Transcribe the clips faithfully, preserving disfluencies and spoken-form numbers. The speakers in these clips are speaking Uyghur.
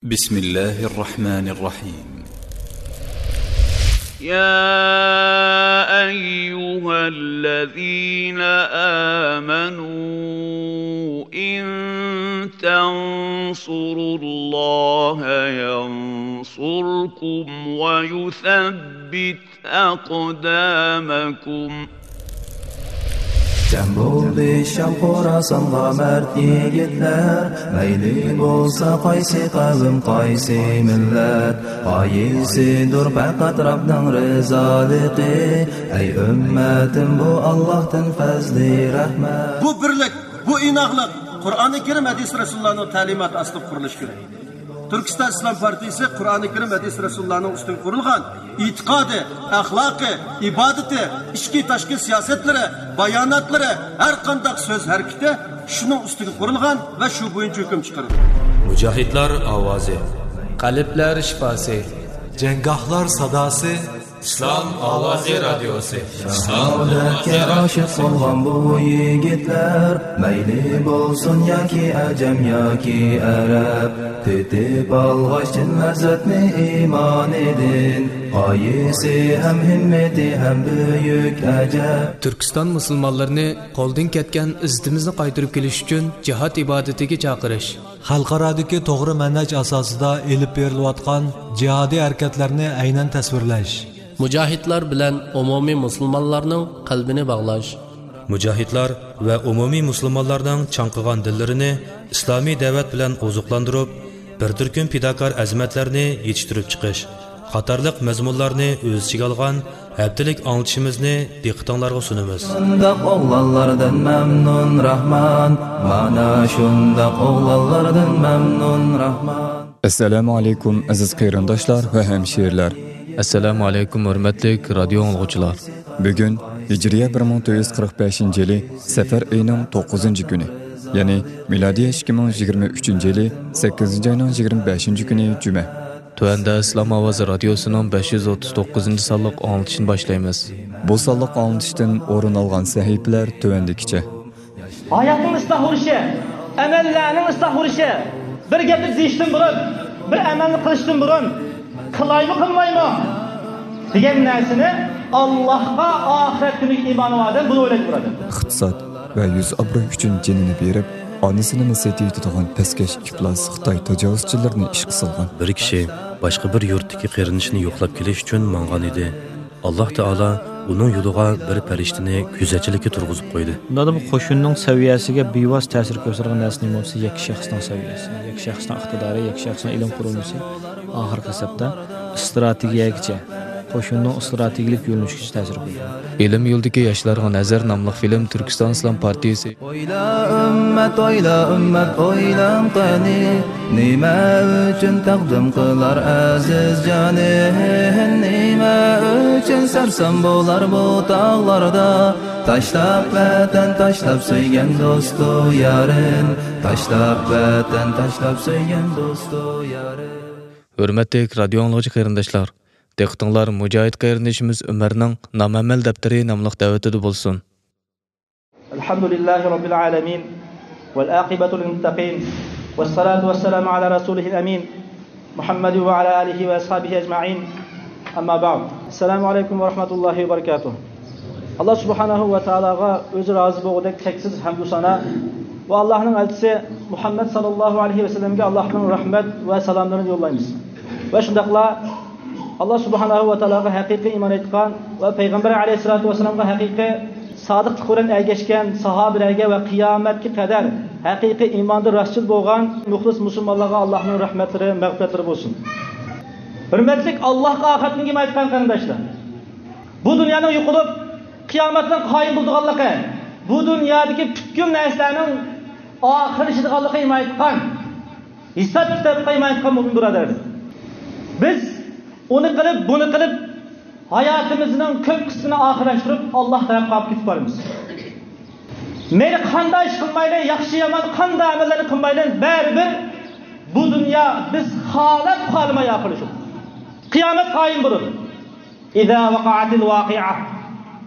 بسم الله الرحمن الرحيم. يا أيها الذين آمنوا إن تنصروا الله ينصركم ويثبت أقدامكم. جەم بولدى شام خوراسانغا مەرد يىگىتلەر، مەيلى بولسا قايسى قەۋم، قايسى مىللەت، غايىسىدۇر پەقەت رەبنىڭ رىزالىقى. ئەي ئۈممەتىم، بۇ ئاللاھتىن پەزلى رەھمەت. بۇ بىرلىك، بۇ ئىناقلىق قۇرئانى كەرىم، ھەدىس رەسۇلۇللانىڭ تەلىماتى ئاستىدا قۇرۇلۇشى كېرەك. تۈركىستان ئىسلام پارتىيىسى قۇرئانى كەرىم، ھەدىس رەسۇلۇللانىڭ ئۈستىگە قۇرۇلغان ئېتىقادى، ئەخلاقى، ئىبادىتى، ئىچكى تاشقى سىياسەتلىرى، باياناتلىرى، ھەر قانداق سۆز ھەرىكىتى شۇنىڭ ئۈستىگە قۇرۇلغان ۋە شۇ بويىچە ھۆكۈم چىقىرىدۇ. مۇجاھىدلار ئاۋازى. قەلبلەر شىپاسى. جەڭگاھلار ساداسى. ئىسلام ئاۋازى رادىيوسى. شاھادەتكە ئاشىق بولغان بۇ يىگىتلەر، مەيلى بولسۇن ياكى ئەجەم ياكى ئەرەب، تېتىپ ئالغاچ چىن لەززەتنى ئىمانىدىن، غايىسى ھەم ھىممىتى ھەم بۈيۈك ئەجەب. تۈركىستان مۇسۇلمانلىرىنى قولدىن كەتكەن ئىززىتىمىزنى قايتۇرۇپ كېلىش ئۈچۈن جىھاد ئىبادىتىگە چاقىرىش. خەلقئارادىكى توغرا مەنھەج ئاساسىدا ئېلىپ بېرىلىۋاتقان جىھادىي ھەرىكەتلەرنى ئەينەن تەسۋىرلەش. مۇجاھىدلار بىلەن ئومۇمىي مۇسۇلمانلارنىڭ قەلبىنى باغلاش. مۇجاھىدلار ۋە ئومۇمىي مۇسۇلمانلارنىڭ چاڭقىغان دىللىرىنى ئىسلامىي دەۋەت بىلەن ئوزۇقلاندۇرۇپ، بىر تۈركۈم پىداكار ئەزىمەتلەرنى يېتىشتۈرۈپ چىقىش قاتارلىق مەزمۇنلارنى ئۆز ئىچىگە ئالغان ھەپتىلىك ئاڭلىتىشىمىزنى دىققىتىڭلارغا سۇنىمىز. شۇنداق ئوغلانلاردىن مەمنۇن راھمان، مانا شۇنداق ئوغلانلاردىن مەمنۇن راھمان. ئەسسالامۇ ئەلەيكۇم، ئەزىز قېرىنداشلار ۋە ھەمشىرىلەر. ئەسسالامۇ ئەلەيكۇم، ھۆرمەتلىك رادىيو ئاڭلىغۇچىلار. بۈگۈن ھىجرىيە بىر مىڭ تۆت يۈز قىرىق بەشىنچى يىلى سەپەر ئېيىنىڭ توققۇزىنچى كۈنى، يەنى مىلادىيە ئىككى مىڭ يىگىرمە ئۈچىنچى يىلى سەككىزىنچى ئاينىڭ يىگىرمە بەشىنچى كۈنى جۈمە. تۆۋەندە ئىسلام ئاۋازى رادىيوسىنىڭ بەش يۈز ئوتتۇز توققۇزىنچى سانلىق ئاڭلىتىشىنى باشلايمىز. بۇ سانلىق ئاڭلىتىشتىن ئورۇن ئالغان سەھىپىلەر تۆۋەندىكىچە. ھاياتنىڭ ئىسلاھ بولۇشى، ئەمەللەرنىڭ ئىسلاھ بولۇشى، بىر گەپنى دېيىشتىن بۇرۇن، بىر ئەمەلنى قىلىشتىن بۇرۇن، قىلايمۇ قىلمايمۇ دېگەن نەرسىنى، ئاللاھقا، ئاخىرەت كۈنىگە ئىمانى بار ئادەم بۇنى ئويلايدۇ، بۇرادەر. ئىقتىساد ۋە يۈز ئابرۇي ئۈچۈن جېنىنى بېرىپ، ئانىسىنىمۇ سېتىۋېتىدىغان پەسكەش ئىپلاس خىتاي تاجاۋۇزچىلىرىنى ئىشقا سالغان. بىر كىشى باشقا بىر يۇرتتىكى قېرىندىشىنى يوقلاپ كېلىش ئۈچۈن ماڭغان ئىدى. ئاللاھ تائالا ئۇنىڭ يولىغا بىر پەرىشتىنى كۆزەتچىلىككە تۇرغۇزۇپ قويدى. مۇنداقتا بۇ قوشۇننىڭ سەۋىيەسىگە بىۋاسىتە تەسىر كۆرسىتىدىغان نەرسە نېمە بولسا، يەككە شەخسنىڭ سەۋىيەسى، يەككە شەخسنىڭ ئىقتىدارى، يەككە شەخسنىڭ ئىلىم قۇرۇلمىسى، ئاخىرقى ھېسابتا ئىستراتېگىيەگىچە، قوشۇننىڭ ئىستراتېگىيەلىك يۆنىلىشىگىچە تەسىر قىلىدۇ. ئىلىم يولىدىكى ياشلارغا نەزەر ناملىق فىلىم تۈركىستان ئىسلام پارتىيىسى. ئويلا ئۈممەت، ئويلا ئۈممەت، ئويلاڭ قېنى، نېمە ئۈچۈن تەقدىم قىلار ئەزىز جانى؟ نېمە ئۈچۈن سەرسان بولار بۇ تاغلاردا؟ تاشلاپ ۋەتەن، تاشلاپ سۆيگەن دوستۇ يارىن، تاشلاپ ۋەتەن، تاشلاپ سۆيگەن دوستۇ يارىن. ھۆرمەتلىك رادىيو ئاڭلىغۇچى قېرىنداشلار، دىققىتىڭلار مۇجاھىد قېرىندىشىمىز ئۆمەرنىڭ نامەمەل دەپتىرى ناملىق دەۋىتىدە بولسۇن. الحمد لله رب العالمين، والعاقبة للمتقين، والصلاة والسلام على رسوله الأمين، محمد وعلى آله وأصحابه أجمعين. أما بعد. السلام عليكم ورحمة الله وبركاته. ئاللاھ سۇبھانەھۇ ۋە تائالاغا ئۆزى رازى بولغۇدەك چەكسىز ھەمدۇ سانا ۋە ئاللاھنىڭ ئەلچىسى مۇھەممەد ساللاللاھۇ ئەلەيھى ۋەسەللەمگە ئاللاھنىڭ رەھمەت ۋە سالاملىرىنى يوللايمىز. ۋە شۇنداقلا ئاللاھ سۇبھانەھۇ ۋە تائالاغا ھەقىقىي ئىمان ئېيتقان ۋە پەيغەمبەر ئەلەيھىسسالاتۇ ۋەسسالامغا ھەقىقىي سادىقلىق بىلەن ئەگەشكەن ساھابىلەرگە ۋە قىيامەتكە قەدەر ھەقىقىي ئىماندا راستچىل بولغان مۇخلىس مۇسۇلمانلارغا ئاللاھنىڭ رەھمەتلىرى، مەغپىرەتلىرى بولسۇن. ھۆرمەتلىك ئاللاھقا ئاخىرەتنى ئىمان ئېيتقان قېرىنداشلار، بۇ دۇنيانىڭ يوقىلىپ، قىيامەتنىڭ قايىم بولىدىغانلىقى، بۇ دۇنيادىكى پۈتكۈل نەرسىلەرنىڭ ئاخىرلىشىدىغانلىقىغا ئىمان ئېيتقان، ھېساب-كىتابقا ئىمان ئېيتقان مۆمىن بۇرادەرلەر. بىز ئۇنى قىلىپ، بۇنى قىلىپ، ھاياتىمىزنىڭ كۆپ قىسمىنى ئاخىرلاشتۇرۇپ، ئاللاھ تەرەپكە ئاپىرىپ كېتىپ بارىمىز. مەيلى قانداق ئىش قىلمايلى، ياخشى-يامان قانداق ئەمەللەرنى قىلمايلى، بەرىبىر بۇ دۇنيا بىز خالاپ خالىماي ئاخىرلىشىدۇ. قىيامەت قايىم بولىدۇ. إذا وقعت الواقعة.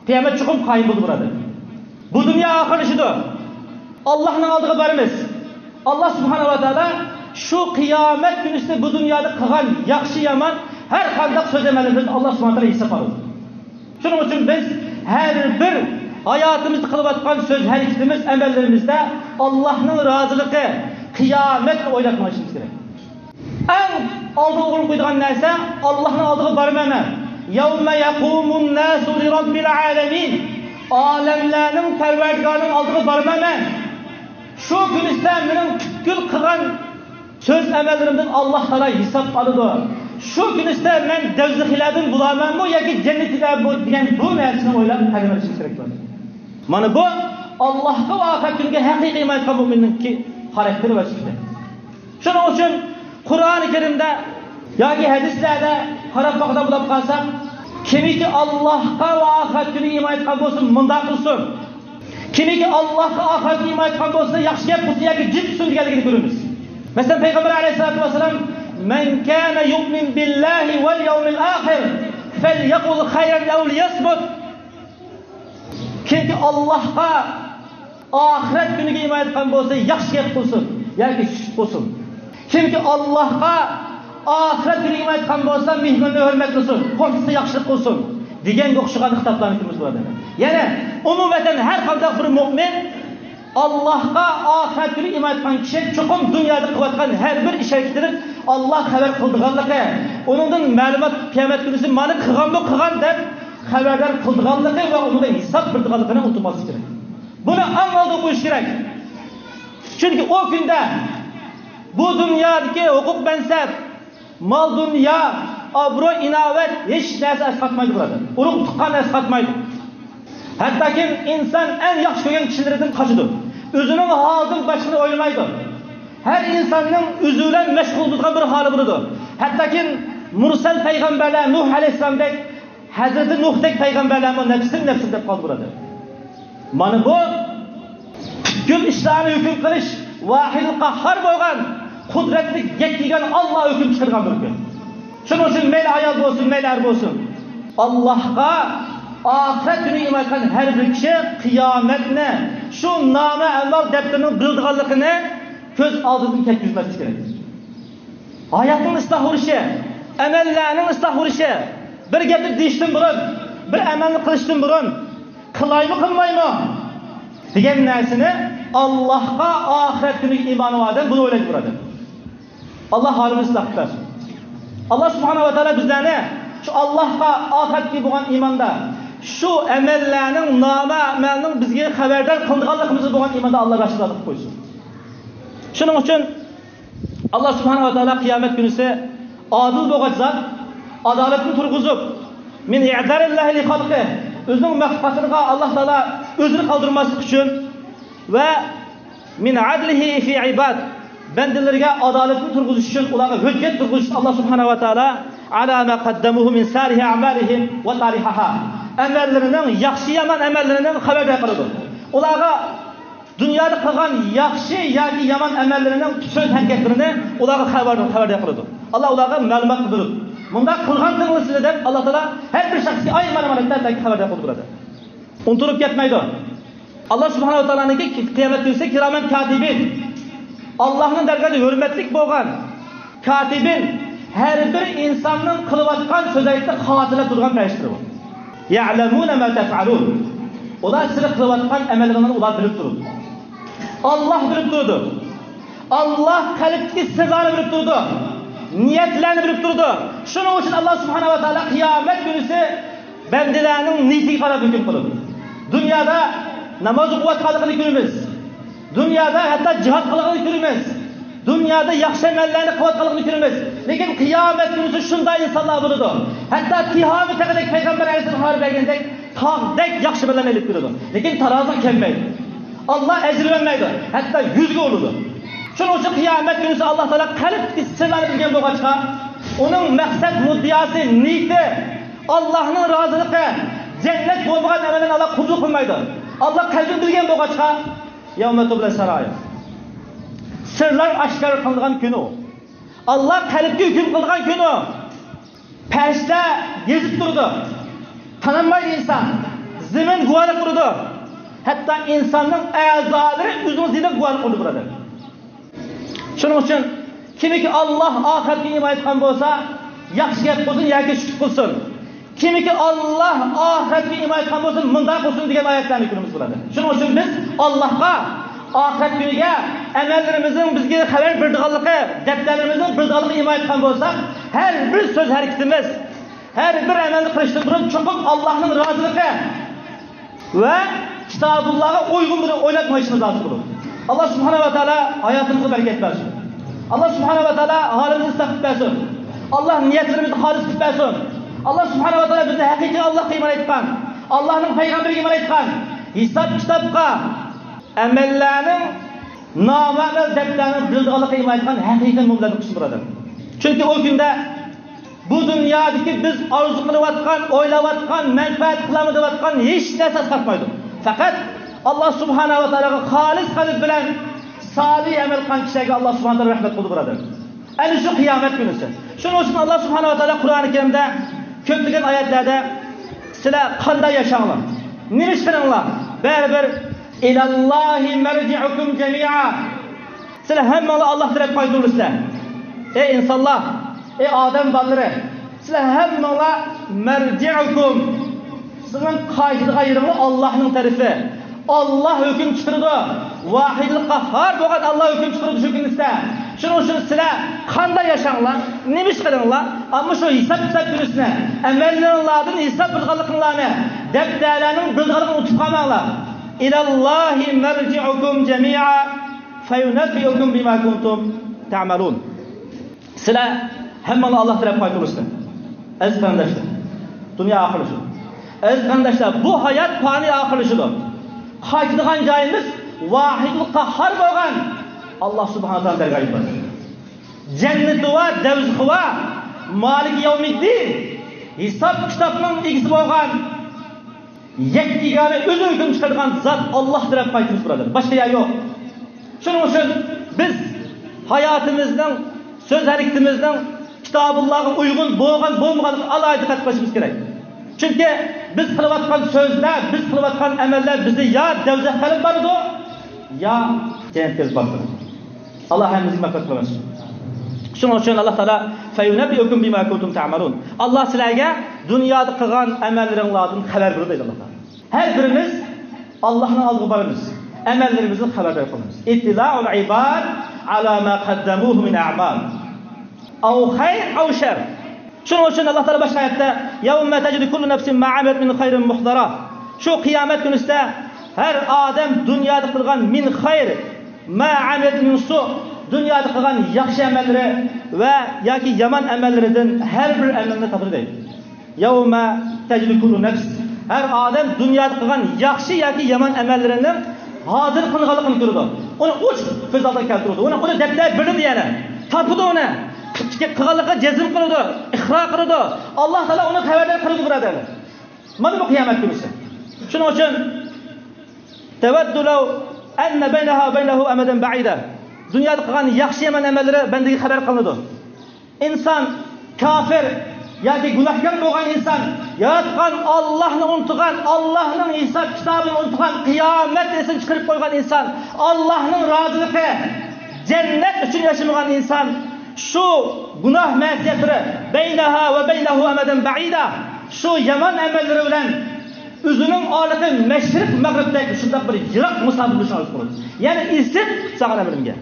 قىيامەت چوقۇم قايىم بولىدۇ، بۇرادەر. بۇ دۇنيا ئاخىرلىشىدۇ. ئاللاھنىڭ ئالدىغا بارىمىز. ئاللاھ سۇبھانەھۇ ۋە تائالا شۇ قىيامەت كۈنىسىدە بۇ دۇنيادا قىلغان ياخشى-يامان ھەر قانداق سۆز-ئەمەللىرىمىزنى ئاللا سۇبھانەھۇ ۋە تائالا ھېساب ئالىدۇ. شۇنىڭ ئۈچۈن بىز ھەر بىر ھاياتىمىزدا قىلىۋاتقان سۆز-ھەرىكىتىمىز، ئەمەللىرىمىزدە ئاللانىڭ رازىلىقى، قىيامەتنى ئويلاپ مېڭىشىمىز كېرەك. ئەڭ ئالدىغا ئورۇن قويىدىغان نەرسە، ئاللانىڭ ئالدىغا بارىمەن مەن. يَوْمَ يَقُومُ النَّاسُ لِرَبِّ الْعَالَمِينَ. ئالەملەرنىڭ پەرۋەردىگارىنىڭ ئالدىغا بارىمەن مەن. شۇ كۈنىسىدە مېنىڭ پۈتكۈل قىلغان سۆز-ئەمەللىرىمدىن ئاللا تائالا ھېساب ئالىدۇ. شۇ كۈنىسىدە مەن دوزىخىيلاردىن بولارمەنمۇ ياكى جەننەتچىلەرمۇ دېگەن بۇ نەرسىنى ئويلاپ قەدەم بېسىشىمىز كېرەك بولىدۇ. مانا بۇ ئاللاغا ۋە ئاخىرەت كۈنىگە ھەقىقىي ئىمان ئېيتقان مۆمىننىڭكى خاراكتېرى ۋە سۈپىتى. شۇنىڭ ئۈچۈن قۇرئانى كەرىمدە ياكى ھەدىسلەردە قاراپ باقىدىغان بولۇپ قالساق، كىمكى ئاللاغا ۋە ئاخىرەت كۈنىگە ئىمان ئېيتقان بولسا، مۇنداق قىلسۇن. كىمكى ئاللاغا، ئاخىرەتكە ئىمان ئېيتقان بولسا، ياخشى گەپ قىلسۇن ياكى جىم تۇرسۇن دېگەنلىكىنى كۆرىمىز. مەسىلەن، پەيغەمبەر ئەلەيھىسسالاتۇ ۋەسسالام، مَنْ كَانَ يُؤْمِنُ بِاللَّهِ وَالْيَوْمِ الْآخِرِ فَلْيَقُلْ خَيْرًا أَوْ لِيَصْمُتْ. كىمكى ئاللاغا، ئاخىرەت كۈنىگە ئىمان ئېيتقان بولسا، ياخشى گەپ قىلسۇن ياكى سۈكۈت قىلسۇن. كىمكى ئاللاغا، ئاخىرەت كۈنىگە ئىمان ئېيتقان بولسا، مېھماننى ھۆرمەتلىسۇن، قوشنىسىغا ياخشىلىق قىلسۇن دېگەنگە ئوخشىغان خىتابلارنى كۆرىمىز بۇ ئادەمدە. يەنى ئومۇمەن ھەر قانداق بىر مۆمىن ئاللاغا، ئاخىرەت كۈنىگە ئىمان ئېيتقان كىشى چوقۇم دۇنيادا قىلىۋاتقان ھەر بىر ئىش ھەرىكىتىدىن ئاللا خەۋەر قىلىدىغانلىقى، ئۇنىڭدىن مەلۇمات قىيامەت كۈنىسى مانا قىلغانمۇ قىلغان دەپ خەۋەردار قىلىدىغانلىقى ۋە ئۇنىڭدىن ھېساب بېرىدىغانلىقىنى ئۇنتۇماسلىق كېرەك. بۇنى ئەڭ ئالدىغا قويۇش كېرەك. چۈنكى ئۇ كۈندە بۇ دۇنيادىكى ھوقۇق-مەنسەپ، مال-دۇنيا، ئابرۇي-ئىناۋەت ھېچ نەرسە ئەسقاتمايدۇ، بۇرادەر. ئۇرۇق-تۇغقان ئەسقاتمايدۇ. ھەتتاكى ئىنسان ئەڭ ياخشى كۆرگەن كىشىلىرىدىن قاچىدۇ. ئۆزىنىڭ ھالىدىن باشقىنى ئويلىمايدۇ. ھەر ئىنساننىڭ ئۆزى بىلەن مەشغۇل بولىدىغان بىر ھالى بولىدۇ. ھەتتاكى مۇرسەل پەيغەمبەرلەر، نۇھ ئەلەيھىسسالامدەك، ھەزرىتى نۇھتەك پەيغەمبەرلەرمۇ نەپسىم، نەپسىم دەپ قالدى، بۇرادەر. مانا بۇ پۈتكۈل ئىشلارنى ھۆكۈم قىلىش ۋاھىدىل قاھھار بولغان، قۇدرەتلىك يەككە يېگانە ئاللا ھۆكۈم چىقىرغان بىر كۈن. شۇنىڭ ئۈچۈن مەيلى ئايال بولسۇن، مەيلى ئەر بولسۇن، ئاللاغا، ئاخىرەت كۈنىگە ئىمان ئېيتقان ھەر بىر كىشى قىيامەتنى، شۇ نامە ئەمەل دەپتىرىنىڭ بىلىدىغانلىقىنى كۆز ئالدىدىن كەتكۈزمەسلىك كېرەك. ھاياتنىڭ ئىسلاھ بولۇشى، ئەمەللەرنىڭ ئىسلاھ بولۇشى، بىر گەپنى دېيىشتىن بۇرۇن، بىر ئەمەلنى قىلىشتىن بۇرۇن، قىلايمۇ، قىلمايمۇ دېگەن نەرسىنى ئاللاھقا، ئاخىرەت كۈنىگە ئىمانى بار ئادەم بۇنى ئويلايدۇ، بۇرادەر. ئاللاھ ھالىمىزنى ئىسلاھ قىلىپ بەرسۇن. ئاللاھ سۇبھانەھۇ ۋە تائالا بىزلەرنى شۇ ئاللاھقا، ئاخىرەتكە بولغان ئىماندا، شۇ ئەمەللەرنىڭ، نامە ئەمەلنىڭ بىزگە خەۋەردار قىلىنىدىغانلىقىمىزغا بولغان ئىماندا ئاللاھ رازى قىلىپ قويسۇن. شۇنىڭ ئۈچۈن ئاللاھ سۇبھانەھۇ ۋە تائالا قىيامەت كۈنىسى ئادىل بولغاچ زات، ئادالەتنى تۇرغۇزۇپ، مىن ئىئزارىللاھى لىخەلقىھ، ئۆزىنىڭ مەخلۇقاتلىرىغا ئاللاھ تائالا ئۆزىنى قالدۇرماسلىق ئۈچۈن ۋە مىن ئەدلىھى فى ئىباد، بەندىلىرىگە ئادالەتنى تۇرغۇزۇش ئۈچۈن، ئۇلارغا ھۆججەت تۇرغۇزۇش ئۈچۈن ئاللاھ سۇبھانەھۇ ۋە تائالا ئەلا ما قەددەمۇھۇ مىن سالىھى ئەمالىھىم ۋە تالىھەھا، ئەمەللىرىنىڭ، ياخشى يامان ئەمەللىرىنىڭ خەۋەردار قىلىدۇ. ئۇلارغا دۇنيادا قىلغان ياخشى ياكى يامان ئەمەللىرىنىڭ سۆز ھەرىكەتلىرىنى ئۇلارغا خەۋەر، خەۋەردار قىلىدۇ. ئاللاھ ئۇلارغا مەلۇمات بىلدۈرىدۇ. مۇنداق قىلغانتىڭلار سىلەر دەپ ئاللاھ تائالا ھەر بىر شەخسكە ئايرىم ئامانەتلەر بەلكى خەۋەردار قىلىدۇ، بۇرادەر. ئۇنتۇلۇپ كەتمەيدۇ. ئاللاھ سۇبھانەھۇ ۋە تائالانىڭكى قىيامەت كۈنىسى كىرامەن كاتىبىن، ئاللاھنىڭ دەرگاھىدا ھۆرمەتلىك بولغان كاتىبىن، ھەر بىر ئىنساننىڭ قىلىۋاتقان سۆز ھەرىكىتىنى خاتىرىلەپ تۇرىدىغان پەرىشتىلەر بۇ. يەئلەمۇنە ما تەفئەلۇن. ئۇلار سىلەر قىلىۋاتقان ئەمەللىرىڭلارنى ئۇلار بىلىپ تۇرىدۇ. ئاللاھ بىلىپ تۇرىدۇ. ئاللاھ قەلبتىكى سىرلارنى بىلىپ تۇرىدۇ. نىيەتلەرنى بىلىپ تۇرىدۇ. شۇنىڭ ئۈچۈن ئاللاھ سۇبھانەھۇ ۋە تائالا قىيامەت كۈنىسى بەندىلەرنىڭ نىيىتىگە قاراپ ھۆكۈم قىلىدۇ. دۇنيادا ناماز ئوقۇۋاتقانلىقىنى كۆرىمىز. دۇنيادا ھەتتا جىھاد قىلغانلىقىنى كۆرىمىز. دۇنيادا ياخشى ئەمەللەرنى قىلىۋاتقانلىقىنى كۆرىمىز. لېكىن قىيامەت كۈنىسى شۇنداق ئىنسانلار بولىدۇ. ھەتتا تىھامە تېغىدەك پەيغەمبەر ئەلەيھىسسالام خەۋەر بەرگەندەك تاغدەك ياخشى ئەمەللەرنى ئېلىپ كېلىدۇ. لېكىن تارازىغا كەلمەيدۇ. ئاللاھ ئەجىر بەرمەيدۇ. ھەتتا يۈزگە ئۇرىدۇ. شۇنىڭ ئۈچۈن قىيامەت كۈنىسى ئاللاھ تائالا قەلبتىكى سىرلارنى بىلگەن بولغاچقا، ئۇنىڭ مەقسەت مۇددىئاسى، نىيىتى، ئاللاھنىڭ رازىلىقى، جەننەت بولمىغان ئەمەللەرنى ئاللاھ قوبۇل قىلمايدۇ. ئاللاھ قەلبىنى بىلگەن بولغاچقا، يەۋمە تۇبلەس سەرائىر. سىرلار ئاشكارا قىلىنغان كۈنى ئۇ. ئاللاھ قەلبكە ھۆكۈم قىلىدىغان كۈنى ئۇ. پەرىشتىلەر يېزىپ تۇرىدۇ. تانالمايدۇ ئىنسان. زېمىن گۇۋاھلىق تۇرىدۇ. ھەتتا ئىنساننىڭ ئەزالىرى ئۆزىنىڭ زېمىن گۇۋاھلىق تۇرىدۇ، بۇرادەر. شۇنىڭ ئۈچۈن كىمكى ئاللاھ ئاخىرەتكە ئىمان ئېيتقان بولسا، ياخشى گەپ قىلسۇن ياكى شۈكۈر قىلسۇن. كىمكى ئاللاھ ئاخىرەتكە ئىمان ئېيتقان بولسا، مۇنداق قىلسۇن دېگەن ئايەتلەرنى كۆرىمىز بۇلاردا. شۇنىڭ ئۈچۈن بىز ئاللاھقا، ئاخىرەت كۈنىگە، ئەمەللىرىمىزنىڭ بىزگە خەۋەر بېرىدىغانلىقى، دەپتەرلىرىمىزنىڭ بېرىدىغانلىقىغا ئىمان ئېيتقان بولساق، ھەر بىر سۆز ھەرىكىتىمىز، ھەر بىر ئەمەلنى قىلىشتىن بۇرۇن چوقۇم ئاللاھنىڭ رازىلىقى ۋە كىتابۇللاغا ئۇيغۇن بىر ئويلاپ مېڭىشىمىز لازىم بولىدۇ. ئاللاھ سۇبھانەھۇ ۋە تائالا ھاياتىمىزغا بەرىكەت بەرسۇن. ئاللاھ سۇبھانەھۇ ۋە تائالا ھالىمىزنى ئىسلاھ قىلىپ بەرسۇن. ئاللاھ نىيەتلىرىمىزنى خالىس قىلىپ بەرسۇن. ئاللاھ سۇبھانەھۇ ۋە تائالا بىزنى ھەقىقىي ئاللاھقا ئىمان ئېيتقان، ئاللاھنىڭ پەيغەمبىرىگە ئىمان ئېيتقان، ھېساب كىتابقا، ئەمەللەرنىڭ، نامە ئەمەل دەپتەرنىڭ بىلىدىغانلىقىغا ئىمان ئېيتقان ھەقىقىي مۆمىنلەردىن قىلسۇن، بۇرادەر. چۈنكى ئۇ كۈندە بۇ دۇنيادىكى بىز ئارزۇ قىلىۋاتقان، ئويلاۋاتقان، مەنپەئەت قىلالمايۋاتقان ھېچ نەرسە ئەسقاتمايدۇ. پەقەت ئاللاھ سۇبھانەھۇ ۋە تائالاغا خالىس قەلب بىلەن سالىھ ئەمەل قىلغان كىشىلەرگە ئاللاھ سۇبھانەھۇ ۋە تائالا رەھمەت قىلىدۇ، بۇرادەر. ئەنە شۇ قىيامەت كۈنىسى. شۇنىڭ ئۈچۈن ئاللاھ سۇبھانەھۇ ۋە تائالا قۇرئانى كەرىمدە كۆپلىگەن ئايەتلەردە، سىلەر قانداق ياشاڭلار، نېمە ئىش قىلىڭلار، بەرىبىر ئىلەللاھى مەرجىئۇكۇم جەمىئا. سىلەر ھەممىڭلار ئاللاھ تەرەپكە قايتۇرۇلىسىلەر. ئەي ئىنسانلار، ئەي ئادەم بالىلىرى، سىلەر ھەممىڭلار مەرجىئۇكۇم، سىزنىڭ قايتىدىغان يېرىڭلار ئاللاھنىڭ تەرىپى. ئاللاھ ھۆكۈم چىقىرىدۇ. ۋاھىدۇل قاھھار بولغان ئاللاھ ھۆكۈم چىقىرىدۇ شۇ كۈنىسىدە. شۇنىڭ ئۈچۈن سىلەر قانداق ياشاڭلار، نېمە ئىش قىلىڭلار، ئەمما شۇ ھېساب كىتاب كۈنىسىنى، ئەمەللىرىڭلاردىن ھېساب بېرىدىغانلىقىڭلارنى، دەپتەرلەرنىڭ بېرىدىغانلىقىنى ئۇنتۇپ قالماڭلار. ئىلەللاھى مەرجىئۇكۇم جەمىئا فەيۇنەببىئۇكۇم بىما كۇنتۇم تەئمەلۇن. سىلەر ھەممىڭلار ئاللاھ تەرەپكە قايتۇرۇلىسىلەر. ئەزىز قېرىنداشلار، دۇنيا ئاخىرلىشىدۇ. ئەزىز قېرىنداشلار، بۇ ھايات پانىي، ئاخىرلىشىدۇ. قايتىدىغان جايىمىز ۋاھىدۇل قاھھار بولغان ئاللاھ سۇبھانەھۇ ۋە تائالا دەرگاھىدا. جەننىتى بار، دەۋزىخى بار، مالىكى يەۋمىددىن، ھېساب كىتابنىڭ ئىگىسى بولغان يەككە يېگانە، ئۆزى ھۆكۈم چىقىرىدىغان زات ئاللاھ تەرەپكە قايتىمىز، بۇرادەر. باشقا يەر يوق. شۇنىڭ ئۈچۈن بىز ھاياتىمىزنىڭ، سۆز ھەرىكىتىمىزنىڭ كىتابۇللاغا ئۇيغۇن بولغان، بولمىغانلىقىغا ئالاھىدە دىققەت قىلىشىمىز كېرەك. چۈنكى بىز قىلىۋاتقان سۆزلەر، بىز قىلىۋاتقان ئەمەللەر بىزنى يا دەۋزەخكە ئېلىپ بارىدۇ، يا جەننەتكە ئېلىپ بارىدۇ. ئاللاھ ھەممىمىزگە مەغپىرەت قىلغايسۇن. شۇنىڭ ئۈچۈن ئاللاھ تائالا فەيۇنەببىئۇكۇم بىما كۇنتۇم تەئمەلۇن. ئاللاھ سىلەرگە دۇنيادا قىلغان ئەمەللىرىڭلاردىن خەۋەر بېرىدۇ دەيدۇ ئاللاھ تائالا. ھەر بىرىمىز ئاللاھنىڭ ئالدىغا بارىمىز. ئەمەللىرىمىزدىن خەۋەردار قىلىنىمىز. ئىتتىلاءۇل ئىباد ئالا ما قەددەمۇھۇ مىن ئەمال. ئەۋ خەير ئەۋ شەر. شۇنىڭ ئۈچۈن ئاللاھ تائالا باشقا ئايەتتە، يَوْمَ تَجِدُ كُلُّ نَفْسٍ مَا عَمِلَتْ مِنْ خَيْرٍ مُحْضَرًا. شۇ قىيامەت كۈنىسىدە ھەر ئادەم دۇنيادا قىلغان مىن خەير، مَا عَمِلَتْ مِنْ سُوءٍ، دۇنيادا قىلغان ياخشى ئەمەللىرى ۋە ياكى يامان ئەمەللىرىدىن ھەر بىر ئەمەلنى تاپىدۇ دەيدۇ. يَوْمَ تَجِدُ كُلُّ نَفْسٍ. ھەر ئادەم دۇنيادا قىلغان ياخشى ياكى يامان ئەمەللىرىنىڭ ھازىر قىلغانلىقىنى كۆرىدۇ. ئۇنى ئوچۇق كۆز ئالدىغا كەلتۈرىدۇ. ئۇنى، ئۇنى دەپتەر بېرىدۇ يەنە. تاپىدۇ ئۇنى. قىلغانلىقىغا جەزم قىلىدۇ، ئىقرار قىلىدۇ. ئاللاھ تائالا ئۇنى خەۋەردار قىلىدۇ، بۇرادەرلەر. مانا بۇ قىيامەت كۈنىسى. شۇنىڭ ئۈچۈن تەۋەددۇ لەۋ ئەننە بەينەھا ۋە بەينەھۇ ئەمەدەن بەئىدە. دۇنيادا قىلغان ياخشى يامان ئەمەللىرى بەندىگە خەۋەر قىلىنىدۇ. ئىنسان كاپىر ياكى گۇناھكار بولغان ئىنسان، ياراتقان ئاللاھنى ئۇنتۇغان، ئاللاھنىڭ ھېساب كىتابىنى ئۇنتۇغان، قىيامەت ئېسىنى چىقىرىپ قويغان ئىنسان، ئاللاھنىڭ رازىلىقى، جەننەت ئۈچۈن ياشىمىغان ئىنسان، شۇ گۇناھ مەسىيەتلىرى بەينەھا ۋە بەينەھۇ ئەمەدەن بەئىدا، شۇ يامان ئەمەللىرى بىلەن ئۆزىنىڭ ئارىلىقى مەشرىق مەغرىبتەك شۇنداق بىر يىراق مۇساپە بولۇشىنى ئارزۇ قىلىدۇ. يەنى ئېسىپ ساغان ئەمىلىمگە.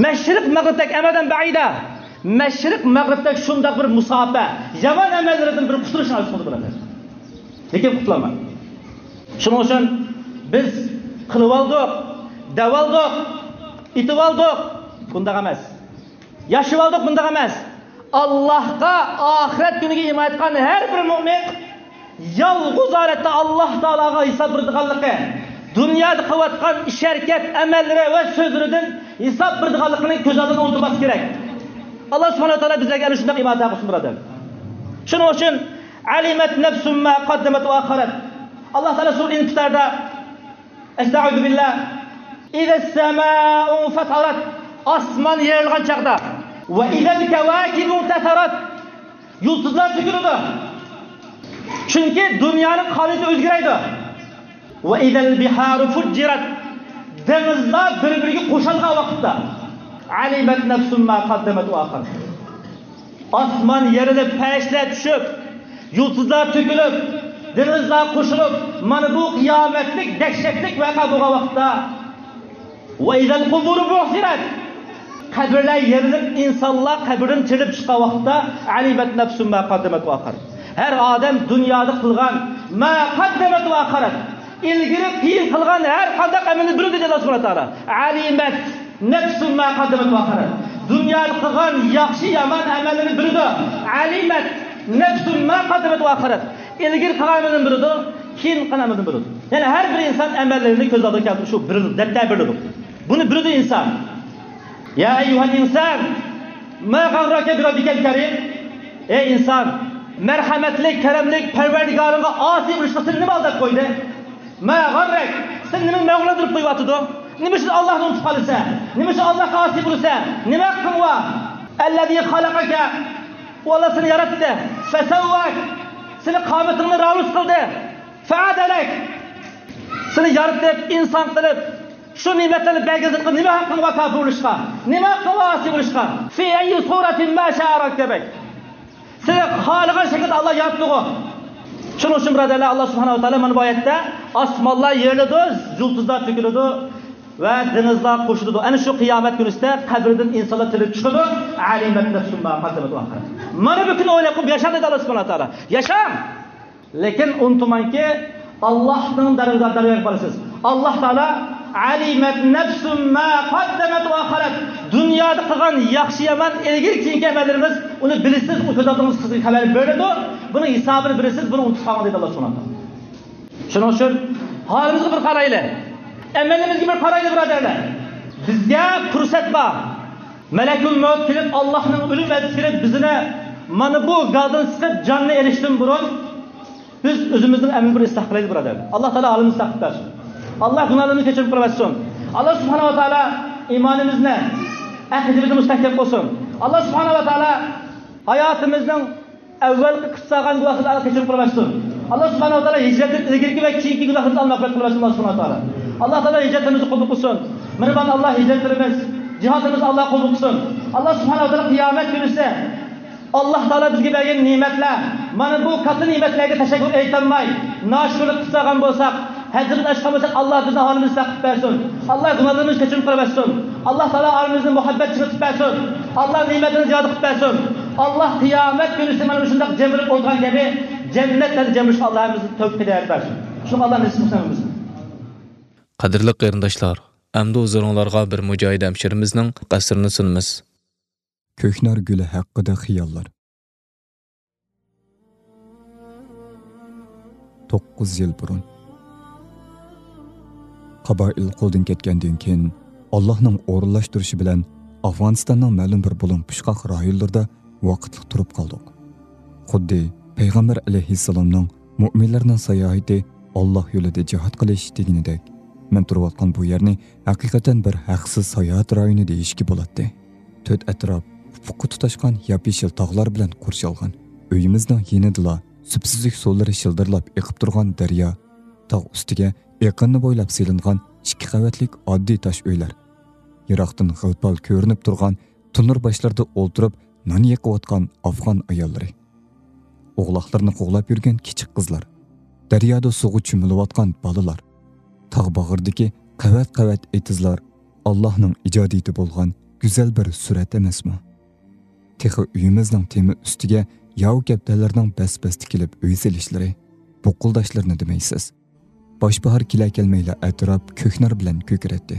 مەشرىق مەغرىبتەك ئەمەدەن بەئىدا. مەشرىق مەغرىبتەك شۇنداق بىر مۇساپە، يامان ئەمەللىرىدىن بىر قۇتۇلۇشنى ئارزۇ قىلىدۇ، بۇرادەر. لېكىن قۇتۇلالمايدۇ. شۇنىڭ ئۈچۈن بىز قىلىۋالدۇق، دەۋالدۇق، ئېتىۋالدۇق، بۇنداق ئەمەس. ياشىۋالدۇق، بۇنداق ئەمەس. ئاللاھقا، ئاخىرەت كۈنىگە ئىمان ئېيتقان ھەر بىر مۆمىن يالغۇز ھالەتتە ئاللاھ تائالاغا ھېساب بېرىدىغانلىقى، دۇنيادا قىلىۋاتقان ئىش-ھەرىكەت، ئەمەللىرى ۋە سۆزلىرىدىن ھېساب بېرىدىغانلىقىنى كۆز ئالدىدا ئولتۇرماسلىق كېرەك. ئاللاھ سۇبھانەھۇ ۋە تائالا بىزلەرگە ئەنە شۇنداق ئىمان ئاتا قىلسۇن، بۇرادەر. شۇنىڭ ئۈچۈن، عَلِمَتْ نَفْسٌ مَا قَدَّمَتْ وَأَخَّرَتْ. ئاللاھ تائالا سۈرە ئىنفىتاردا، ئەستەئۇزۇبىللاھ، إِذَا السَّمَاءُ انْفَطَرَتْ، ئاسمان يېرىلغان چاغدا، وَإِذَا الْكَوَاكِبُ انْتَثَرَتْ، يۇلتۇزلار تۆكۈلىدۇ. چۈنكى دۇنيانىڭ قانۇنىيىتى ئۆزگىرەيدۇ. وَإِذَا الْبِحَارُ فُجِّرَتْ، دېڭىزلار بىر-بىرىگە قوشۇلغان ۋاقىتتا، علمت نفس ما قدمت وأخرت. ئاسمان يېرىلىپ، پەرىشتىلەر چۈشۈپ، يۇلتۇزلار تۆكۈلۈپ، دېڭىزلار قوشۇلۇپ، مانا بۇ قىيامەتلىك دەھشەتلىك ۋەقە بولغان ۋاقىتتا، وإذا القبور بعثرت، قەبرىلەر يېرىلىپ، ئىنسانلار قەبرىدىن تىرىلىپ چىققان ۋاقىتتا، علمت نفس ما قدمت وأخرت. ھەر ئادەم دۇنيادا قىلغان، ما قدمت وأخرت، ئىلگىرى كېيىن قىلغان ھەر قانداق ئەمەلنى بىلىدۇ، دېدى ئاللا سۇبھانەھۇ ۋە تائالا. علمت نفس ما قدمت وأخرت. دۇنيادا قىلغان ياخشى يامان ئەمەللىرىنى بىلىدۇ. علمت نفس ما قدمت وأخرت. ئىلگىرى قىلغان ئەمەلنى بىلىدۇ، كېيىن قىلغان ئەمەلنى بىلىدۇ. يەنى ھەر بىر ئىنسان ئەمەللىرىنى كۆز ئالدىغا كەلتۈرۈپ، شۇ بىر دەپتەر بىلىدۇ. بۇنى بىلىدۇ ئىنسان. يا أيها الإنسان ما غرك بربك الكريم. ئەي ئىنسان، مەرھەمەتلىك، كەرەملىك پەرۋەردىگارىڭغا ئاسىي بولۇشقا سېنى نېمە ئالداپ قويدى؟ ما غرك، سېنى نېمە مەغرۇرلاندۇرۇپ قويۇۋاتىدۇ؟ نېمە ئۈچۈن ئاللاھنى ئۇنتۇپ قالىسەن؟ نېمە ئۈچۈن ئاللاھقا ئاسىي بولىسەن؟ نېمە ھەققىڭ بار؟ الذي خلقك، ئۇ ئاللا سېنى ياراتتى. فسواك، سېنى قامىتىڭنى راۋۇرۇس قىلدى. فعدلك، سېنى يارىتىپ، ئىنسان قىلىپ، شۇ نېمەتلەرنى بەرگەن زاتقا نېمە ھەققىڭ بار كاپىر بولۇشقا؟ نېمە ھەققىڭ بار ئاسىي بولۇشقا؟ في أي صورة ما شاء ركبك. سېنى خالىغان شەكىلدە ئاللا ياراتتىغۇ. شۇنىڭ ئۈچۈن، بۇرادەرلەر، ئاللا سۇبھانەھۇ ۋە تائالا مانا بۇ ئايەتتە ئاسمانلار يېرىلىدۇ، يۇلتۇزلار تۆكۈلىدۇ ۋە دېڭىزلار قوشۇلىدۇ. ئەنە شۇ قىيامەت كۈنىسىدە قەبرىدىن ئىنسانلار تىرىلىپ چىقىدۇ. علمت نفس ما قدمت وأخرت. مانا بۇ كۈننى ئويلاپ قويۇپ ياشاڭ، دېدى ئاللا سۇبھانەھۇ ۋە تائالا. ياشاڭ! لېكىن ئۇنتۇماڭكى، ئاللاھنىڭ دەرگاھىغا بارىسىز. ئاللا تائالا، علمت نفس ما قدمت وأخرت. دۇنيادا قىلغان ياخشى يامان، ئىلگىرى كېيىنكى ئەمەللىرىمىز، ئۇنى بىلىسىز، ئۇ كۆز ئالدىڭىزغا سىزگە خەۋەر بېرىدۇ. بۇنىڭ ھېسابىنى بىلىسىز، بۇنى ئۇنتۇپ قالماڭ، دېدى ئاللا سۇبھانەھۇ ۋە تائالا. شۇنىڭ ئۈچۈن ھالىمىزغا بىر قارايلى. ئەمەللىرىمىزگە بىر قارايلى، بۇرادەرلەر. بىزگە پۇرسەت بار. مەلەكۇل مەۋت كېلىپ، ئاللاھنىڭ ئۆلۈم ئەلچىسى كېلىپ، بىزنى مانا بۇ گازدىن سىقىپ، جاننى ئېلىشتىن بۇرۇن، بىز ئۆزىمىزنىڭ ئەمەلىنى بىر ئىسلاھ قىلايلى، بۇرادەر. ئاللا تائالا ھالىمىزنى ئىسلاھ قىلىپ بەرسۇن. ئاللا گۇناھلىرىمىزنى كەچۈرۈم قىلىۋەتسۇن. ئاللا سۇبھانەھۇ ۋە تائالا ئىمانىمىزنى، ئەقىدىمىزنى مۇستەھكەم قىلسۇن. ئاللا سۇبھانەھۇ ۋە تائالا ھاياتىمىزنىڭ ئەۋۋەلقى قىلساغان گۇناھلىرىنى ئاللا كەچۈرۈم قىلىۋەتسۇن. ئاللا سۇبھانەھۇ ۋە تائالا ھىجرەتتىن ئىلگىرىكى ۋە كېيىنكى گۇناھلىرىمىزنى ئاللا مەغپىرەت قىلىۋەتسۇن، ئاللا سۇبھانەھۇ ۋە تائالا. ئاللا تائالا ھىجرەتلىرىمىزنى قوبۇل قىلسۇن. مېھرىبان ئاللا، ھىجرەتلىرىمىز، جىھادلىرىمىزنى ئاللا قوبۇل قىلسۇن. ئاللا سۇبھانەھۇ ۋە تائالا قىيامەت كۈنىسى ئاللا تائالا بىزگە بەرگەن نېمەتلەر، مانا بۇ كاتتا نېمەتلەرگە تەشەككۈر ئېيتالماي، ناشۈكۈرلۈك قىلساغان بولساق، ھەجرىدىن ئاشقان بولساق، ئاللا بىزنىڭ ھالىمىزنى ئىسلاھ قىلىپ بەرسۇن. ئاللا گۇناھلىرىمىزنى كەچۈرۈم قىلىۋەتسۇن. ئاللا تائالا ئارىمىزنى مۇھەببەت چىڭىتىپ بەرسۇن. ئاللا نېمەتلىرىنى زىيادە قىلىپ بەرسۇن. ئاللا قىيامەت كۈنىسى مانا مۇشۇنداق جەم بولۇپ ئولتۇرغان كەبى جەننەتلەردە جەم بولۇشقا ئاللا ھەممىمىزنى تەۋپىق ھىدايەت بەرسۇن. شۇڭا ئاللا نېسىپ قىلسۇن ھەممىمىزنى. قەدىرلىك قېرىنداشلار، ئەمدى ھۇزۇرۇڭلارغا بىر مۇجاھىد ھەمشىرىمىزنىڭ قەسرىنى سۇنىمىز. كۆكنار گۈلى ھەققىدە خىياللار. توققۇز يىل بۇرۇن، قابائىل قولدىن كەتكەندىن كېيىن، ئاللاھنىڭ ئورۇنلاشتۇرۇشى بىلەن ئافغانىستاننىڭ مەلۇم بىر بۇلۇڭ پۇچقاق رايونلىرىدا ۋاقىتلىق تۇرۇپ قالدۇق. خۇددى پەيغەمبەر ئەلەيھىسسالامنىڭ مۆمىنلەرنىڭ ساياھىتى ئاللاھ يولىدا جىھاد قىلىش دېگىنىدەك، مەن تۇرۇۋاتقان بۇ يەرنى ھەقىقەتەن بىر ھەقسىز ساياھەت رايونى دېيىشكە بولاتتى. تۆت ئەتراپ ئۇپۇققا تۇتاشقان ياپيېشىل تاغلار بىلەن قورشالغان. ئۆيىمىزنىڭ يېنىدىلا سۈپسۈزۈك سۇلىرى شىلدىرلاپ ئېقىپ تۇرغان دەريا، تاغ ئۈستىگە ئېقىننى بويلاپ سېلىنغان ئىككى قەۋەتلىك ئاددىي تاش ئۆيلەر، يىراقتىن غىل-پال كۆرۈنۈپ تۇرغان تونۇر باشلىرىدا ئولتۇرۇپ نان يېقىۋاتقان ئافغان ئاياللىرى، ئوغلاقلىرىنى قوغلاپ يۈرگەن كىچىك قىزلار، دەريادا سۇغا چۆمۈلۈۋاتقان بالىلار، تاغ باغرىدىكى قەۋەت-قەۋەت ئېتىزلار ئاللاھنىڭ ئىجادىيىتى بولغان گۈزەل بىر سۈرەت ئەمەسمۇ؟ تېخى ئۆيىمىزنىڭ تېمى ئۈستىگە ياۋا كەپتەرلەرنىڭ بەس-بەستە كېلىپ ئۆي سېلىشلىرى، بۇقۇلداشلىرىنى دېمەيسىز. باش-باھار كېلە-كەلمەيلا ئەتراپ كۆكنار بىلەن كۆكىرەتتى.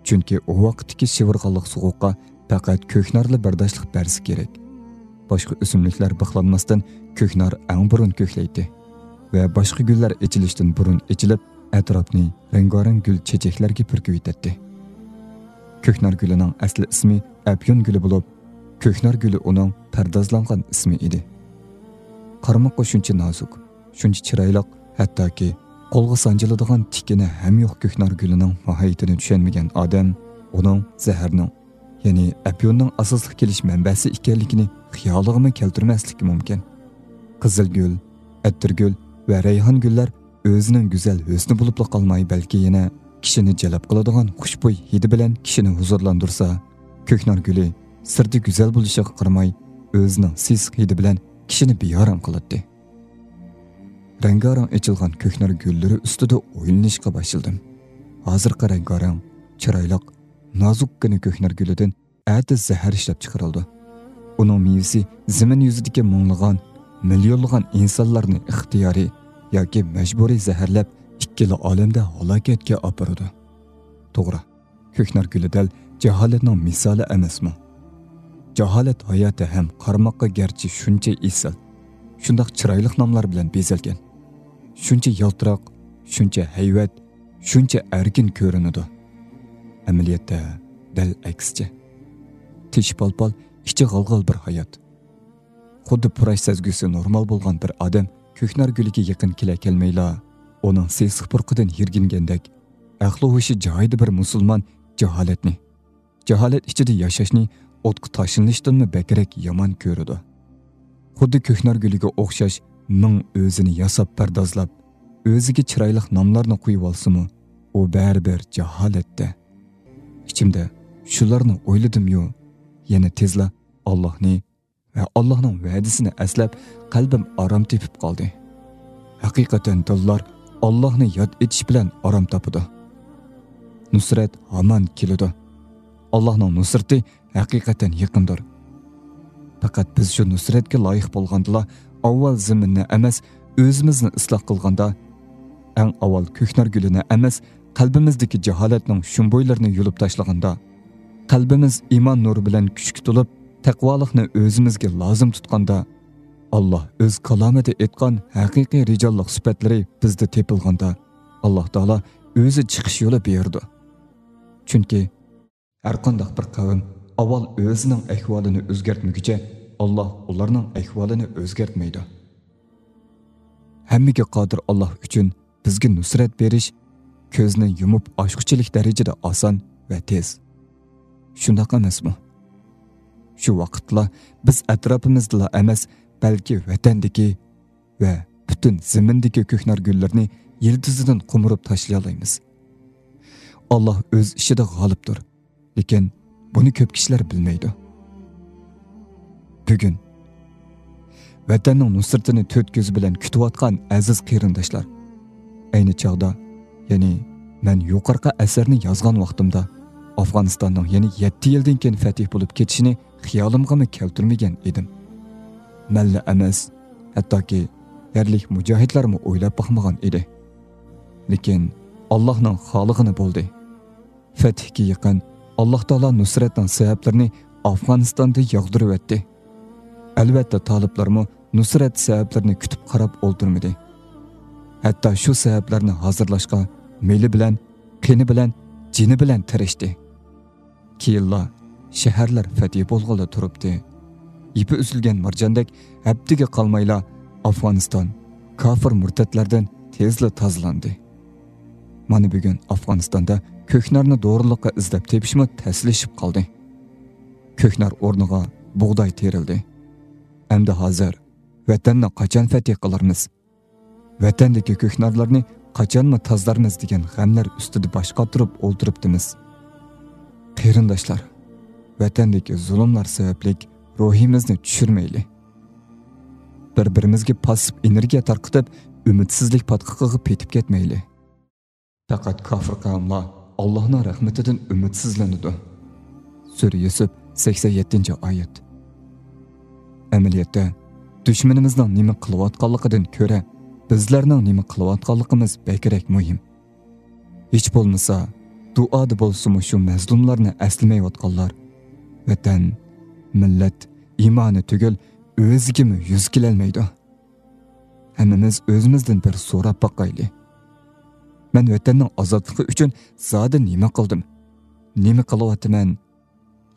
چۈنكى ئۇ ۋاقىتتىكى شىۋىرغانلىق سوغۇققا پەقەت كۆكنارلا بەرداشلىق بەرسە كېرەك. باشقا ئۆسۈملۈكلەر بىخلانماستىن، كۆكنار ئەڭ بۇرۇن كۆكلەيتتى ۋە باشقا گۈللەر ئېچىلىشتىن بۇرۇن ئېچىلىپ، ئەتراپنى رەڭگارەڭ گۈل چېچەكلەرگە پۈركۈۋېتەتتى. كۆكنار گۈلىنىڭ ئەسلى ئىسمى ئەپيۈن گۈلى بولۇپ، كۆكنار گۈلى ئۇنىڭ پەردازلانغان ئىسمى ئىدى. قارىماققا شۇنچە نازۇك، شۇنچە چىرايلىق، ھەتتاكى قولغا سانجىلىدىغان تىكىنى ھەم يوق كۆكنار گۈلىنىڭ ماھىيىتىنى چۈشەنمىگەن ئادەم ئۇنىڭ زەھەرنىڭ، يەنى ئەپيۈننىڭ ئاساسلىق كېلىش مەنبەسى ئىكەنلىكىنى خىيالىغىمۇ كەلتۈرمەسلىكى مۇمكىن. قىزىل گۈل، ئەتىر گۈل ۋە رەيھان گۈللەر ئۆزىنىڭ گۈزەل ھۆسنى بولۇپلا قالماي، بەلكى يەنە كىشىنى جەلپ قىلىدىغان خۇشبۇي ھىدى بىلەن كىشىنى ھۇزۇرلاندۇرسا، كۆكنار گۈلى سىرتى گۈزەل بولۇشىغا قارىماي، ئۆزىنىڭ سېسىق ھىدى بىلەن كىشىنى بىئارام قىلاتتى. رەڭگارەڭ ئېچىلغان كۆكنار گۈللىرى ئۈستىدە ئويلىنىشقا باشلىدىم. ھازىرقى رەڭگارەڭ، چىرايلىق، نازۇككىنە كۆكنار گۈلىدىن ئەتە زەھەر ئىشلەپ چىقىرىلىدۇ. ئۇنىڭ مېۋىسى زېمىن يۈزىدىكى مىڭلىغان، مىليونلىغان ئىنسانلارنى ئىختىيارىي ياكى مەجبۇرىي زەھەرلەپ، ئىككىلا ئالەمدە ھالاكەتكە ئاپىرىدۇ. توغرا، كۆكنار گۈلى دەل جاھالەتنىڭ مىسالى ئەمەسمۇ؟ جاھالەت ھاياتى ھەم قارىماققا گەرچە شۇنچە ئېسىل، شۇنداق چىرايلىق ناملار بىلەن بېزەلگەن، شۇنچە يالتىراق، شۇنچە ھەيۋەت، شۇنچە ئەركىن كۆرۈنىدۇ. ئەمەلىيەتتە دەل ئەكسىچە. تېشى پالپال، ئىچى غالغال بىر ھايات. خۇددى پۇراش سەزگۈسى نورمال بولغان بىر ئادەم كۆكنار گۈلىگە يېقىن كېلە كەلمەيلا، ئۇنىڭ سېسىق پۇرىقىدىن يىرگىنگەندەك، ئەقلى ھوشى جايىدا بىر مۇسۇلمان جاھالەتنى، جاھالەت ئىچىدە ياشاشنى ئوتقا تاشلىنىشتىنمۇ بەكرەك يامان كۆرىدۇ. خۇددى كۆكنار گۈلىگە ئوخشاش مىڭ ئۆزىنى ياساپ پەردازلاپ، ئۆزىگە چىرايلىق ناملارنى قويۇۋالسىمۇ، ئۇ بەرىبىر جاھالەتتە. ئىچىمدە شۇلارنى ئويلىدىميۇ، يەنە تېزلا ئاللاھنى ۋە ئاللاھنىڭ ۋەدىسىنى ئەسلەپ، قەلبىم ئارام تېپىپ قالدى. ھەقىقەتەن دىللار ئاللاھنى ياد ئېتىش بىلەن ئارام تاپىدۇ. نۇسرەت ھامان كېلىدۇ. ئاللاھنىڭ نۇسرىتى ھەقىقەتەن يېقىندۇر. پەقەت بىز شۇ نۇسرەتكە لايىق بولغاندىلا، ئاۋۋال زېمىننى ئەمەس، ئۆزىمىزنى ئىسلاھ قىلغاندا، ئەڭ ئاۋۋال كۆكنار گۈلىنى ئەمەس، قەلبىمىزدىكى جاھالەتنىڭ شۇمبۇيلىرىنى يۇلۇپ تاشلىغاندا، قەلبىمىز ئىمان نۇرى بىلەن كۈچكە تولۇپ، تەقۋالىقنى ئۆزىمىزگە لازىم تۇتقاندا، ئاللاھ ئۆز كالامىدا ئېيتقان ھەقىقىي رىجاللىق سۈپەتلىرى بىزدە تېپىلغاندا، ئاللاھ تائالا ئۆزى چىقىش يولى بېرىدۇ. چۈنكى ھەرقانداق بىر قەۋم ئاۋۋال ئۆزىنىڭ ئەھۋالىنى ئۆزگەرتمىگۈچە، ئاللاھ ئۇلارنىڭ ئەھۋالىنى ئۆزگەرتمەيدۇ. ھەممىگە قادىر ئاللاھ ئۈچۈن بىزگە نۇسرەت بېرىش كۆزنى يۇمۇپ ئاچقۇچىلىك دەرىجىدە ئاسان ۋە تېز. شۇنداق ئەمەسمۇ؟ شۇ ۋاقىتلا بىز ئەتراپىمىزدىلا ئەمەس، بەلكى ۋەتەندىكى ۋە پۈتۈن زېمىندىكى كۆكنار گۈللىرىنى يىلتىزىدىن قومۇرۇپ تاشلىيالايمىز. ئاللاھ ئۆز ئىشىدا غالىبتۇر، لېكىن بۇنى كۆپ كىشىلەر بىلمەيدۇ. بۈگۈن ۋەتەننىڭ نۇسرىتىنى تۆت كۆزى بىلەن كۈتۈۋاتقان ئەزىز قېرىنداشلار، ئەينى چاغدا، يەنى مەن يۇقىرىقى ئەسەرنى يازغان ۋاقتىمدا، ئافغانىستاننىڭ يەنە يەتتە يىلدىن كېيىن فەتھى بولۇپ كېتىشىنى خىيالىمغىمۇ كەلتۈرمىگەن ئىدىم. مەنلا ئەمەس، ھەتتاكى يەرلىك مۇجاھىدلارمۇ ئويلاپ باقمىغان ئىدى. لېكىن ئاللاھنىڭ خالىغىنى بولدى. فەتھكە يېقىن ئاللاھ تائالا نۇسرەتنىڭ سەۋەبلىرىنى ئافغانىستاندا ياغدۇرۇۋەتتى. ئەلۋەتتە، تالىپلارمۇ نۇسرەت سەۋەبلىرىنى كۈتۈپ قاراپ ئولتۇرمىدى. ھەتتا شۇ سەۋەبلەرنى ھازىرلاشقا مېلى بىلەن، قېنى بىلەن، جېنى بىلەن تىرىشتى. كېيىنلا شەھەرلەر فەتھى بولغىلى تۇرۇپتى. يىپى ئۈزۈلگەن مارجاندەك ھەپتىگە قالمايلا ئافغانىستان كاپىر مۇرتەتلەردىن تېزلا تازىلاندى. مانا بۈگۈن ئافغانىستاندا كۆكنارنى دورىلىققا ئىزدەپ تېپىشمۇ تەسلىشىپ قالدى. كۆكنار ئورنىغا بۇغداي تېرىلدى. ئەمدى ھازىر ۋەتەننى قاچان فەتھى قىلارمىز؟ ۋەتەندىكى كۆكنارلارنى قاچانمۇ تازىلارمىز دېگەن غەملەر ئۈستىدە باش قاتۇرۇپ ئولتۇرۇپتىمىز. قېرىنداشلار، ۋەتەندىكى زۇلۇملار سەۋەبلىك روھىمىزنى چۈشۈرمەيلى. بىر-بىرىمىزگە پاسسىپ ئېنېرگىيە تارقىتىپ، ئۈمىدسىزلىك پاتقىقىغا پېتىپ كەتمەيلى. پەقەت كاپىر قەۋملەر ئاللاھنىڭ رەھمىتىدىن ئۈمىدسىزلىنىدۇ. سۈرە يۈسۈپ، سەكسەن يەتتىنچى ئايەت. ئەمەلىيەتتە، دۈشمىنىمىزنىڭ نېمە قىلىۋاتقانلىقىدىن كۆرە، بىزلەرنىڭ نېمە قىلىۋاتقانلىقىمىز بەكرەك مۇھىم. ھېچ بولمىسا، دۇئادا بولسىمۇ شۇ مەزلۇملارنى ئەسلىمەيۋاتقانلار ۋەتەن، مىللەت، ئىمانى تۈگۈل، ئۆزىگىمۇ يۈز كېلەلمەيدۇ. ھەممىمىز ئۆزىمىزدىن بىر سوراپ باقايلى. مەن ۋەتەننىڭ ئازادلىقى ئۈچۈن زادى نېمە قىلدىم؟ نېمە قىلىۋاتىمەن؟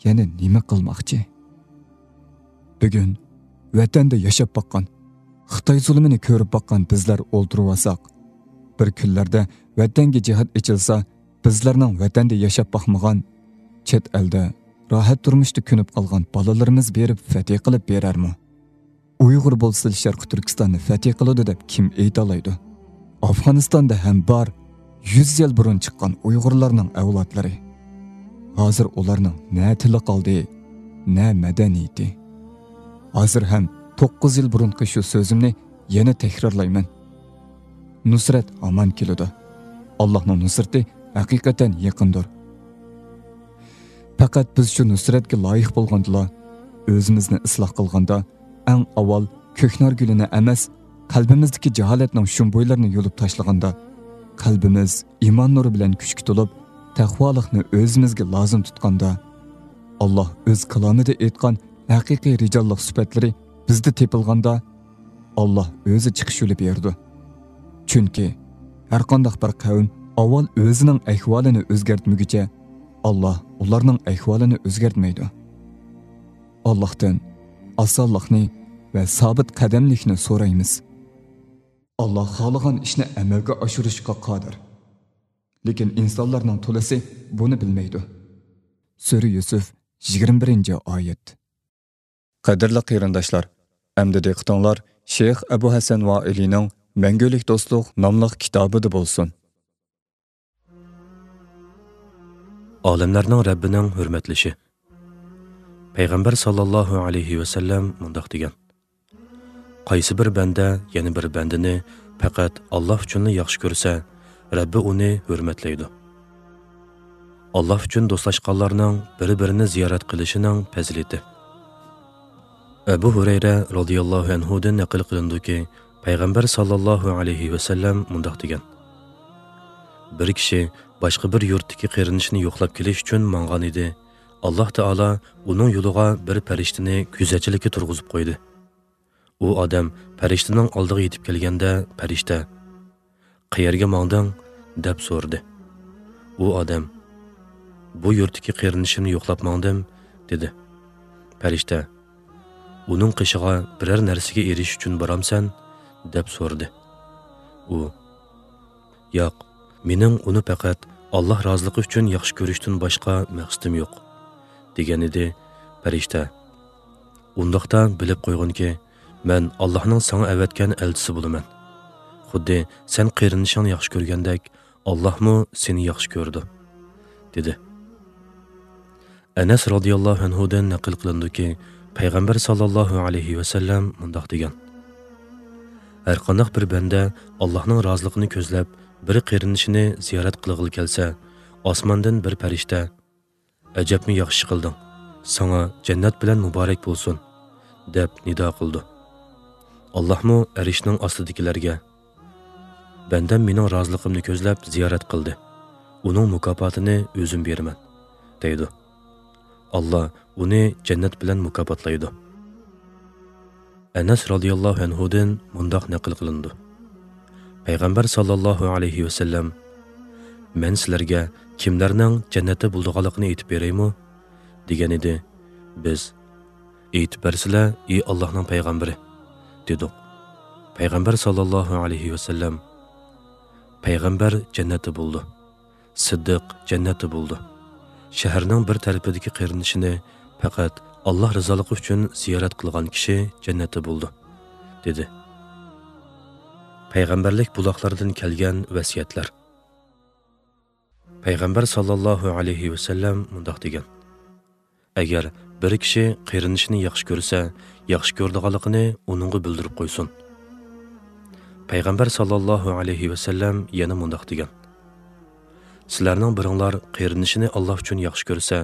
يەنە نېمە قىلماقچى؟ بۈگۈن ۋەتەندە ياشاپ باققان، خىتاي زۇلۇمىنى كۆرۈپ باققان بىزلەر ئولتۇرۇۋالساق، بىر كۈنلەردە ۋەتەنگە جىھاد ئېچىلسا، بىزلەرنىڭ ۋەتەندە ياشاپ باقمىغان، چەت ئەلدە راھەت تۇرمۇشتا كۆنۈپ قالغان بالىلىرىمىز بېرىپ فەتھى قىلىپ بېرەرمۇ؟ ئۇيغۇر بولسىلا شەرقىي تۈركىستاننى فەتھى قىلىدۇ دەپ كىم ئېيتالايدۇ؟ ئافغانىستاندا ھەم بار يۈز يىل بۇرۇن چىققان ئۇيغۇرلارنىڭ ئەۋلادلىرى. ھازىر ئۇلارنىڭ نە تىلى قالدى، نە مەدەنىيىتى. ھازىر ھەم توققۇز يىل بۇرۇنقى شۇ سۆزۈمنى يەنە تەكرارلايمەن. نۇسرەت ھامان كېلىدۇ. ئاللاھنىڭ نۇسرىتى ھەقىقەتەن يېقىندۇر. پەقەت بىز شۇ نۇسرەتكە لايىق بولغاندىلا، ئۆزىمىزنى ئىسلاھ قىلغاندا، ئەڭ ئاۋۋال كۆكنار گۈلىنى ئەمەس، قەلبىمىزدىكى جاھالەتنىڭ شۇمبۇيلىرىنى يۇلۇپ تاشلىغاندا، قەلبىمىز ئىمان نۇرى بىلەن كۈچكە تولۇپ، تەقۋالىقنى ئۆزىمىزگە لازىم تۇتقاندا، ئاللاھ ئۆز كالامىدا ئېيتقان ھەقىقىي رىجاللىق سۈپەتلىرى بىزدە تېپىلغاندا، ئاللاھ ئۆزى چىقىش يولى بېرىدۇ. چۈنكى ھەرقانداق بىر قەۋم ئاۋۋال ئۆزىنىڭ ئەھۋالىنى ئۆزگەرتمىگۈچە، ئاللاھ ئۇلارنىڭ ئەھۋالىنى ئۆزگەرتمەيدۇ. ئاللاھتىن ئاسانلىقنى ۋە سابىت قەدەملىكنى سورايمىز. ئاللاھ خالىغان ئىشنى ئەمەلگە ئاشۇرۇشقا قادىر. لېكىن ئىنسانلارنىڭ تولىسى بۇنى بىلمەيدۇ. سۈرە يۈسۈف، يىگىرمە بىرىنچى ئايەت. قەدىرلىك قېرىنداشلار، ئەمدى دىققىتىڭلار شەيخ ئەبۇ ھەسەن ۋائىلىنىڭ مەڭگۈلۈك دوستلۇق ناملىق كىتابىدا بولسۇن. ئالەملەرنىڭ رەببىنىڭ ھۆرمەتلىشى. پەيغەمبەر ساللاللاھۇ ئەلەيھى ۋەسەللەم مۇنداق دېگەن: قايسى بىر بەندە يەنە بىر بەندىنى پەقەت ئاللاھ ئۈچۈنلا ياخشى كۆرسە، رەببى ئۇنى ھۆرمەتلەيدۇ. ئاللاھ ئۈچۈن دوستلاشقانلارنىڭ بىر-بىرىنى زىيارەت قىلىشىنىڭ پەزىلىتى. ئەبۇ ھۇرەيرە رازىياللاھۇ ئەنھۇدىن نەقىل قىلىنىدۇكى، پەيغەمبەر ساللاللاھۇ ئەلەيھى ۋەسەللەم مۇنداق دېگەن: بىر كىشى باشقا بىر يۇرتتىكى قېرىندىشىنى يوقلاپ كېلىش ئۈچۈن ماڭغان ئىدى. ئاللاھ تائالا ئۇنىڭ يولىغا بىر پەرىشتىنى كۆزەتچىلىككە تۇرغۇزۇپ قويدى. ئۇ ئادەم پەرىشتىنىڭ ئالدىغا يېتىپ كەلگەندە، پەرىشتە: «قەيەرگە ماڭدىڭ؟» دەپ سورىدى. ئۇ ئادەم: «بۇ يۇرتتىكى قېرىندىشىمنى يوقلاپ ماڭدىم» دېدى. پەرىشتە: «ئۇنىڭ قېشىغا بىرەر نەرسىگە ئېرىشىش ئۈچۈن بارامسەن؟» دەپ سورىدى. ئۇ: «ياق، مېنىڭ ئۇنى پەقەت ئاللاھ رازىلىقى ئۈچۈن ياخشى كۆرۈشتىن باشقا مەقسىتىم يوق» دېگەن ئىدى. پەرىشتە: «ئۇنداقتا بىلىپ قويغىنكى، مەن ئاللاھنىڭ ساڭا ئەۋەتكەن ئەلچىسى بولىمەن. خۇددى سەن قېرىندىشىڭنى ياخشى كۆرگەندەك، ئاللاھمۇ سېنى ياخشى كۆرىدۇ» دېدى. ئەنەس رازىياللاھۇ ئەنھۇدىن نەقىل قىلىنىدۇكى، پەيغەمبەر ساللاللاھۇ ئەلەيھى ۋەسەللەم مۇنداق دېگەن: ھەرقانداق بىر بەندە ئاللاھنىڭ رازىلىقىنى كۆزلەپ بىر قېرىندىشىنى زىيارەت قىلغىلى كەلسە، ئاسماندىن بىر پەرىشتە: «ئەجەبمۇ ياخشى قىلدىڭ، ساڭا جەننەت بىلەن مۇبارەك بولسۇن» دەپ نىدا قىلىدۇ. ئاللاھمۇ ئەرشنىڭ ئاستىدىكىلەرگە: «بەندەم مېنىڭ رازىلىقىمنى كۆزلەپ زىيارەت قىلدى، ئۇنىڭ مۇكاپاتىنى ئۆزۈم بېرىمەن» دەيدۇ. ئاللا ئۇنى جەننەت بىلەن مۇكاپاتلايدۇ. ئەنەس رازىياللاھۇ ئەنھۇدىن مۇنداق نەقىل قىلىنىدۇ: پەيغەمبەر ساللاللاھۇ ئەلەيھى ۋەسەللەم: «مەن سىلەرگە كىملەرنىڭ جەننەتتە بولىدىغانلىقىنى ئېيتىپ بېرەيمۇ؟» دېگەن ئىدى. بىز: «ئېيتىپ بەرسىلە، ئى ئاللاھنىڭ پەيغەمبىرى» دېدۇق. پەيغەمبەر ساللاللاھۇ ئەلەيھى ۋەسەللەم: «پەيغەمبەر جەننەتتە بولىدۇ، سىددىق جەننەتتە بولىدۇ، شەھەرنىڭ بىر تەرىپىدىكى قېرىندىشىنى پەقەت ئاللاھ رىزالىقى ئۈچۈن زىيارەت قىلغان كىشى جەننەتتە بولىدۇ» دېدى. پەيغەمبەرلىك بۇلاقلىرىدىن كەلگەن ۋەسىيەتلەر. پەيغەمبەر ساللاللاھۇ ئەلەيھى ۋەسەللەم مۇنداق دېگەن: «ئەگەر بىر كىشى قېرىندىشىنى ياخشى كۆرسە، ياخشى كۆرىدىغانلىقىنى ئۇنىڭغا بىلدۈرۈپ قويسۇن.» پەيغەمبەر ساللاللاھۇ ئەلەيھى ۋەسەللەم يەنە مۇنداق دېگەن: «سىلەرنىڭ بىرىڭلار قېرىندىشىنى ئاللاھ ئۈچۈن ياخشى كۆرسە،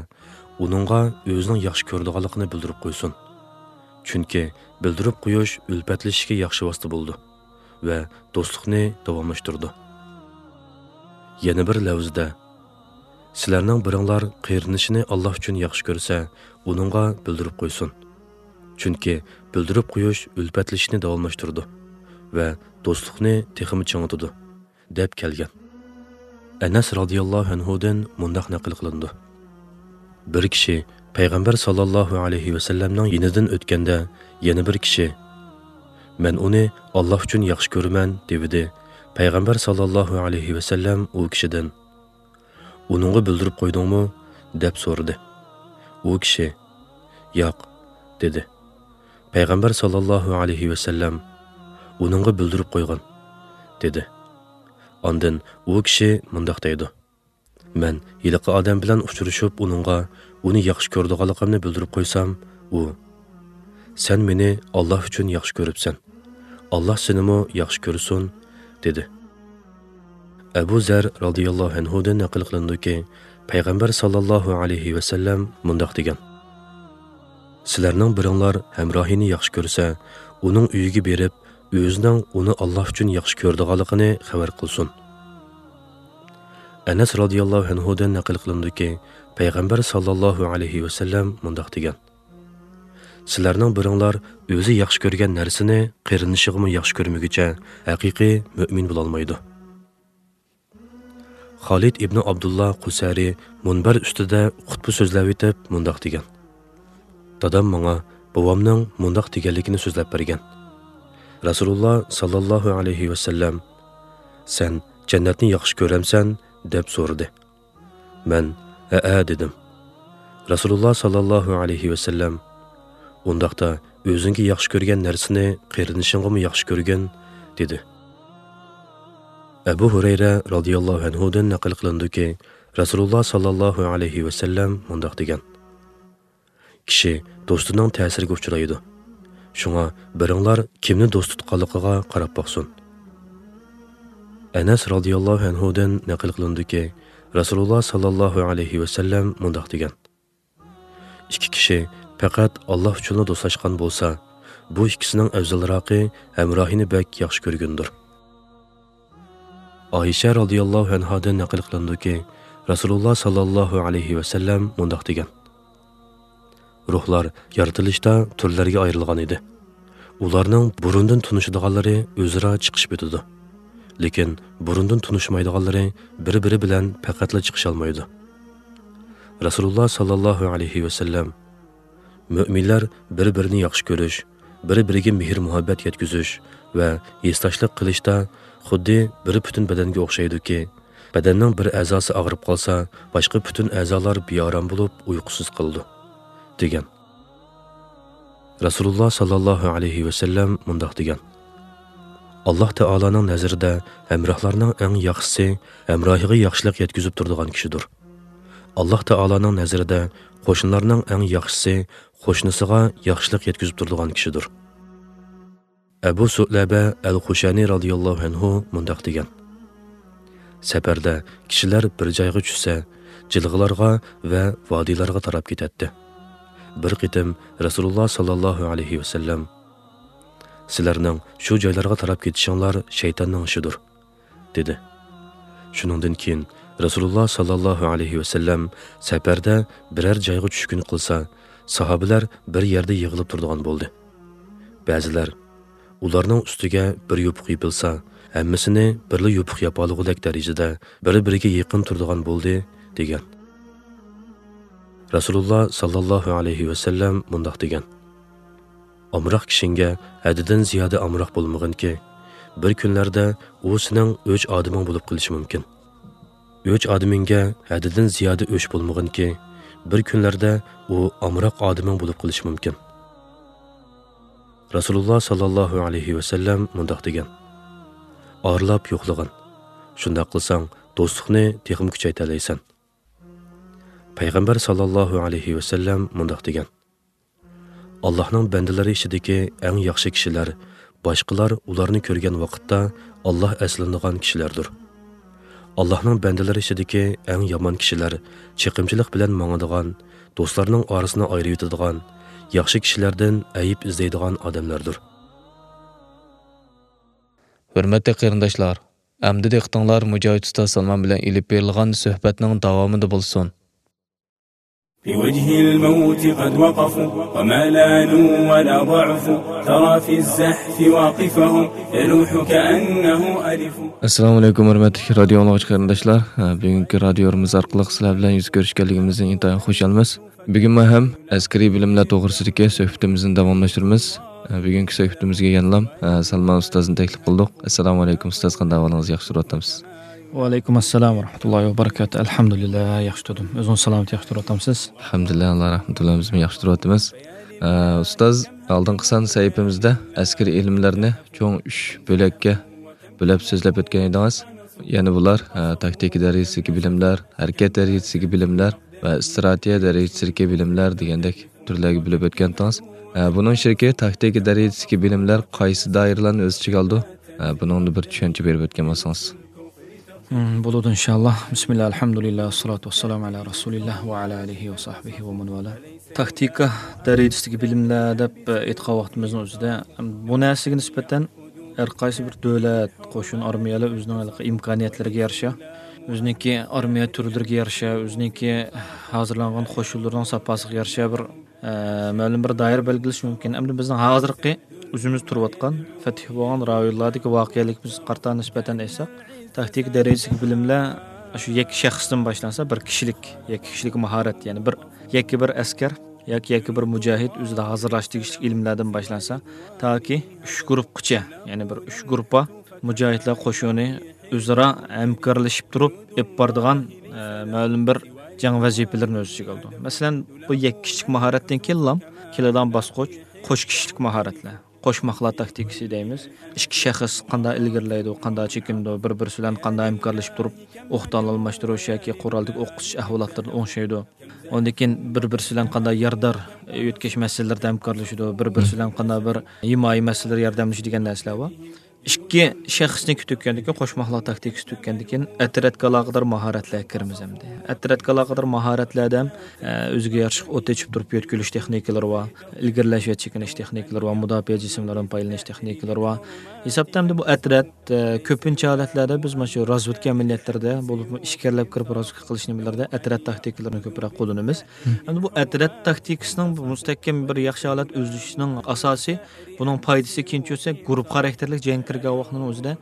ئۇنىڭغا ئۆزىنىڭ ياخشى كۆرىدىغانلىقىنى بىلدۈرۈپ قويسۇن. چۈنكى بىلدۈرۈپ قويۇش ئۈلپەتلىشىشكە ياخشى ۋاسىتە بولىدۇ ۋە دوستلۇقنى داۋاملاشتۇرىدۇ.» يەنە بىر لەۋزىدە: «سىلەرنىڭ بىرىڭلار قېرىندىشىنى ئاللاھ ئۈچۈن ياخشى كۆرسە، ئۇنىڭغا بىلدۈرۈپ قويسۇن. چۈنكى بىلدۈرۈپ قويۇش ئۈلپەتلىشىشنى داۋاملاشتۇرىدۇ ۋە دوستلۇقنى تېخىمۇ چىڭىتىدۇ» دەپ كەلگەن. ئەنەس رازىياللاھۇ ئەنھۇدىن مۇنداق نەقىل قىلىنىدۇ: بىر كىشى پەيغەمبەر ساللاللاھۇ ئەلەيھى ۋەسەللەمنىڭ يېنىدىن ئۆتكەندە، يەنە بىر كىشى: «مەن ئۇنى ئاللاھ ئۈچۈن ياخشى كۆرىمەن» دېۋىدى. پەيغەمبەر ساللاللاھۇ ئەلەيھى ۋەسەللەم ئۇ كىشىدىن: «ئۇنىڭغا بىلدۈرۈپ قويدۇڭمۇ؟» دەپ سورىدى. ئۇ كىشى: «ياق» دېدى. پەيغەمبەر ساللاللاھۇ ئەلەيھى ۋەسەللەم: «ئۇنىڭغا بىلدۈرۈپ قويغىن» دېدى. ئاندىن ئۇ كىشى مۇنداق دەيدۇ: مەن ھېلىقى ئادەم بىلەن ئۇچرىشىپ، ئۇنىڭغا ئۇنى ياخشى كۆرىدىغانلىقىمنى بىلدۈرۈپ قويسام، ئۇ، «سەن مېنى ئاللاھ ئۈچۈن ياخشى كۆرۈپسەن، ئاللاھ سېنىمۇ ياخشى كۆرسۇن» دېدى. ئەبۇ زەر رازىياللاھۇ ئەنھۇدىن نەقىل قىلىنىدۇكى، پەيغەمبەر ساللاللاھۇ ئەلەيھى ۋەسەللەم مۇنداق دېگەن: «سىلەرنىڭ بىرىڭلار ھەمراھىنى ياخشى كۆرسە، ئۇنىڭ ئۆيىگە بېرىپ، ئۆزىنىڭ ئۇنى ئاللاھ ئۈچۈن ياخشى كۆرىدىغانلىقىنى خەۋەر قىلسۇن.» ئەنەس رازىياللاھۇ ئەنھۇدىن نەقىل قىلىنىدۇكى، پەيغەمبەر ساللاللاھۇ ئەلەيھى ۋەسەللەم مۇنداق دېگەن: «سىلەرنىڭ بىرىڭلار ئۆزى ياخشى كۆرگەن نەرسىنى قېرىندىشىغىمۇ ياخشى كۆرمىگۈچە، ھەقىقىي مۆمىن بولالمايدۇ.» خالىد ئىبنى ئابدۇللا قۇسەرى مۇنبەر ئۈستىدە خۇتبە سۆزلەۋېتىپ مۇنداق دېگەن: «دادام ماڭا بوۋامنىڭ مۇنداق دېگەنلىكىنى سۆزلەپ بەرگەن. رەسۇلۇللا ساللاللاھۇ ئەلەيھى ۋەسەللەم، سەن جەننەتنى ياخشى كۆرەمسەن؟» دەپ سورىدى. مەن، «ھەئە» دېدىم. رەسۇلۇللا ساللاللاھۇ ئەلەيھى ۋەسەللەم، «ئۇنداقتا ئۆزۈڭگە ياخشى كۆرگەن نەرسىنى قېرىندىشىڭغىمۇ ياخشى كۆرگىن» دېدى. ئەبۇ ھۇرەيرە رازىياللاھۇ ئەنھۇدىن نەقىل قىلىنىدۇكى، رەسۇلۇللا ساللاللاھۇ ئەلەيھى ۋەسەللەم مۇنداق دېگەن: «كىشى دوستىنىڭ تەسىرىگە ئۇچرايدۇ. شۇڭا بىرىڭلار كىمنى دوست تۇتقانلىقىغا قاراپ باقسۇن.» ئەنەس رازىياللاھۇ ئەنھۇدىن نەقىل قىلىنىدۇكى، رەسۇلۇللا ساللاللاھۇ ئەلەيھى ۋەسەللەم مۇنداق دېگەن: «ئىككى كىشى پەقەت ئاللاھ ئۈچۈنلا دوستلاشقان بولسا، بۇ ئىككىسىنىڭ ئەۋزەلراقى ھەمراھىنى بەك ياخشى كۆرگىنىدۇر.» ئائىشە رازىياللاھۇ ئەنھادىن نەقىل قىلىنىدۇكى، رەسۇلۇللا ساللاللاھۇ ئەلەيھى ۋەسەللەم مۇنداق دېگەن: «روھلار يارىتىلىشتا تۈرلەرگە ئايرىلغان ئىدى. ئۇلارنىڭ بۇرۇندىن تونۇشىدىغانلىرى ئۆزئارا چىقىشىپ ئۆتىدۇ. لېكىن بۇرۇندىن تونۇشمايدىغانلىرى بىر-بىرى بىلەن پەقەتلا چىقىشالمايدۇ.» رەسۇلۇللا ساللاللاھۇ ئەلەيھى ۋەسەللەم، مۆمىنلەر بىر-بىرىنى ياخشى كۆرۈش، بىر-بىرىگە مېھىر-مۇھەببەت يەتكۈزۈش ۋە ھېسداشلىق قىلىشتا خۇددى بىر پۈتۈن بەدەنگە ئوخشايدۇكى، بەدەننىڭ بىر ئەزاسى ئاغرىپ قالسا، باشقا پۈتۈن ئەزالار بىئارام بولۇپ ئۇيقۇسىز قالىدۇ، دېگەن. رەسۇلۇللا ساللاللاھۇ ئەلەيھى ۋەسەللەم مۇنداق دېگەن: «ئاللاھ تائالانىڭ نەزىرىدە ھەمراھلارنىڭ ئەڭ ياخشىسى ھەمراھىغا ياخشىلىق يەتكۈزۈپ تۇرىدىغان كىشىدۇر. ئاللاھ تائالانىڭ نەزىرىدە قوشنىلارنىڭ ئەڭ ياخشىسى قوشنىسىغا ياخشىلىق يەتكۈزۈپ تۇرىدىغان كىشىدۇر.» ئەبۇ سۇئلەبە ئەل خۇشەنى رازىياللاھۇ ئەنھۇ مۇنداق دېگەن: «سەپەردە كىشىلەر بىر جايغا چۈشسە، جىلغىلارغا ۋە ۋادىلارغا تاراپ كېتەتتى. بىر قېتىم رەسۇلۇللا ساللاللاھۇ ئەلەيھى ۋەسەللەم، سىلەرنىڭ شۇ جايلارغا تاراپ كېتىشىڭلار شەيتاننىڭ ئىشىدۇر، دېدى. شۇنىڭدىن كېيىن رەسۇلۇللا ساللاللاھۇ ئەلەيھى ۋەسەللەم سەپەردە بىرەر جايغا چۈشكۈن قىلسا، ساھابىلەر بىر يەردە يىغىلىپ تۇرىدىغان بولدى. بەزىلەر ئۇلارنىڭ ئۈستىگە بىر يوپۇق يېپىلسا، ھەممىسىنى بىرلا يوپۇق ياپالىغۇدەك دەرىجىدە بىر-بىرىگە يېقىن تۇرىدىغان بولدى، دېگەن. رەسۇلۇللا ساللاللاھۇ ئەلەيھى ۋەسەللەم مۇنداق دېگەن: «ئامراق كىشىڭگە ھەددىدىن زىيادە ئامراق بولمىغىنكى، بىر كۈنلەردە ئۇ سېنىڭ ئۆچ ئادىمىڭ بولۇپ قېلىشى مۇمكىن. ئۆچ ئادىمىڭگە ھەددىدىن زىيادە ئۆچ بولمىغىنكى، بىر كۈنلەردە ئۇ ئامراق ئادىمىڭ بولۇپ قېلىشى مۇمكىن.» رەسۇلۇللا ساللاللاھۇ ئەلەيھى ۋەسەللەم مۇنداق دېگەن: «ئارىلاپ يوقلىغىن. شۇنداق قىلساڭ، دوستلۇقنى تېخىمۇ كۈچەيتەلەيسەن.» پەيغەمبەر ساللاللاھۇ ئەلەيھى ۋەسەللەم مۇنداق دېگەن: «ئاللاھنىڭ بەندىلىرى ئىچىدىكى ئەڭ ياخشى كىشىلەر باشقىلار ئۇلارنى كۆرگەن ۋاقىتتا ئاللاھ ئەسلىنىدىغان كىشىلەردۇر. ئاللاھنىڭ بەندىلىرى ئىچىدىكى ئەڭ يامان كىشىلەر چېقىمچىلىق بىلەن ماڭىدىغان، دوستلارنىڭ ئارىسىنى ئايرىۋېتىدىغان، ياخشى كىشىلەردىن ئەيىب ئىزدەيدىغان ئادەملەردۇر.» ھۆرمەتلىك قېرىنداشلار، ئەمدى دىققىتىڭلار مۇجاھىد ئۇستاز سالمان بىلەن ئېلىپ بېرىلغان سۆھبەتنىڭ داۋامىدا بولسۇن. بوجه الموت قد وقفوا وما لانوا ولا ضعفوا ترى في الزحف واقفهم يلوح كأنه ألف. ئەسسالامۇ ئەلەيكۇم، ھۆرمەتلىك رادىيو ئاڭلىغۇچى قېرىنداشلار. ھە، بۈگۈنكى رادىيومىز ئارقىلىق سىلەر بىلەن يۈز كۆرۈشكەنلىكىمىزدىن ئىنتايىن خۇشالمىز. بۈگۈنمۇ ھەم ئەسكىرىي بىلىملەر توغرىسىدىكى سۆھبىتىمىزنى داۋاملاشتۇرىمىز. ھە، بۈگۈنكى سۆھبىتىمىزگە يەنىلا، ھە، سالمان ئۇستازنى تەكلىپ قىلدۇق. ئەسسالامۇ ئەلەيكۇم ئۇستاز، قانداق ئەھۋالىڭىز؟ ياخشى تۇرۇۋاتامسىز؟ ۋەئەلەيكۇم ئەسسالام ۋە رەھمەتۇللاھى ۋە بەرىكاتۇھ. ئەلھەمدۇلىللا، ياخشى تۇردۇم. ئۆزىڭىز سالامەت، ياخشى تۇرۇۋاتامسىز؟ ئەلھەمدۇلىللا، ئاللا رەھمىتى بىلەن بىزمۇ ياخشى تۇرۇۋاتىمىز. ئە، ئۇستاز، ئالدىنقى سان سەھىپىمىزدە ئەسكىرىي ئىلىملەرنى چوڭ ئۈچ بۆلەككە بۆلۈپ سۆزلەپ ئۆتكەن ئىدىڭىز. يەنە بۇلار، ئە، تاكتىكا دەرىجىسىدىكى بىلىملەر، ھەرىكەت دەرىجىسىدىكى بىلىملەر ۋە ئىستراتېگىيە دەرىجىسىدىكى بىلىملەر دېگەندەك تۈرلەرگە بۆلۈپ ئۆتكەنتىڭىز. ئە، بۇنىڭ ئىچىدىكى تاكتىكا دەرىجىسىدىكى بىلىملەر قايسى دائىرىلەرنى ئۆز ئىچىگە ئالىدۇ؟ ئە، بۇنىڭدا بىر چۈشەنچە بېرىپ ئۆتكەن بولسىڭىز. مم، بولىدۇ، ئىنشاللا. بىسمىللا، ئەلھەمدۇلىللا، ۋەسسالاتۇ ۋەسسالامۇ ئەلا رەسۇلىللا ۋە ئەلا ئالىھى ۋە ساھبىھى ۋە مەن ۋالا. تاكتىكا دەرىجىسىدىكى بىلىملەر دەپ، ئېيتقان ۋاقتىمىزنىڭ ئۆزىدە، بۇ نەرسىگە نىسبەتەن ھەر قايسى بىر دۆلەت، قوشۇن، ئارمىيەلەر ئۆزىنىڭ ھېلىقى ئىمكانىيەتلىرىگە يارىشا، ئۆزىنىڭكى ئارمىيە تۈرلىرىگە يارىشا، ئۆزىنىڭكى ھازىرلانغان قوشۇنلىرىنىڭ ساپاسىغا يارىشا بىر، ئە، مەلۇم بىر دائىرە بەلگىلىشى مۇمكىن. ئەمدى بىزنىڭ ھازىرقى ئۆزىمىز تۇرۇۋاتقان، پەتھى بولغان رايونلاردىكى ۋەقەلىكىمىزگە قارىتا نىسبەتەن ئېيتساق، تاكتىكا دەرىجىسىدىكى بىلىملەر شۇ يەككە شەخستىن باشلانسا، بىر كىشىلىك، يەككە كىشىلىك ماھارەت، يەنى بىر يەككە بىر ئەسكەر ياكى يەككە بىر مۇجاھىد ئۆزىدە ھازىرلاش تېگىشلىك ئىلىملەردىن باشلانسا، تاكى ئۈچ گۇرۇپپىغىچە، يەنى بىر ئۈچ گۇرۇپپا مۇجاھىدلار قوشۇنى ئۆزئارا ھەمكارلىشىپ تۇرۇپ ئېلىپ بارىدىغان، ئە، مەلۇم بىر جەڭ ۋەزىپىلىرىنى ئۆز ئىچىگە ئالىدۇ. مەسىلەن، بۇ يەككە كىشىلىك ماھارەتتىن كېيىنلا كېلىدىغان باسقۇچ قوش كىشىلىك ماھارەتلەر. قوشماقلار تاكتىكىسى دەيمىز. ئىككى شەخس قانداق ئىلگىرىلەيدۇ، قانداق چېكىنىدۇ، بىر-بىرسى بىلەن قانداق ھەمكارلىشىپ تۇرۇپ، ئوقدان ئالماشتۇرۇش ياكى قورالدىكى ئوق ئۇچۇش ئەھۋالاتلىرىدا ئوڭشايدۇ. ئۇندىن كېيىن بىر-بىرسى بىلەن قانداق يارىدار يۆتكەش مەسىلىلىرىدە ھەمكارلىشىدۇ، بىر-بىرسى بىلەن قانداق بىر ھىمايە مەسىلىلىرى ياردەملىشىدۇ دېگەن نەرسىلەر بار. ئىككى شەخسنى تۈگەندىكىن، قوشماقلار تاكتىكىسى تۈگەندىكىن، ئەترەتكە ئالاقىدار ماھارەتلەرگە كىرىمىز ئەمدى. ئەترەتكە ئالاقىدار ماھارەتلەردە ھەم، ئە، ئۆزىگە يارىشلىق ئوت ئېچىپ تۇرۇپ يۆتكىلىش تېخنىكىلىرى بار، ئىلگىرىلەش ۋە چېكىنىش تېخنىكىلىرى بار، مۇداپىئە جىسىملىرىدىن پايدىلىنىش تېخنىكىلىرى بار. ھېسابتا ئەمدى بۇ ئەترەت، ئە، كۆپىنچە ھالەتلەردە بىز مانا شۇ رازۋېدكا ئەمەلىيەتلىرىدە، بولۇپمۇ ئىچكىرىلەپ كىرىپ رازۋېدكا قىلىش نېمىلىرىدە ئەترەت تاكتىكىلىرىنى كۆپرەك قوللىنىمىز. ئەمدى بۇ ئەترەت تاكتىكىسىنىڭ بۇ مۇستەھكەم بىر ياخشى ھالەت ئۆزلىشىشىنىڭ ئاساسى، بۇنىڭ پايدىسى كېيىنچە ئۆتسە، گۇرۇپپا خاراكتېرلىك جەڭگە كىرگەن ۋاقىتنىڭ ئۆزىدە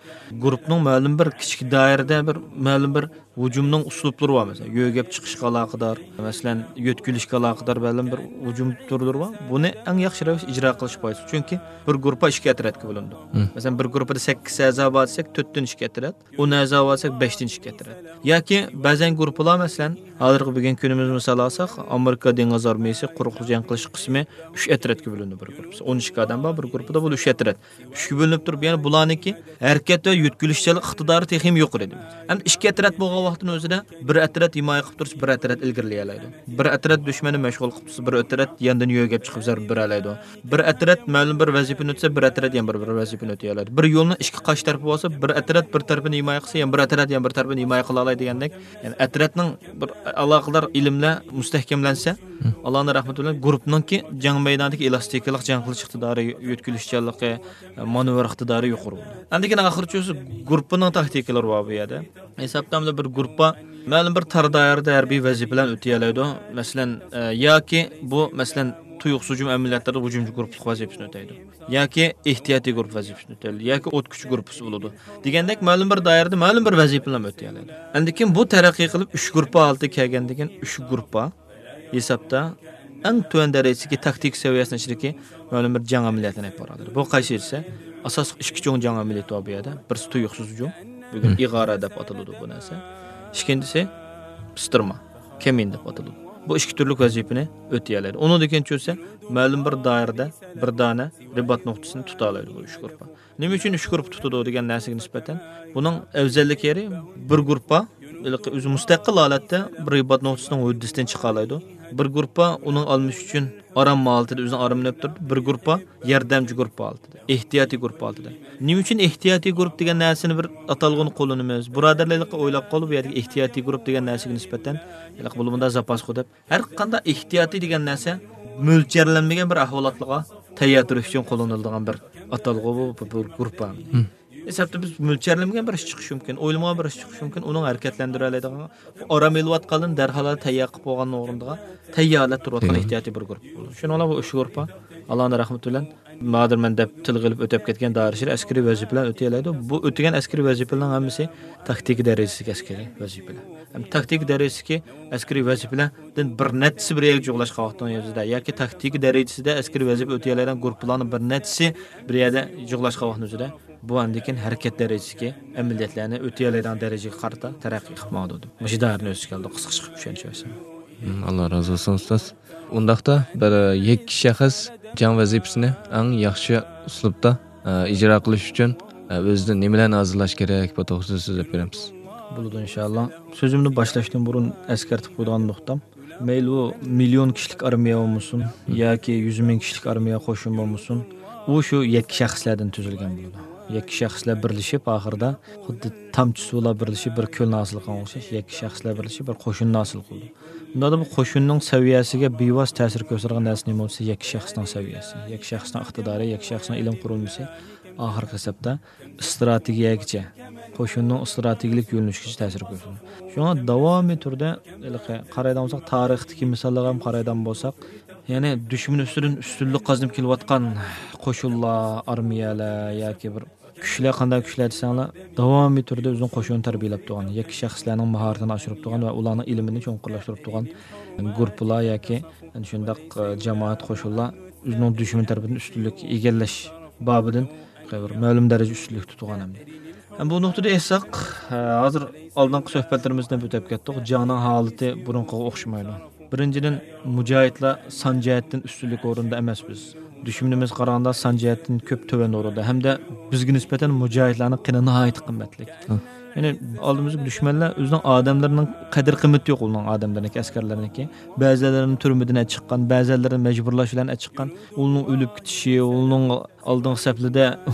گۇرۇپپىنىڭ مەلۇم بىر كىچىك دائىرىدە بىر مەلۇم بىر ھۇجۇمنىڭ ئۇسلۇبلىرى بار. مەسىلەن، يۆگەپ چىقىشقا ئالاقىدار، مەسىلەن، يۆتكىلىشكە ئالاقىدار مەلۇم بىر ھۇجۇم تۈرلىرى بار. بۇنى ئەڭ ياخشى رەۋىشتە ئىجرا قىلىش پايدىسى. چۈنكى بىر گۇرۇپپا ئىككى ئەترەتكە بۆلۈنىدۇ. مەسىلەن، بىر گۇرۇپپىدا سەككىز ئەزا بار دېسەك، تۆتتىن ئىككى ئەترەت. ئون ئەزا بار دېسەك، بەشتىن ئىككى ئەترەت. ياكى بەزەن گۇرۇپپىلار، مەسىلەن، ھازىرقى بۈگۈنكى كۈنىمىزنى مىسال ئالساق، ئامېرىكا دېڭىز ئارمىيىسى قۇرۇقلۇق جەڭ قىلىش قىسمى ئۈچ ئەترەتكە بۆلۈنىدۇ بىر گۇرۇپپىسى. ئون ئىككى ئادەم بار بىر گۇرۇپپىدا، بۇ ئۈچ ئەترەت. ئۈچكە بۆلۈنۈپ تۇرۇپ، يەنى بۇلارنىڭكى ھەرىكەت ۋە يۆتكىلىشچانلىق ئىقتىدارى تېخىمۇ يۇقىرى ئىدى. ئەمدى ئىككى ئەترەت بولغان ۋاقىتنىڭ ئۆزىدە بىر ئەترەت ھىمايە قىلىپ تۇرسا، بىر ئەترەت ئىلگىرىلىيەلەيدۇ. بىر ئەترەت دۈشمەننى مەشغۇل قىلىپ تۇرسا، بىر ئەترەت ياندىن يۆگەپ چىقىپ زەربە بېرەلەيدۇ. بىر ئەترەت مەلۇم بىر ۋەزىپىنى ئۆتىسە، بىر ئەترەت يەنە بىر، بىر ۋەزىپىنى ئۆتىيەلەيدۇ. بىر يولنىڭ ئىككى قاش تەرىپى بولسا، بىر ئەترەت بىر تەرىپىنى ھىمايە قىلسا، يەنە بىر ئەترەت يەنە بىر تەرىپىنى ھىمايە قىلالايدۇ دېگەندەك، يەنى ئەترەتنىڭ بىر ئالاقىدار ئىلىملەر مۇستەھكەملەنسە، ئاللانىڭ رەھمىتى بىلەن گۇرۇپپىنىڭكى جەڭ مەيدانىدىكى ئېلاستىكىلىق، جەڭ قىلىش ئىقتىدارى، يۆتكىلىشچانلىقى، مانېۋىر ئىقتىدارى يۇقىرى بولىدۇ. ئاندىن كېيىن ئاخىرىچۇ گۇرۇپپىنىڭ تاكتىكىلىرى بار بۇ يەردە. ھېسابتا بىر گۇرۇپپا مەلۇم بىر تار دائىرىدە ھەربىي ۋەزىپىلەرنى ئۆتىيەلەيدۇ. مەسىلەن، ئە، ياكى بۇ، مەسىلەن، تۇيۇقسىز ھۇجۇم ئەمەلىياتلىرىدا ھۇجۇمچى گۇرۇپپىلىق ۋەزىپىسىنى ئۆتەيدۇ. ياكى ئېھتىياتىي گۇرۇپپا ۋەزىپىسىنى ئۆتەيدۇ. ياكى ئوت كۈچى گۇرۇپپىسى بولىدۇ. دېگەندەك مەلۇم بىر دائىرىدە مەلۇم بىر ۋەزىپىلەرنى ئۆتىيەلەيدۇ. ئاندىن كېيىن بۇ تەرەققىي قىلىپ ئۈچ گۇرۇپپا ھالىتىگە كەلگەندىن كېيىن ئۈچ گۇرۇپپا ھېسابتا ئەڭ تۆۋەن دەرىجىدىكى تاكتىكا سەۋىيەسىنىڭ ئىچىدىكى مەلۇم بىر جەڭ ئەمەلىياتىنى ئېلىپ بارىدۇ. بۇ قايسى دېسە، ئاساسلىق ئىككى چوڭ جەڭ ئەمەلىيىتى بار بۇ يەردە. بىرسى تۇيۇقسىز ھۇجۇم، بۈگۈن ئىغارە دەپ ئاتىلىدۇ بۇ نەرسە. ئىككىنچىسى پىستىرما، كەمىن دەپ ئاتىلىدۇ. بۇ ئىككى تۈرلۈك ۋەزىپىنى ئۆتىيەلەيدۇ. ئۇنىڭدىن كېيىن چۈشسە، مەلۇم بىر دائىرىدە بىر دانە رىبات نۇقتىسىنى تۇتالايدۇ بۇ ئۈچ گۇرۇپپا. نېمە ئۈچۈن ئۈچ گۇرۇپپا تۇتىدۇ دېگەن نەرسىگە نىسبەتەن، بۇنىڭ ئەۋزەللىك يېرى، بىر گۇرۇپپا ھېلىقى ئۆزى مۇستەقىل ھالەتتە بىر رىبات نۇقتىسىنىڭ ھۆددىسىدىن چىقالايدۇ. بىر گۇرۇپپا ئۇنىڭ ئالمىشى ئۈچۈن ئارام ھالىتىدە ئۆزىنى ئاراملىنىپ تۇرىدۇ. بىر گۇرۇپپا ياردەمچى گۇرۇپپا ھالىتىدە، ئېھتىياتىي گۇرۇپپا ھالىتىدە. نېمە ئۈچۈن ئېھتىياتىي گۇرۇپپا دېگەن نەرسىنى بىر ئاتالغۇنى قوللىنىمىز؟ بۇرادەرلەر ھېلىقى ئويلاپ قالدى، بۇ يەردىكى ئېھتىياتىي گۇرۇپپا دېگەن نەرسىگە نىسبەتەن ھېلىقى بولۇپمۇ زاپاسخۇ دەپ. ھەر قانداق ئېھتىياتىي دېگەن نەرسە مۆلچەرلەنمىگەن بىر ئەھۋالاتلارغا تەييار تۇرۇش ئۈچۈن قوللىنىلىدىغان بىر ئاتالغۇ بۇ، بۇ، بۇ گۇرۇپپا. ھېسابتا بىز مۆلچەرلىمىگەن بىر ئىش چىقىشى مۇمكىن، ئويلىمىغان بىر ئىش چىقىشى مۇمكىن، ئۇنىڭ ھەرىكەتلەندۈرەلەيدىغان، ئارام ئېلىۋاتقاندىن دەرھال تەييار قىلىپ بولغان ئورۇندىغا تەييارلاپ تۇرۇۋاتقان ئېھتىياتىي بىر گۇرۇپپا بولىدۇ. شۇنىڭ بىلەن بۇ ئۈچ گۇرۇپپا ئاللانىڭ رەھمىتى بىلەن ھازىر مەن دەپ تىلغا ئېلىپ ئۆتۈپ كەتكەن دائىرە ئىچىدە ئەسكىرىي ۋەزىپىلەرنى ئۆتىيەلەيدۇ. بۇ ئۆتىگەن ئەسكىرىي ۋەزىپىلەرنىڭ ھەممىسى تاكتىكا دەرىجىسىدىكى ئەسكىرىي ۋەزىپىلەر. ھەم تاكتىكا دەرىجىسىدىكى ئەسكىرىي ۋەزىپىلەردىن بىر نەچچىسى بىر يەرگە جۇغلاشقان ۋاقتىنىڭ ئۆزىدە ياكى تاكتىكا دەرىجىسىدە ئەسكىرىي ۋەزىپە ئۆتىيەلەيدىغان گۇرۇپپىلارنىڭ بىر نەچچىسى بىر يەردە جۇغلاشقان ۋاقتىنىڭ ئۆزىدە بۇ ئاندىن كېيىن ھەرىكەت دەرىجىسىدىكى ئەمەلىيەتلەرنى ئۆتىيەلەيدىغان دەرىجىگە قارىتا تەرەققىي قىلىپ ماڭىدۇ دەپ مۇشۇ دائىرىنى ئۆز ئىچىگە ئالدى. قىسقىچە قىلىپ چۈشەنچە بەرسەم. مم، ئاللا رازى بولسۇن ئۇستاز. ئۇنداقتا بىر يەككە شەخس جەڭ ۋەزىپىسىنى ئەڭ ياخشى ئۇسلۇبتا، ئە، ئىجرا قىلىش ئۈچۈن ئۆزىدىن نېمىلەرنى ھازىرلاش كېرەك، بۇ توغرىسىدا سۆزلەپ بېرەمسىز. بولىدۇ، ئىنشاللا. سۆزۈمنى باشلاشتىن بۇرۇن ئەسكەرتىپ قويىدىغان نۇقتام، مەيلى ئۇ مىليون كىشىلىك ئارمىيە بولمىسۇن ياكى يۈز مىڭ كىشىلىك ئارمىيە، قوشۇن بولمىسۇن، ئۇ شۇ يەككە شەخسلەردىن تۈزۈلگەن بولىدۇ. يەككە شەخسلەر بىرلىشىپ، ئاخىرىدا خۇددى تامچە سۇلار بىرلىشىپ بىر كۆلنى ھاسىل قىلغان ئوخشاش، يەككە شەخسلەر بىرلىشىپ بىر قوشۇننى ھاسىل قىلىدۇ. بۇنداقتا بۇ قوشۇننىڭ سەۋىيەسىگە بىۋاسىتە تەسىر كۆرسىتىدىغان نەرسە نېمە بولسا، يەككە شەخسنىڭ سەۋىيەسى، يەككە شەخسنىڭ ئىقتىدارى، يەككە شەخسنىڭ ئىلىم قۇرۇلمىسى ئاخىرقى ھېسابتا ئىستراتېگىيەگىچە، قوشۇننىڭ ئىستراتېگىيەلىك يۆنىلىشىگىچە تەسىر كۆرسىتىدۇ. شۇڭا داۋامىي تۈردە ھېلىقى قارايدىغان بولساق، تارىختىكى مىساللارغا ھەم قارايدىغان بولساق، يەنى دۈشمەن ئۈستىدىن ئۈستۈنلۈك قازىنىپ كېلىۋاتقان قوشۇنلار، ئارمىيەلەر ياكى بىر كۈچلەر، قانداق كۈچلەر دېسەڭلار، داۋامىي تۈردە ئۆزىنىڭ قوشۇنىنى تەربىيەلەپ تۇرغان، ياكى شەخسلەرنىڭ ماھارىتىنى ئاشۇرۇپ تۇرغان ۋە ئۇلارنىڭ ئىلمىنى چوڭقۇرلاشتۇرۇپ تۇرغان گۇرۇپپىلار ياكى شۇنداق، ئە، جامائەت، قوشۇنلار ئۆزىنىڭ دۈشمەن تەرىپىدىن ئۈستۈنلۈك ئىگىلەش بابىدىن بىر مەلۇم دەرىجىدە ئۈستۈنلۈكتە تۇرغان ئەمدى. ھەم بۇ نۇقتىدا ئېيتساق، ئە، ھازىر ئالدىنقى سۆھبەتلىرىمىزدە بىر ئۆتۈپ كەتتۇق، جەڭنىڭ ھالىتى بۇرۇنقىغا ئوخشىمايدۇ. بىرىنچىدىن، مۇجاھىدلار سان جەھەتتىن ئۈستۈنلۈك ئورۇندا ئەمەس بىز. دۈشمىنىمىزگە قارىغاندا سان جەھەتتىن كۆپ تۆۋەن ئورۇندا ھەمدە بىزگە نىسبەتەن مۇجاھىدلارنىڭ قېنى ناھايىتى قىممەتلىك. ھە. يەنى ئالدىمىزدىكى دۈشمەنلەر ئۆزىنىڭ ئادەملىرىنىڭ قەدىر قىممىتى يوق، ئۇنىڭ ئادەملىرىنىڭكى، ئەسكەرلىرىنىڭكى. بەزىلىرىنى تۈرمىدىن ئەچىققان، بەزىلىرىنى مەجبۇرلاش بىلەن ئەچىققان، ئۇنىڭ ئۆلۈپ كېتىشى، ئۇنىڭ ئالدىنقى سەپلىدە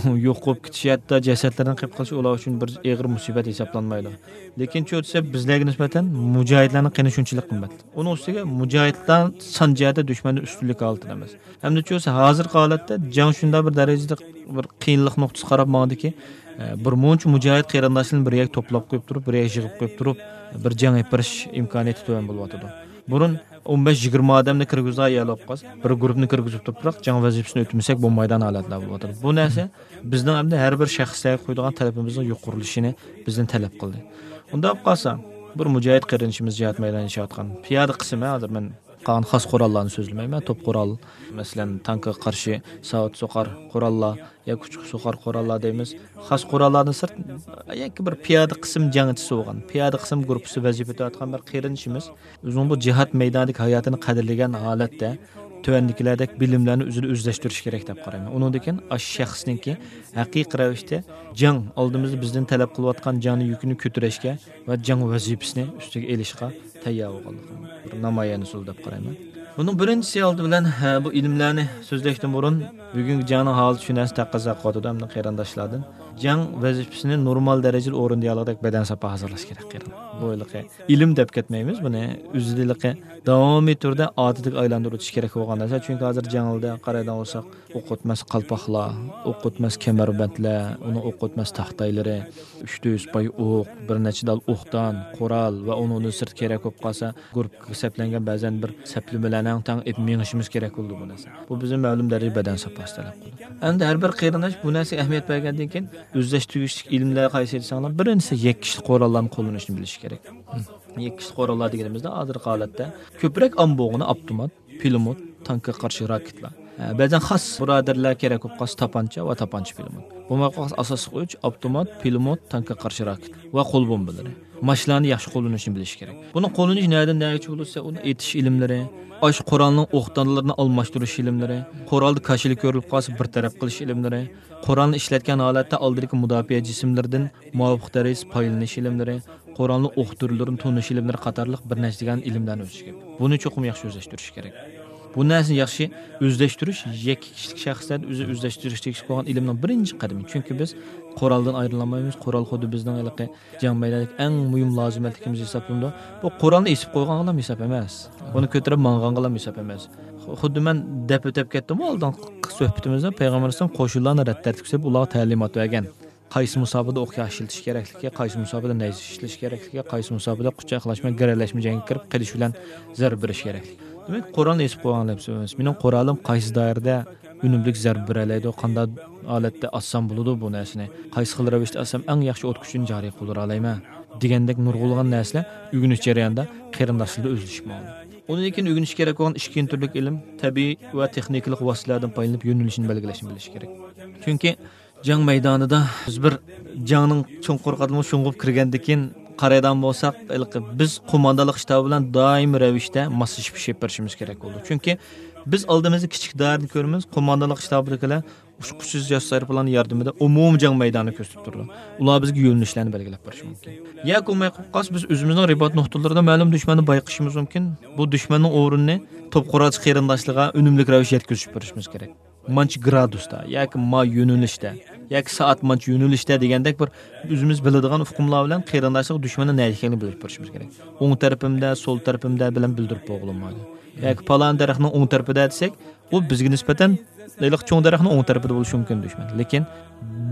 يوق بولۇپ كېتىشى، ھەتتا جەسەتلىرىنىڭ قېلىپ قېلىشى ئۇلار ئۈچۈن بىر ئېغىر مۇسىبەت ھېسابلانمايدۇ. لېكىن چۇ دېسە، بىزلەرگە نىسبەتەن مۇجاھىدلارنىڭ قېنى شۇنچىلىك قىممەت. ئۇنىڭ ئۈستىگە مۇجاھىدلار سان جەھەتتە دۈشمەندىن ئۈستۈنلۈك ھالىتىدە ئەمەس. ھەمدە چۇ دېسە، ھازىرقى ھالەتتە جەڭ شۇنداق بىر دەرىجىدە بىر قىيىنلىق نۇقتىسى قاراپ ماڭىدۇكى، ئە، بىر مۇنچە مۇجاھىد قېرىنداشلىرىنى بىر يەرگە توپلاپ قويۇپ تۇرۇپ، بىر يەرگە يىغىپ قويۇپ تۇرۇپ، بىر جەڭ ئېلىپ بېرىش ئىمكانىيىتى تۆۋەن بولۇۋاتىدۇ. بۇرۇن ئون بەش يىگىرمە ئادەمنى كىرگۈزىدىغان يەر بولۇپ قالسا، بىر گۇرۇپپىنى كىرگۈزۈپ تۇرۇپ، بىراق جەڭ ۋەزىپىسىنى ئۆتىمىسەك بولمايدىغان ھالەتلەر بولۇۋاتىدۇ. بۇ نەرسە بىزنىڭ ئەمدى ھەر بىر شەخسلەرگە قويىدىغان تەلىپىمىزنىڭ يۇقىرىلىشىنى بىزدىن تەلەپ قىلدى. ئۇنداق بولۇپ قالسا، بىر مۇجاھىد قېرىندىشىمىز جىھاد مەيدانىدا ياشاۋاتقان پىيادە قىسىم، ھە، ھازىر مەن قالغان خاس قوراللارنى سۆزلىمەيمەن، توپ قورال، مەسىلەن، تانكىغا قارشى ساۋۇت سوقار قوراللار ياكى ئۇچقۇچ سوقار قوراللار دەيمىز. خاس قوراللاردىن سىرت، ياكى بىر پىيادە قىسىم جەڭچىسى بولغان، پىيادە قىسىم گۇرۇپپىسى ۋەزىپىدە تۇرۇۋاتقان بىر قېرىندىشىمىز ئۆزىنىڭ بۇ جىھاد مەيدانىدىكى ھاياتىنى قەدىرلىگەن ھالەتتە تۆۋەندىكىلەردەك بىلىملەرنى ئۆزىدە ئۆزلەشتۈرۈش كېرەك دەپ قارايمەن. ئۇنىڭدىن كېيىن ئاشۇ شەخسنىڭكى ھەقىقىي رەۋىشتە جەڭ، ئالدىمىزدا بىزدىن تەلەپ قىلىۋاتقان جەڭنىڭ يۈكىنى كۆتۈرۈشكە ۋە جەڭ ۋەزىپىسىنى ئۈستىگە ئېلىشقا تەييار بولغانلىقىنىڭ بىر نامايەندىسى دەپ قارايمەن. بۇنىڭ بىرىنچىسى ئالدى بىلەن، ھە، بۇ ئىلىملەرنى سۆزلەشتىن بۇرۇن، بۈگۈنكى جەڭنىڭ ھالىتى شۇ نەرسە تەقەززا قىلىۋاتىدۇ، ھەمدە قېرىنداشلاردىن جەڭ ۋەزىپىسىنى نورمال دەرىجىدە ئورۇندىيالىغۇدەك بەدەن ساپا ھازىرلاش كېرەك قېرىنداش. بۇ ھېلىقى ئىلىم دەپ كەتمەيمىز، بۇنى ئۆزىدە ھېلىقى داۋامىي تۈردە ئادىتىگە ئايلاندۇرۇۋېتىش كېرەك بولغان نەرسە. چۈنكى ھازىر جەڭلەردە قارايدىغان بولساق، ئوق ئۆتمەس قالپاقلار، ئوق ئۆتمەس كەمەربەندلەر، ئۇنىڭ ئوق ئۆتمەس تاختايلىرى، ئۈچ يۈز پاي ئوق، بىر نەچچە دال ئوقدان، قورال ۋە ئۇنىڭدىن سىرت كېرەك بولۇپ قالسا، گۇرۇپپىغا سەپلەنگەن بەزەن بىر سەپلىمىلەرنىڭ تەڭ ئېلىپ مېڭىشىمىز كېرەك بولىدۇ بۇ نەرسە. بۇ بىزدىن مەلۇم دەرىجىدە بەدەن ساپاسى تەلەپ قىلىدۇ. ئەمدى ھەر بىر قېرىنداش بۇ نەرسىگە ئەھمىيەت بەرگەندىن كېيىن، ئۆزلەشتۈرگۈچلۈك ئىلىملەر قايسى دېسەڭلار، بىرىنچىسى يەككە كىشىلىك قوراللارنى قوللىنىشنى بىلىشى كېرەك. يەككە كىشىلىك قوراللار دېگىنىمىزدە ھازىرقى ھالەتتە كۆپرەك ئام بولغىنى ئاپتومات، پىلىموت، تانكىغا قارشى راكېتلار. ھە، بەزەن خاس بۇرادەرلەر كېرەك بولۇپ قالسا تاپانچا ۋە تاپانچا پىلىموت. بولماي قالسا ئاساسلىق ئۈچ، ئاپتومات، پىلىموت، تانكىغا قارشى راكېت ۋە قول بومبىلىرى. ماشىنىلارنى ياخشى قوللىنىشنى بىلىشى كېرەك. بۇنى قوللىنىش نەدىن نەگىچە بولسا، ئۇنى ئېتىش ئىلىملىرى، ئاشۇ قورالنىڭ ئوقدانلىرىنى ئالماشتۇرۇش ئىلىملىرى، قورالدا كاشىلا كۆرۈلۈپ قالسا بىر تەرەپ قىلىش ئىلىملىرى، قورالنى ئىشلەتكەن ھالەتتە ئالدىدىكى مۇداپىئە جىسىملىرىدىن مۇۋاپىق دەرىجىدە پايدىلىنىش ئىلىملىرى، قورالنىڭ ئوق تۈرلىرىنى تونۇش ئىلىملىرى قاتارلىق بىر نەچچە دېگەن ئىلىملەرنى ئۆز ئىچىگە ئېلىپ، بۇنى چوقۇم ياخشى ئۆزلەشتۈرۈش كېرەك. بۇ نەرسىنى ياخشى ئۆزلەشتۈرۈش يەككە كىشىلىك شەخسلەردە ئۆزى ئۆزلەشتۈرۈش تېگىشلىك بولغان ئىلىمنىڭ بىرىنچى قەدىمى. چۈنكى بىز قورالدىن ئايرىلالمايمىز. قورال خۇددى بىزنىڭ ھېلىقى جەڭ مەيدانىدىكى ئەڭ مۇھىم لازىمەتلىكىمىز ھېسابلىنىدۇ. بۇ قورالنى ئېسىپ قويغانغىلا ھېساب ئەمەس. ئۇنى كۆتۈرۈپ ماڭغانغىلا ھېساب ئەمەس. خۇددى مەن دەپ ئۆتۈپ كەتتىمغۇ ئالدىنقى سۆھبىتىمىزدە، پەيغەمبەر ئەلەيھىسسالام قوشۇنلارنى رەت تەرتىپكە سېلىپ، ئۇلارغا تەلىمات بەرگەن. قايسى مۇساپىدە ئوق ياش ئىشلىتىش كېرەكلىكى، قايسى مۇساپىدە نەيزە ئىشلىتىش كېرەكلىكى، قايسى مۇساپىدە قۇچاق ياقلاشما، گىرەلەشمە جەڭگە كىرىپ قېلىش بىلەن زەربە بېرىش كېرەكلىكى. دېمەك، قورالنى ئېسىپ قويغان دەپ سۆز ئەمەس. مېنىڭ قورالىم قايسى دائىرىدە ئۈنۈملۈك زەربە بېرەلەيدۇ، قانداق ھالەتتە ئاتسام بولىدۇ بۇ نەرسىنى، قايسى خىل رەۋىشتە ئاتسام ئەڭ ياخشى ئوت كۈچىنى جارى قىلدۇرالايمەن دېگەندەك نۇرغۇنلىغان نەرسىلەر ئۆگىنىش جەريانىدا قېرىنداشلىرىدا ئۆزلىشىپ ماڭىدۇ. ئۇنىڭدىن كېيىن ئۆگىنىش كېرەك بولغان ئىككىنچى تۈرلۈك ئىلىم تەبىئىي ۋە تېخنىكىلىق ۋاسىتىلەردىن پايدىلىنىپ يۆنىلىشنى بەلگىلەشنى بىلىش كېرەك. چۈنكى جەڭ مەيدانىدا بىز بىر جەڭنىڭ چوڭقۇر قاتلىمىغا شۇڭغۇپ كىرگەندىن كېيىن قارايدىغان بولساق، ھېلىقى بىز قوماندانلىق شتابى بىلەن دائىمىي رەۋىشتە ماسلىشىپ ئىش ئېلىپ بېرىشىمىز كېرەك بولىدۇ. چۈنكى بىز ئالدىمىزدا كىچىك دائىرىنى كۆرىمىز، قوماندانلىق شتابىدىكىلەر ئۇچقۇچسىز ياساش ئايروپىلانى ياردىمىدە ئومۇمىي جەڭ مەيدانىنى كۆرسىتىپ تۇرىدۇ. ئۇلار بىزگە يۆنىلىشلەرنى بەلگىلەپ بېرىشى مۇمكىن. ياكى بولماي قالسا، بىز ئۆزىمىزنىڭ رىبات نۇقتىلىرىدا مەلۇم دۈشمەننى بايقىشىمىز مۇمكىن. بۇ دۈشمەننىڭ ئورنىنى توپ قورالچى قېرىنداشلىرىغا ئۈنۈملۈك رەۋىشتە يەتكۈزۈپ بېرىشىمىز كېرەك. مانچە گرادۇستا ياكى ما يۆنىلىشتە ياكى سائەت مانچە يۆنىلىشتە دېگەندەك بىر ئۆزىمىز بىلىدىغان ئۇقۇملار بىلەن قېرىنداشلىق دۈشمەننىڭ نەدە ئىكەنلىكىنى بىلدۈرۈپ بېرىشىمىز كېرەك. ئوڭ تەرىپىمدە، سول تەرىپىمدە بىلەن بىلدۈرۈپ بولغىلى بولمايدۇ. ياكى پالان دەرەخنىڭ ئوڭ تەرىپىدە دېسەك، ئۇ بىزگە نىسبەتەن ھېلىقى چوڭ دەرەخنىڭ ئوڭ تەرىپىدە بولۇشى مۇمكىن دۈشمەن. لېكىن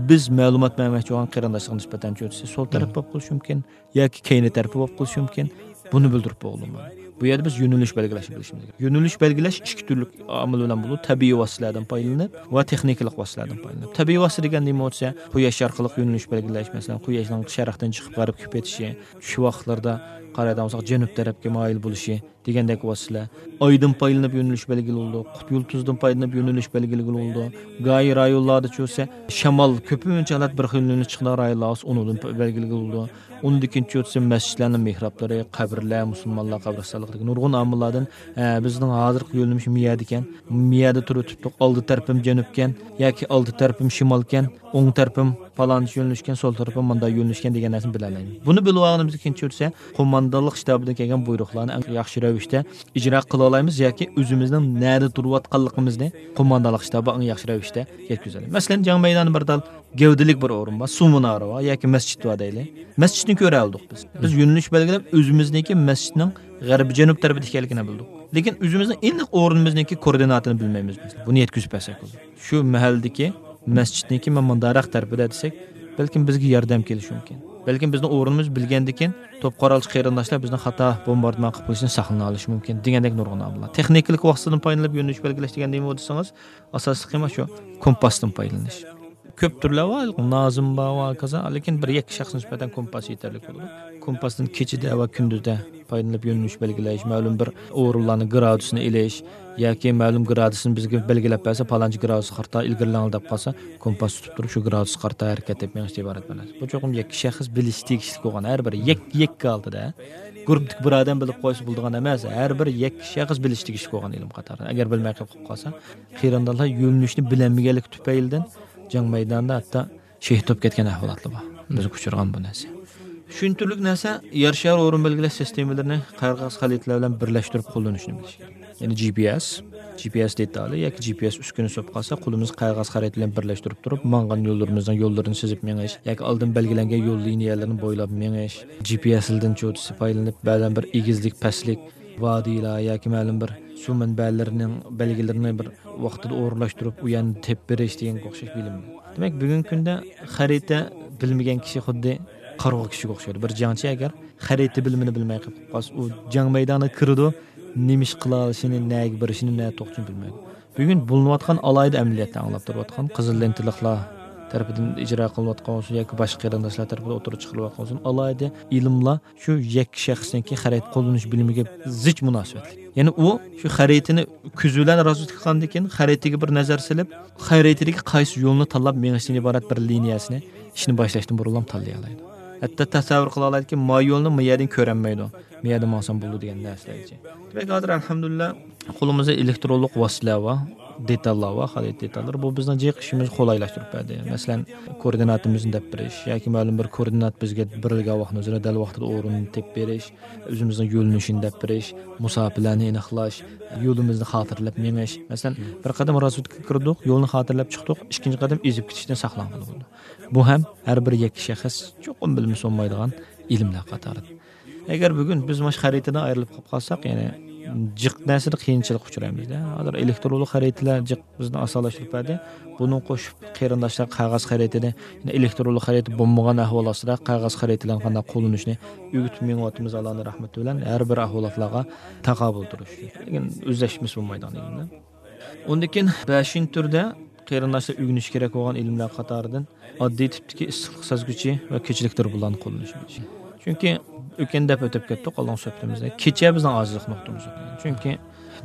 بىز مەلۇمات بەرمەكچى بولغان قېرىنداشلىق نىسبەتەن چۆتىسى سول تەرەپ بولۇپ قېلىشى مۇمكىن ياكى كەينى تەرىپى بولۇپ قېلىشى مۇمكىن. بۇنى بىلدۈرۈپ بولغىلى بولمايدۇ. بۇ يەردە بىز يۆنىلىش بەلگىلەشنى بىلىشىمىز كېرەك. يۆنىلىش بەلگىلەش ئىككى تۈرلۈك ئامىل بىلەن بولىدۇ. تەبىئىي ۋاسىتىلەردىن پايدىلىنىپ ۋە تېخنىكىلىق ۋاسىتىلەردىن پايدىلىنىپ. تەبىئىي ۋاسىتە دېگەن نېمە بولسا، قۇياش ئارقىلىق يۆنىلىش بەلگىلەش، مەسىلەن، قۇياشنىڭ شەرقتىن چىقىپ غەربكە پېتىشى، چۈش ۋاقىتلىرىدا قارايدىغان بولساق، جەنۇب تەرەپكە مايىل بولۇشى دېگەندەك ۋاسىتىلەر. ئايدىن پايدىلىنىپ يۆنىلىش بەلگىلىگىلى بولىدۇ. قۇت يۇلتۇزدىن پايدىلىنىپ يۆنىلىش بەلگىلىگىلى بولىدۇ. گاھى رايونلاردا چۈشسە، شامال كۆپىنچە ھالەت بىر خىل يۆنىلىش چىقىدىغان رايونلار بولسا، ئۇنىڭدىن پا-، بەلگىلىگىلى بولىدۇ. ئۇنىڭدىن كېيىن چۈشسە، مەسچىتلەرنىڭ مېھرابلىرى، قەبرىلەر، مۇسۇلمانلار قەبرىستانلىقىدىكى نۇرغۇن ئامىللاردىن، ھە، بىزنىڭ ھازىرقى يۆنىلىشىمىز مۇ يەردىكەن، مۇ يەردە تۇرۇپ تۇتتۇق، ئالدى تەرىپىم جەنۇبكەن ياكى ئالدى تەرىپىم شىمالكەن، ئوڭ تەرىپىم پالانچە يۆنىلىشكەن، سول تەرىپىم مۇنداق يۆنىلىشكەن دېگەن نەرسىنى بىلەلەيمىز. بۇنى بىلىۋالغىنىمىزدىن كېيىن چۈشسە، قوماندانلىق شتابىدىن كەلگەن بۇيرۇقلارنى ئەڭ ياخشى رەۋىشتە ئىجرا قىلالايمىز ياكى ئۆزىمىزنىڭ نەدە تۇرۇۋاتقانلىقىمىزنى قوماندانلىق شتابىغا ئەڭ ياخشى رەۋىشتە يەتكۈزەلەيمىز. مەسىلەن، جەڭ مەيدانى بىر تال گەۋدىلىك بىر ئورۇن بار، سۇ مۇنارى بار ياكى مەسچىت بار دەيلى. مەسچىتنى كۆرەلىدۇق بىز. بىز يۆنىلىش بەلگىلەپ، ئۆزىمىزنىڭكى مەسچىتنىڭ غەربىي جەنۇب تەرىپىدە ئىكەنلىكىنى بىلدۇق. لېكىن ئۆزىمىزنىڭ ئېنىق ئورنىمىزنىڭكى كوردىناتىنى بىلمەيمىز. مەسىلەن، بۇنى يەتكۈزۈپ بەرسەك بولىدۇ. شۇ مەھەلدىكى مەسچىتنىڭكى مانا مۇنداقراق تەرىپىدە دېسەك، بەلكىم بىزگە ياردەم كېلىشى مۇمكىن. بەلكىم بىزنىڭ ئورنىمىز بىلگەندىكىن، توپ قورالچى قېرىنداشلار بىزنىڭ خاتا بومباردىمان قىلىپ قېلىشىدىن ساقلىنالىشى مۇمكىن دېگەندەك نۇرغۇن ئامىللار. تېخنىكىلىق ۋاسىتىدىن پايدىلىنىپ يۆنىلىش بەلگىلەش دېگەن نېمە دېسىڭىز، ئاساسلىقى مانا شۇ كومپاستىن پايدىلىنىش. كۆپ تۈرلەر بار، نازىم بار ۋە ھاكازا، لېكىن بىر يەككە شەخس نىسبەتەن كومپاس يېتەرلىك بولىدۇ. كومپاستىن كېچىدە ۋە كۈندۈزدە پايدىلىنىپ يۆنىلىش بەلگىلەش، مەلۇم بىر ئورۇنلارنىڭ گرادۇسىنى ئېلىش ياكى مەلۇم گرادۇسىنى بىزگە بەلگىلەپ بەرسە، پالانچى گرادۇسقا قارىتا ئىلگىرىلەڭ دەپ قالسا، كومپاس تۇتۇپ تۇرۇپ شۇ گرادۇسقا قارىتا ھەرىكەت قىلىپ مېڭىش ئىبارەت بىر نەرسە. بۇ چوقۇم يەككە شەخس بىلىشى تېگىشلىك بولغان، ھەر بىر يەك-، يەككە ھالىتىدە گۇرۇپپىدىكى بىر ئادەم بىلىپ قويسا بولىدىغان ئەمەس، ھەر بىر يەككە شەخس بىلىشى تېگىشلىك بولغان ئىلىم قاتارى. ئەگەر بىلمەي قېلىپ قالسا، قېرىنداشلار يۆنىلىشنى بىلەلمىگەنلىكى تۈپەيلىدىن جەڭ مەيدانىدا ھەتتا شېھىت بولۇپ كەتكەن ئەھۋالاتلار بار. بىزگە ئۇچرىغان بۇ نەرسە. شۇنچىلىك نەرسە يەر شارى ئورۇن بەلگىلەش سىستېمىلىرىنى قەغەز خەرىتىلەر بىلەن بىرلەشتۈرۈپ قوللىنىشنى بىلىش كېرەك. يەنى جى پى ئېس، جى پى ئېس دېتالى ياكى جى پى ئېس ئۈسكۈنىسى بولۇپ قالسا، قولىمىزغا قەغەز خەرىتە بىلەن بىرلەشتۈرۈپ تۇرۇپ، ماڭغان يوللىرىمىزنىڭ يوللىرىنى سىزىپ مېڭىش ياكى ئالدىن بەلگىلەنگەن يول لىنىيەلىرىنى بويلاپ مېڭىش، جى پى ئېسلىدىن چوتىسى پايدىلىنىپ، بەزەن بىر ئېگىزلىك، پەسلىك، ۋادىلار ياكى مەلۇم بىر سۇ مەنبەلىرىنىڭ بەلگىلىرىنى بىر ۋاقتىدا ئورۇنلاشتۇرۇپ، ئۇ يەرنى تېپىپ بېرىش دېگەنگە ئوخشاش بىلىم. دېمەك، بۈگۈنكى كۈندە خەرىتە بىلمىگەن كىشى خۇددى قارىغۇ كىشىگە ئوخشايدۇ. بىر جەڭچى ئەگەر خەرىتە بىلىمىنى بىلمەي قېلىپ قالسا، ئۇ جەڭ مەيدانىغا كىرىدۇ، نېمە ئىش قىلالىشىنى، نەگە بېرىشىنى، نە توختىشىنى بىلمەيدۇ. بۈگۈن بولۇنۇۋاتقان ئالاھىدە ئەمەلىيەتلەر ئاڭلاپ تۇرۇۋاتقان، قىزىل لېنتىلىقلار تەرىپىدىن ئىجرا قىلىنىۋاتقان بولسۇن ياكى باشقا قېرىنداشلار تەرىپىدىن ئوتتۇرىغا چىقىرىلىۋاتقان بولسۇن، ئالاھىدە ئىلىملار شۇ يەككە شەخسنىڭكى خەرىتە قوللىنىش بىلىمىگە زىچ مۇناسىۋەتلىك. يەنى ئۇ شۇ خەرىتىنى كۆزى بىلەن رازۋېدكا قىلغاندىن كېيىن، خەرىتىگە بىر نەزەر سېلىپ، خەرىتىدىكى قايسى يولنى تاللاپ مېڭىشتىن ئىبارەت بىر لىنىيەسىنى ئىشنى باشلاشتىن بۇرۇنلا تاللىيالايدۇ. ھەتتا تەسەۋۋۇر قىلالايدۇكى، ما يولنى ما يەردىن كۆرەلمەيدۇ، ما يەردىن ماڭسام بولىدۇ دېگەن نەرسىلەرگىچە. دېمەك، ھازىر ئەلھەمدۇلىللا قولىمىزدا ئېلېكترونلۇق ۋاسىتىلەر بار، دېتاللار بار، خەرىتە دېتاللىرى. بۇ بىزنىڭ جىق ئىشىمىزنى قولايلاشتۇرۇپ بەردى. مەسىلەن، كوئوردىناتىمىزنى دەپ بېرىش ياكى مەلۇم بىر كوئوردىنات بىزگە بېرىلگەن ۋاقىتنىڭ ئۆزىدە دەل ۋاقتىدا ئورنىنى تېپىپ بېرىش، ئۆزىمىزنىڭ يۆنىلىشىنى دەپ بېرىش، مۇساپىلەرنى ئېنىقلاش، يولىمىزنى خاتىرىلەپ مېڭىش. مەسىلەن، بىر قەدەم رازۋېدكىغا كىردۇق، يولنى خاتىرىلەپ چىقتۇق، ئىككىنچى قەدەم ئېزىپ كېتىشتىن ساقلانغىلى بولىدۇ. بۇ ھەم ھەر بىر يەككە شەخس چوقۇم بىلمىسە بولمايدىغان ئىلىملەر قاتارىدىن. ئەگەر بۈگۈن بىز مانا شۇ خەرىتىدىن ئايرىلىپ قېلىپ قالساق، يەنى جىق نەرسىدە قىيىنچىلىققا ئۇچرايمىز-دە. ھازىر ئېلېكترونلۇق خەرىتىلەر جىق بىزنى ئاسانلاشتۇرۇپ بەردى. بۇنىڭغا قوشۇپ قېرىنداشلار قەغەز خەرىتىنى، يەنى ئېلېكترونلۇق خەرىتە بولمىغان ئەھۋال ئاستىدا قەغەز خەرىتىلەرنى قانداق قوللىنىشنى ئۆگىتىپ مېڭىۋاتىمىز، ئاللانىڭ رەھمىتى بىلەن ھەر بىر ئەھۋالاتلارغا تاقابىل تۇرۇش. لېكىن ئۆزلەشمىسە بولمايدىغان ئىلىملەر. ئۇندىن كېيىن بەشىنچى تۈردە قېرىنداشلار ئۆگىنىشى كېرەك بولغان ئىلىملەر قاتارىدىن ئاددىي تىپتىكى ئىسسىقلىق سەزگۈچى ۋە كېچىلىك دۇربۇنلارنى قوللىنىشى. چۈنكى ئۆتكەندە دەپ ئۆتۈپ كەتتۇق، ئالدىنقى سۆھبىتىمىزدە. كېچە بىزنىڭ ئاجىزلىق نۇقتىمىز. چۈنكى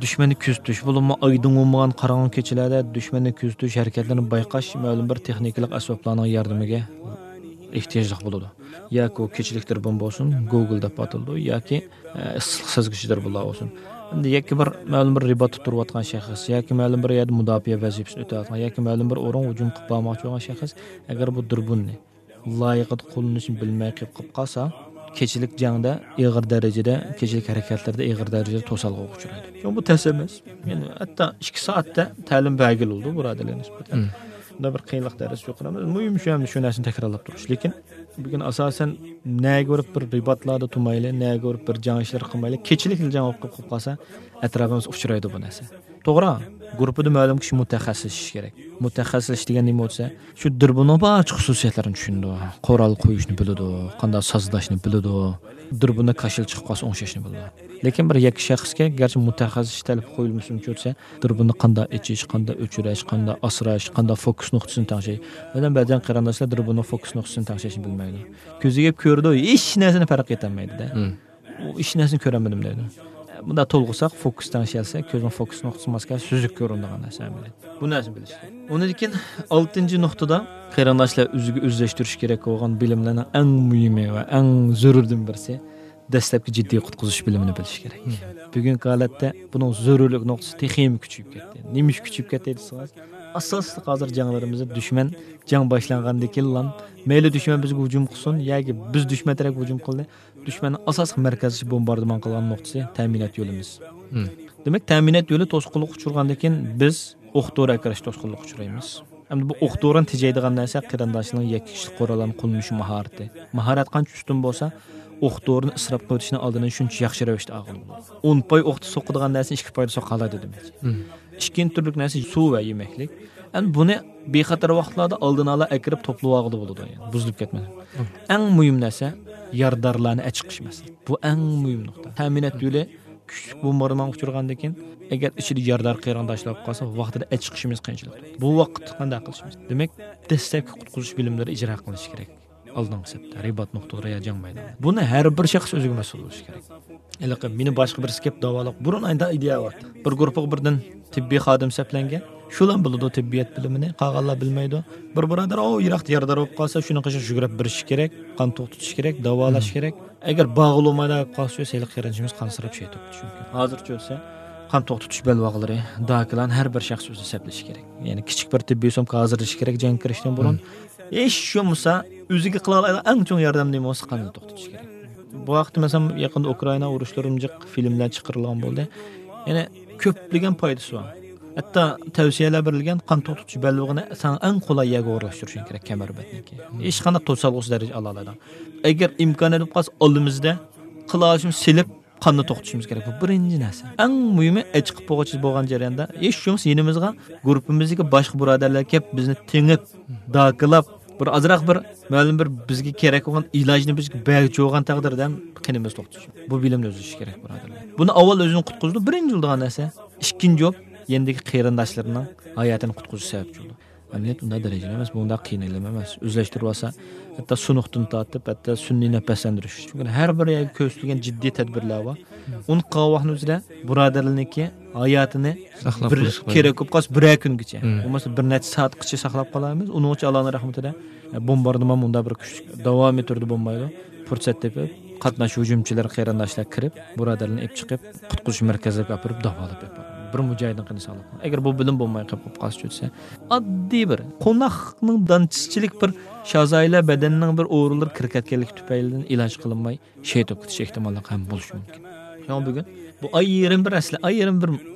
دۈشمەننى كۆزىتىش، بولۇپمۇ ئايدىڭ بولمىغان قاراڭغۇ كېچىلەردە دۈشمەننى كۆزىتىش، ھەرىكەتلىرىنى بايقاش مەلۇم بىر تېخنىكىلىق ئەسۋابلارنىڭ ياردىمىگە ئېھتىياجلىق بولىدۇ. ياكى ئۇ كېچىلىك دۇربۇن بولسۇن، گوگل دەپ ئاتىلىدۇ، ياكى، ئە، ئىسسىقلىق سەزگۈچى دۇربۇنلار بولسۇن. ئەمدى ياكى بىر مەلۇم بىر رىباتتا تۇرۇۋاتقان شەخس ياكى مەلۇم بىر يەردە مۇداپىئە ۋەزىپىسىنى ئۆتەۋاتقان ياكى مەلۇم بىر ئورۇنغا ھۇجۇم قىلىپ بارماقچى بولغان شەخس ئەگەر بۇ دۇربۇننى لايىقىدا قوللىنىشنى بىلمەي قېلىپ قالسا، كېچىلىك جەڭدە ئېغىر دەرىجىدە، كېچىلىك ھەرىكەتلەردە ئېغىر دەرىجىدە توسالغۇغا ئۇچرايدۇ. شۇڭا بۇ تەس ئەمەس. يەنى ھەتتا ئىككى سائەتتە تەلىم بەرگىلى بولىدۇ بۇرادەرلەرگە نىسبەتەن. مم. بۇندا بىر قىيىنلىق دەرىجىسى يۇقىرى ئەمەس. مۇھىم شۇ ئەمدى شۇ نەرسىنى تەكرارلاپ تۇرۇش. لېكىن بۈگۈن ئاساسەن نەگە بېرىپ بىر رىباتلاردا تۇرمايلى، نەگە بېرىپ بىر جەڭ ئىشلىرى قىلمايلى، كېچىلىكلا جەڭ بولۇپ قېلىپ قالسا، ئەتراپىمىزدا ئۇچرايدۇ بۇ نەرسە. توغرا، گۇرۇپپىدا مەلۇم كىشى مۇتەخەسسىسلىشىش كېرەك. مۇتەخەسسىسلىشىش دېگەن نېمە بولسا، شۇ دۇربۇننىڭ بارچە خۇسۇسىيەتلىرىنى چۈشىنىدۇ. قورال قويۇشنى بىلىدۇ، قانداق سازلاشنى بىلىدۇ، دۇربۇندا كاشىلا چىقىپ قالسا ئوڭشاشنى بىلىدۇ. لېكىن بىر يەككە شەخسكە گەرچە مۇتەخەسسىس تەلىپى قويۇلمىسۇنچە ئۆتسە، دۇربۇننى قانداق ئېچىش، قانداق ئۆچۈرۈش، قانداق ئاسراش، قانداق فوكۇس نۇقتىسىنى تەڭشەش. مەسىلەن، بەزەن قېرىنداشلار دۇربۇننىڭ فوكۇس نۇقتىسىنى تەڭشەشنى بىلمەيدۇ. كۆزىگە كۆرىدۇ، ھېچ نەرسىنى پەرق ئېتەلمەيدۇ-دە. مم. ئۇ ھېچ نەرسىنى كۆرەلمىدىم دەيدۇ. بۇنداق تولغۇساق، فوكۇس تەڭشەلسە، كۆزنىڭ فوكۇس نۇقتىسى ماس كەلسە، سۈزۈك كۆرۈنىدىغان نەرسە ئەمەلىيەتتە. بۇ نەرسىنى بىلىش كېرەك. ئۇنىڭدىن كېيىن ئالتىنچى نۇقتىدا قېرىنداشلار ئۆزىگە ئۆزلەشتۈرۈش كېرەك بولغان بىلىملەرنىڭ ئەڭ مۇھىمى ۋە ئەڭ زۆرۈردىن بىرسى دەسلەپكى جىددىي قۇتقۇزۇش بىلىمىنى بىلىش كېرەك. مم. بۈگۈنكى ھالەتتە بۇنىڭ زۆرۈرلۈك نۇقتىسى تېخىمۇ كۈچىيىپ كەتتى. نېمە ئۈچۈن كۈچىيىپ كەتتى دېسىڭىز، ئاساسلىق ھازىر جەڭلىرىمىزدە دۈشمەن جەڭ باشلانغاندىن كېيىنلا مەيلى دۈشمەن بىزگە ھۇجۇم قىلسۇن ياكى بىز دۈشمەن تەرەپكە ھۇجۇم قىلدى، دۈشمەننىڭ ئاساسلىق مەركەزلىشىپ بومباردىمان قىلغان نۇقتىسى تەمىنات يولىمىز. مم. دېمەك، تەمىنات يولى توسقۇنلۇققا ئۇچرىغاندىن كېيىن بىز ئوق دورا ئەكىرىش توسقۇنلۇققا ئۇچرايمىز. ئەمدى بۇ ئوق دورىنى تېجەيدىغان نەرسە قېرىنداشنىڭ يەككە كىشىلىك قوراللارنى قوللىنىش ماھارىتى. ماھارەت قانچە ئۈستۈن بولسا، ئوق دورىنى ئىسراپ قىلىۋېتىشنىڭ ئالدىنى شۇنچە ياخشى رەۋىشتە ئالغىلى بولىدۇ. ئون پاي ئوقتا سوقىدىغان نەرسىنى ئىككى پايدا سوقالايدۇ دېمەكچى. مم. ئىككىنچى تۈرلۈك نەرسە سۇ ۋە يېمەكلىك. ئەمدى بۇنى بىخەتەر ۋاقىتلاردا ئالدىنى ئالا ئەكىرىپ توپلىۋالغىلى بولىدۇ، يەنى بۇزۇلۇپ كەتمەسلىك. مم. ئەڭ مۇھىم نەرسە يارىدارلارنى ئەچىقىش مەسىلىسى. بۇ ئەڭ مۇھىم نۇقتا. تەمىنات يولى كۈچلۈك بومباردىمانغا ئۇچرىغاندىن كېيىن، ئەگەر ئىچىدە يارىدار قېرىنداشلار بولۇپ قالسا، ۋاقتىدا ئەچىقىشىمىز قىيىنچىلىق. بۇ ۋاقىتتا قانداق قىلىشىمىز؟ دېمەك، دەسلەپكى قۇتقۇزۇش بىلىملىرى ئىجرا قىلىنىشى كېرەك. ئالدىنقى سەپتە، رىبات نۇقتىلىرى يا جەڭ مەيدانى. بۇنى ھەر بىر شەخس ئۆزىگە مەسئۇل بولۇشى كېرەك. ھېلىقى مېنى باشقا بىرسى كەپ داۋالاپ، بۇرۇن ئايدا ئىدىيە بار. بىر گۇرۇپپىغا بىردىن تېببىي خادىم سەپلەنگەن. شۇلا بىلىدۇ تېببىيات بىلىمىنى، قالغانلار بىلمەيدۇ. بىر بۇرادەر، ئو، يىراقتا يارىدار بولۇپ قالسا، شۇنىڭ قېشىغا يۈگۈرۈپ بېرىشى كېرەك، قان توختىتىش كېرەك، داۋالاش مم. كېرەك. ئەگەر بارغىلى بولمايدىغان بولۇپ قالسا، ھېلىقى قېرىندىشىمىز قانسىراپ شېھىت بوپتۇ چۈنكى. ھازىرچە ئۆتسە، قان توختىتىش بەلباغلىرى، داكىلارنى ھەر بىر شەخس ئۆزى سەپلىشى كېرەك. يەنى كىچىك بىر تېببىي سومكا ھازىرلىشى كېرەك جەڭگە كىرىشتىن بۇرۇن. مم. ھېچ بولمىسا، ئۆزىگە قىلالايدىغان ئەڭ چوڭ ياردەم نېمە بولسا، قاننى توختىتىش كېرەك. بۇ ھەقتە، مەسىلەن، يېقىندا ئۇكرائىنا ئۇرۇشلىرىمۇ جىق فىلىملەر چىقىرىلغان بولدى. يەنى كۆپلىگەن پايدىسى بار. ھەتتا تەۋسىيەلەر بېرىلگەن، قان توختىتىش بەلبېغىنى ساڭا ئەڭ قولاي يەرگە ئورۇنلاشتۇرۇشۇڭ كېرەك، كەمەر بەتنىكى. ھېچقانداق توسالغۇسىز دەرىجىدە ئالالايدىغان. ئەگەر ئىمكانىيەت بولۇپ قالسا، ئالدىمىزدا قىلالىشىمىز سېلىپ، قاننى توختىتىشىمىز كېرەك. بۇ بىرىنچى نەرسە. ئەڭ مۇھىمى، ئېچىقىپ بولغۇچە بولغان جەرياندا، ھېچ بولمىسا يېنىمىزغا گۇرۇپپىمىزدىكى باشقا بۇرادەرلەر كېلىپ، بىزنى تېڭىپ، داكىلاپ، بىر ئازراق بىر مەلۇم بىر بىزگە كېرەك بولغان ئىلاجنى بىزگە بەرگۈچى بولغان تەقدىردە قېنىمىز توختىشى. بۇ بىلىمنى ئۆزلىشىش كېرەك، بۇرادەرلەر. بۇنى ئاۋۋال ئۆزىنى قۇتقۇزىدۇ، بىرىنچى بولىدىغان نەرسە. ئىككىنچى بولۇپ، يېنىدىكى قېرىنداشلىرىنىڭ ھاياتىنى قۇتقۇزۇش سەۋەبچى بولىدۇ. ئەمەلىيەت ئۇنداق دەرىجىدە ئەمەس، بۇ ئۇنداق قىيىن ئىلىم ئەمەس. ئۆزلەشتۈرۈۋالسا، ھەتتا سۇنۇقتىن تارتىپ، ھەتتا سۈنئىي نەپەسلەندۈرۈش. چۈنكى ھەر بىر يەرگە كۆرسىتىلگەن جىددىي تەدبىرلەر بار. ئۇنى قىلغان ۋاقتىنىڭ ئۆزىدە بۇرادەرلەرنىڭكى ھاياتىنى ساقلاپ بىر قېلىش كېرەك بولۇپ قالسا، بىرەر كۈنگىچە. مم. بولمىسا بىر نەچچە سائەتقىچە ساقلاپ قالايمىز. ئۇنىڭ ئۈچۈن ئاللانىڭ رەھمىتىدە، ئە، بومباردىمان مۇنداق بىر كۈچلۈك داۋامىي تۈردە بولمايدۇ. پۇرسەت تېپىپ، قاتناش ھۇجۇمچىلىرى قېرىنداشلار كىرىپ، بۇرادەرلەرنى ئېلىپ چىقىپ، قۇتقۇزۇش مەركەزلىرىگە ئاپىرىپ داۋالاپ ئېلىپ بارغان. بىر مۇجاھىدنىڭ قېنى ساقلاپ قالغان. ئەگەر بۇ بىلىم بولماي قېلىپ قالسا، چۈشسە، ئاددىي بىر قوناقنىڭ دانچىسىچىلىك بىر شازايلار بەدەننىڭ بىر ئورۇنلىرى كىرىپ كەتكەنلىكى تۈپەيلىدىن ئىلاج قىلىنماي شېھىت بولۇپ كېتىش ئېھتىماللىقى ھەم بولۇشى مۇمكىن. شۇڭا بۈگۈن بۇ ئايرىم بىر ئەسلى، ئايرىم بىر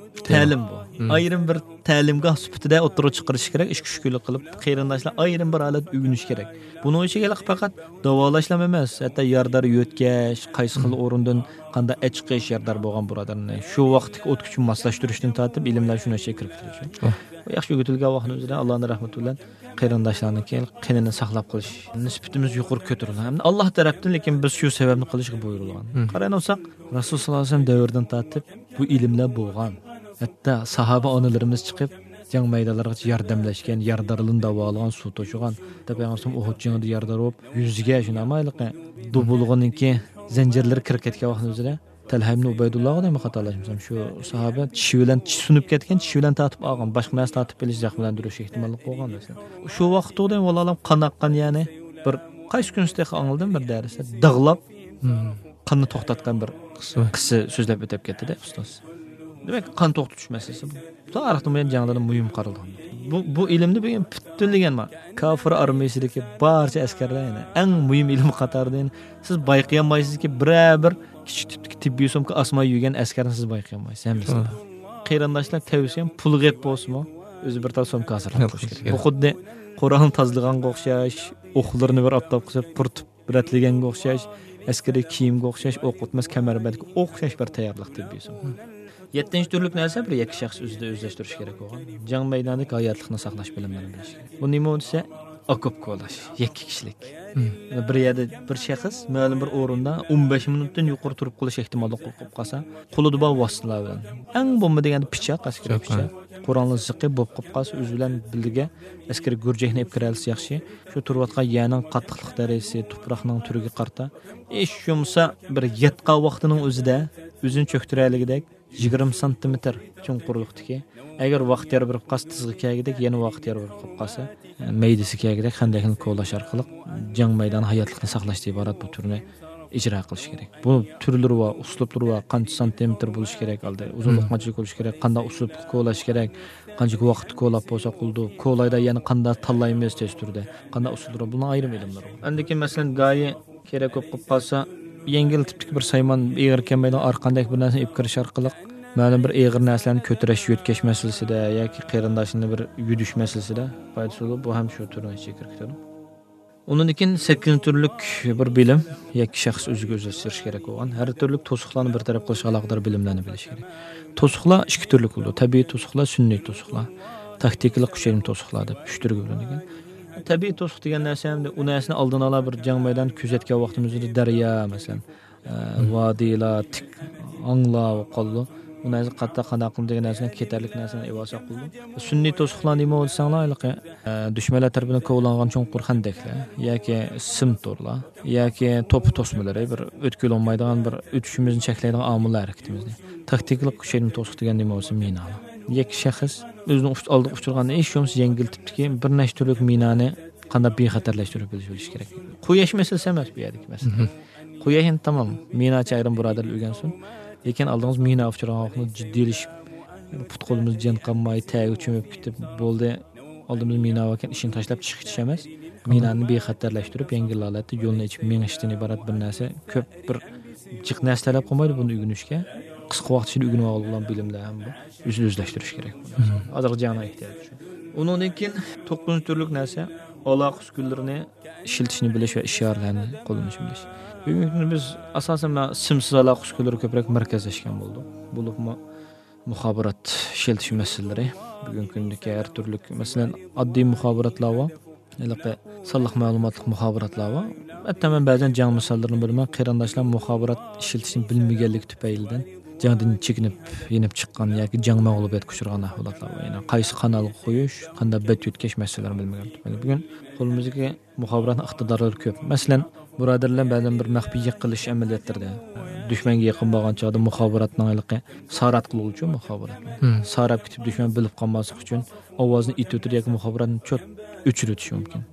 تەلىم بۇ. مم. ئايرىم بىر تەلىمگاھ سۈپىتىدە ئوتتۇرىغا چىقىرىش كېرەك، ئىككى ئۈچ كۈنلۈك قىلىپ، قېرىنداشلار ئايرىم بىر ھالەتتە ئۆگىنىشى كېرەك. بۇنىڭ ئىچىگە پەقەت داۋالاشلا ئەمەس، ھەتتا يارىدار يۆتكەش، قايسى خىل مم. ئورۇندىن قانداق ئەچىقىش، يارىدار بولغان بۇرادەرنى شۇ ۋاقىتتىكى ئوتكىچە ماسلاشتۇرۇشتىن تارتىپ، ئىلىملەر شۇنىڭ ئىچىگە كىرىپ كېتىدۇ. ئۇ ياخشى ئۆگىتىلگەن ۋاقىتنىڭ ئۆزىدە ئاللانىڭ رەھمىتى بىلەن قېرىنداشلارنىڭكى قېنىنى ساقلاپ قېلىش نىسبىتىمىز يۇقىرى كۆتۈرۈلگەن. ئەمدى ئاللا تەرەپتىن، لېكىن بىز شۇ سەۋەبنى قىلىشقا بۇيرۇلغان. مم. قارايدىغان بولساق، رەسۇل ساللاللاھۇ ئەلەيھى ۋەسەللەم دەۋرىدىن تارتىپ بۇ ئىلىملەر بولغان. ھەتتا ساھابە ئانىلىرىمىز چىقىپ، جەڭ مەيدانلىرىغىچە ياردەملەشكەن، ياردارلىرىنى داۋالىغان، سۇ توشۇغان. ھەتتا پەيغەمبەر ئۇھۇد جېڭىدا ياردار بولۇپ، يۈزىگە شۇنداقمۇ ھېلىقى دوبۇلغىنىڭكى زەنجىرلىرى كىرىپ كەتكەن ۋاقىتنىڭ ئۆزىدە، تەلھە ئىبنى ئۇبەيدۇللاغۇ دەيمەن، خاتالاشمىسام، شۇ ساھابە چىشى بىلەن، چىشى سۇنۇپ كەتكەن، چىشى بىلەن تارتىپ ئالغان، باشقا نەرسە تارتىپ ئېلىش زەخىملەندۈرۈش ئېھتىماللىقى بولغان دەيسەن. شۇ ۋاقىتتا دەيمەن، ۋاللاھۇ ئەلەم، قان ئاققان، يەنى بىر قايسى كۈنسى تېخى ئاڭلىدىم بىر دەرستە، داغلاپ، مم. قاننى توختاتقان بىر قىسسە بار. قىسسە سۆزلەپ ئۆتۈپ كەتتى-دە، ئۇستاز. دېمەك، قان توختىتىش مەسىلىسى بۇ. تارىختىن بۇيان جەڭلەردە مۇھىم قارىلىدىغان. بۇ، بۇ ئىلىمنى بۈگۈن پۈتۈنلىگەن بار. كاپىر ئارمىيىسىدىكى بارچە ئەسكەرلەر، يەنى ئەڭ مۇھىم ئىلىم قاتارىدا، يەنى سىز بايقىيالمايسىزكى، بىرەر بىر كىچىك تىپتىكى تېببىي سومكا ئاسماي يۈرگەن ئەسكەرنى سىز بايقىيالمايسىز ھەممىسىنى. توغرا. قېرىنداشلار تەۋسىيەم، پۇلى غېپ بولسىمۇ، ئۆزى بىر تال سومكا ھازىرلاپ قويۇش كېرەك. بۇ خۇددى قورالنى تازىلىغانغا ئوخشاش، ئوقلىرىنى بىر ئاپتاپقا سېلىپ پۇرىتىپ رەتلىگەنگە ئوخشاش، ئەسكىرىي كىيىمگە ئوخشاش، ئوق ئۆتمەس كەمەربەندكە ئوخشاش بىر تەييارلىق تېببىي سومكا. يەتتىنچى تۈرلۈك نەرسە بىر يەككە شەخس ئۆزىدە ئۆزلەشتۈرۈش كېرەك بولغان. جەڭ مەيدانىدىكى ھاياتلىقنى ساقلاش بىلىملىرىنى بىلىش كېرەك. بۇ نېمە دېسە، ئوكوپ كولاش، يەككە كىشىلىك. بىر يەردە بىر شەخس مەلۇم بىر ئورۇندا ئون بەش مىنۇتتىن يۇقىرى تۇرۇپ قېلىش ئېھتىماللىقى بولۇپ قالسا، قولىدا بار ۋاسىتىلەر بىلەن، ئەڭ بولمىدى دېگەندە پىچاق، ئەسكىرىي پىچاق، قورالنىڭ زىقى بولۇپ قالىپ قالسا، ئۆزى بىلەن بىللە ئەسكىرىي گۈرجەكنى ئېلىپ كىرەلىسە ياخشى. شۇ تۇرۇۋاتقان يەرنىڭ قاتتىقلىق دەرىجىسى، تۇپراقنىڭ تۈرىگە قارىتا، ھېچ بولمىسا بىر ياتقان ۋاقتىنىڭ ئۆزىدە ئۆزىنى چۆكتۈرەلىگۈدەك يىگىرمە سانتىمېتىر چوڭقۇرلۇقتىكى، ئەگەر ۋاقىت يار بېرىپ قالسا، تىزىغا كەلگۈدەك، يەنە ۋاقىت يار بېرىپ قالىپ قالسا، مەيدىسىگە كەلگۈدەك خەندەكنى كولاش ئارقىلىق جەڭ مەيدانى ھاياتلىقنى ساقلاشتىن ئىبارەت بۇ تۈرنى ئىجرا قىلىش كېرەك. بۇ تۈرلىرى بار، ئۇسلۇبلىرى بار، قانچە سانتىمېتىر بولۇشى كېرەك، ئالدى ئۇزۇنلۇق قانچىلىك بولۇشى كېرەك، قانداق ئۇسلۇبتا كولاش كېرەك، قانچىلىك ۋاقىتتا كولاپ بولسا بولىدۇ، كولايدا يەنە قانداق تاللايمىز تېز تۈردە، قانداق ئۇسۇللىرى، بۇنىڭ ئايرىم ئىلىملىرى بار. ئاندىن كېيىن، مەسىلەن، گايى كېرەك بولۇپ قالسا، يەڭگىل تىپتىكى بىر سايمان، ئېغىر كەلمەيدىغان ئارقاندەك بىر نەرسىنى ئېلىپ كىرىش ئارقىلىق مەلۇم بىر ئېغىر نەرسىلەرنى كۆتۈرۈش، يۆتكەش مەسىلىسىدە ياكى قېرىنداشلىرىنى بىر يۈدۈش مەسىلىسىدە پايدىسى بولىدۇ. بۇ ھەم شۇ تۈرنىڭ ئىچىگە كىرىپ كېتىدۇ. ئۇنىڭدىن كېيىن سەككىزىنچى تۈرلۈك بىر بىلىم، يەككە شەخس ئۆزىگە ئۆزلەشتۈرۈش كېرەك بولغان، ھەر تۈرلۈك توسۇقلارنى بىر تەرەپ قىلىشقا ئالاقىدار بىلىملەرنى بىلىش كېرەك. توسۇقلار ئىككى تۈرلۈك بولىدۇ، تەبىئىي توسۇقلار، سۈنئىي توسۇقلار، تاكتىكىلىق كۈچەيدىم توسۇقلار دەپ ئۈچ تۈرگە بۆلۈنىدىكەن. تەبىئىي توسۇق دېگەن نەرسە ئەمدى ئۇ نەرسىنى ئالدىنى ئالا بىر جەڭ مەيدانىدا كۆزەتكەن ۋاقتىمىزدا دەريا، مەسىلەن، ئە، ۋادىلار، تىك ئاڭلار بولۇپ قالىدۇ. ئۇ نەرسە قاتتىق قانداق قىلىمىز دېگەن نەرسىنى كېتەرلىك نەرسىنى ئېۋالساق بولىدۇ. سۈنئىي توسۇقلار نېمە دېسەڭلار، ھېلىقى، ئە، دۈشمەنلەر تەرىپىدىن كوۋلانغان چوڭقۇر خەندەكلەر ياكى سىم تورلار ياكى توپا توسمىلىرى بىر ئۆتكىلى بولمايدىغان، بىر ئۆتۈشىمىزنى چەكلەيدىغان ئامىللار ھەرىكىتىمىزنى. تاكتىكىلىق كۈچەيدىم توسۇق دېگەن نېمە بولسا مىنالار. يەككە شەخس ئۆزىنىڭ ئۇچ-، ئالدىغا ئۇچرىغان ھېچ بولمىسا يەڭگىل تىپتىكى بىر نەچچە تۈرلۈك مىنانى قانداق بىخەتەرلەشتۈرۈپ بىلىش، بىلىش كېرەك. قۇياش مەسىلىسى ئەمەس بۇ يەردىكى مەسىلە. قۇياش ئەمدى تامام، مىناچى ئايرىم بۇرادەرلەر ئۆگەنسۇن. لېكىن ئالدىڭىز مىنا ئۇچرىغان ۋاقتىدا جىددىيلىشىپ، پۇت-قولىمىز جان قانماي، تەرگە چۆمۈپ كېتىپ، بولدى، ئالدىمىزدا مىنا باركەن، ئىشىنى تاشلاپ چىقىپ كېتىش ئەمەس. مىنانى بىخەتەرلەشتۈرۈپ، يەڭگىل ھالەتتە يولنى ئېچىپ مېڭىشتىن ئىبارەت بىر نەرسە، كۆپ بىر جىق نەرسە تەلەپ قىلمايدۇ بۇنى ئۆگىنىشكە. قىسقا ۋاقىت ئىچىدە ئۆگىنىۋالغىلى بولغان بىلىملەر ھەم بۇ. ئۆزىنى ئۆزلەشتۈرۈش كېرەك. ھازىرقى جەڭنىڭ ئېھتىياجى شۇ. ئۇنىڭدىن كېيىن توققۇزىنچى تۈرلۈك نەرسە، ئالاقە ئۈسكۈنىلىرىنى ئىشلىتىشنى بىلىش ۋە ئىشارىلەرنى قوللىنىشنى بىلىش. بۈگۈنكى كۈندە بىز ئاساسەن مانا سىمسىز ئالاقە ئۈسكۈنىلىرى كۆپرەك مەركەزلەشكەن بولدۇق. بولۇپمۇ مۇخابىرات ئىشلىتىش مەسىلىلىرى، بۈگۈنكى كۈندىكى ھەر تۈرلۈك، مەسىلەن، ئاددىي مۇخابىراتلار بار، ھېلىقى سانلىق مەلۇماتلىق مۇخابىراتلار بار. ھەتتا مەن بەزەن جەڭ مىساللىرىنى بېرىمەن، قېرىنداشلار مۇخابىرات ئىشلىتىشنى بىلمىگەنلىكى تۈپەيلىدىن جەڭدىن چېكىنىپ، يېنىپ چىققان ياكى جەڭ مەغلۇبىيەتكە ئۇچرىغان ئەھۋالاتلار بار. يەنى قايسى قانالغا قويۇش، قانداق بەت يۆتكەش مەسىلىلىرىنى بىلمىگەنلىكى تۈپەيلىدىن. بۈگۈن قولىمىزدىكى مۇخابىراتنىڭ ئىقتىدارلىرى كۆپ. مەسىلەن، بۇرادەرلەر بىلەن بەزەن بىر مەخپىي يېقىنلىشىش ئەمەلىيەتلىرىدە، دۈشمەنگە يېقىن بارغان چاغدا مۇخابىراتنىڭ ھېلىقى سارات قىلغۇچۇ مۇخابىراتنى. ساراپ كېتىپ دۈشمەن بىلىپ قالماسلىق ئۈچۈن ئاۋازنى ئېتىۋېتىدۇ ياكى مۇخابىراتنى چوت ئۆچۈرۈۋېتىشى مۇمكىن.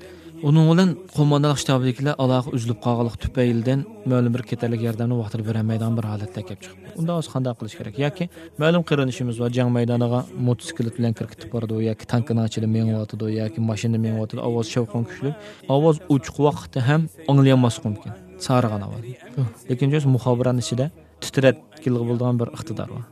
ئۇنىڭ بىلەن قوماندانلىق شتابىدىكىلەر ئالاقە ئۈزۈلۈپ قالغانلىقى تۈپەيلىدىن مەلۇم بىر كېتەرلىك ياردەمنى ۋاقتىدا بېرەلمەيدىغان بىر ھالەتلەر كەپ چىقىپ. ئۇنداق بولسا قانداق قىلىش كېرەك؟ ياكى مەلۇم قېرىندىشىمىز بار، جەڭ مەيدانىغا موتوسىكلىت بىلەن كىرىپ كېتىپ بارىدۇ ياكى تانكىنىڭ ئىچىدە مېڭىۋاتىدۇ ياكى ماشىنىدا مېڭىۋاتىدۇ، ئاۋاز شاۋقۇن كۈچلۈك. ئاۋاز ئوچۇق ۋاقىتتا ھەم ئاڭلىيالماسلىقى مۇمكىن، سارىغان ئاۋاز. لېكىن جۇس مۇخابىراتنىڭ ئىچىدە تىترەتكىلىغا بولىدىغان بىر ئىقتىدار بار.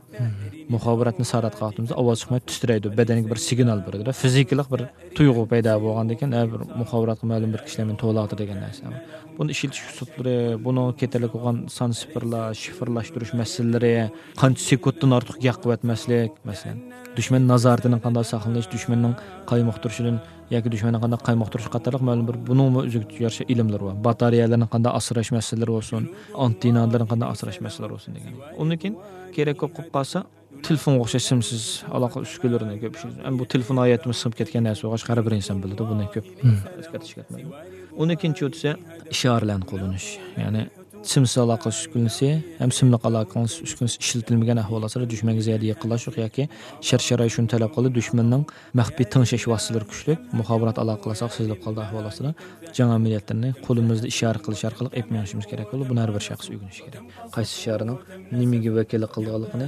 مۇخابىراتنى ساراتقان ۋاقتىمىزدا ئاۋاز چىقماي تىترەيدۇ، بەدەنگە بىر سىگنال بېرىدۇ، فىزىكىلىق بىر تۇيغۇ پەيدا بولغاندىن كېيىن، ھە، بىر مۇخابىراتقا مەلۇم بىر كىشىلەر مېنى توۋلاۋاتىدۇ دېگەن نەرسە. بۇنى ئىشلىتىش ئۇسۇللىرى، بۇنىڭغا كېتەرلىك بولغان سان سىفىرلاش، شىفىرلاشتۇرۇش مەسىلىلىرى، قانچە سېكۇنتتىن ئارتۇق گەپ قىلىۋەتمەسلىك، مەسىلەن، دۈشمەن نازارىتىنىڭ قانداق ساقلىنىش، دۈشمەننىڭ قايمۇقتۇرۇشىدىن ياكى دۈشمەننى قانداق قايمۇقتۇرۇش قاتارلىق مەلۇم بىر بۇنىڭمۇ ئۆزىگە يارىشا ئىلىملىرى بار. باتارېيەلەرنى قانداق ئاسراش مەسىلىلىرى بولسۇن، ئانتېننالىرىنى قانداق ئاسراش مەسىلىلىرى بولسۇن دېگەن. ئۇندىن كېيىن كېرەك بولۇپ قالسا، تېلېفونغا ئوخشاش سىمسىز ئالاقە ئۈسكۈنىلىرىنى كۆپ ئىشلىتىمىز. ئەمما بۇ تېلېفون ھاياتىمىز سىڭىپ كەتكەن نەرسە بولغاچقا، ھەر بىر ئىنسان بىلىدۇ، بۇنى كۆپ ئەسكەرتىش كەتمەيدۇ. ئۇندىن كېيىن چوتىسى ئىشارىلەرنى قوللىنىش. يەنى سىمسىز ئالاقە ئۈسكۈنىسى ھەم سىملىق ئالاقە ئۈسكۈنىسى ئىشلىتىلمىگەن ئەھۋاللاتلاردا دۈشمەنگە زىيادە يېقىنلاشلىق ياكى شەرت-شارائىت شۇنى تەلەپ قىلىدۇ، دۈشمەننىڭ مەخپىي تىڭشەش ۋاسىتىلىرى كۈچلۈك، مۇخابىرات ئالاقە قىلساق سېزىلىپ قالىدۇ ئەھۋالاتلىرى، جەڭ ئەمەلىيەتلىرىنى قولىمىزدا ئىشارە قىلىش ئارقىلىق ئېلىپ مېڭىشىمىز كېرەك بولىدۇ. بۇنى ھەر بىر شەخس ئۆگىنىشى كېرەك. قايسى ئىشارىنىڭ نېمىگە ۋەكىللىك قىلىدىغانلىقىنى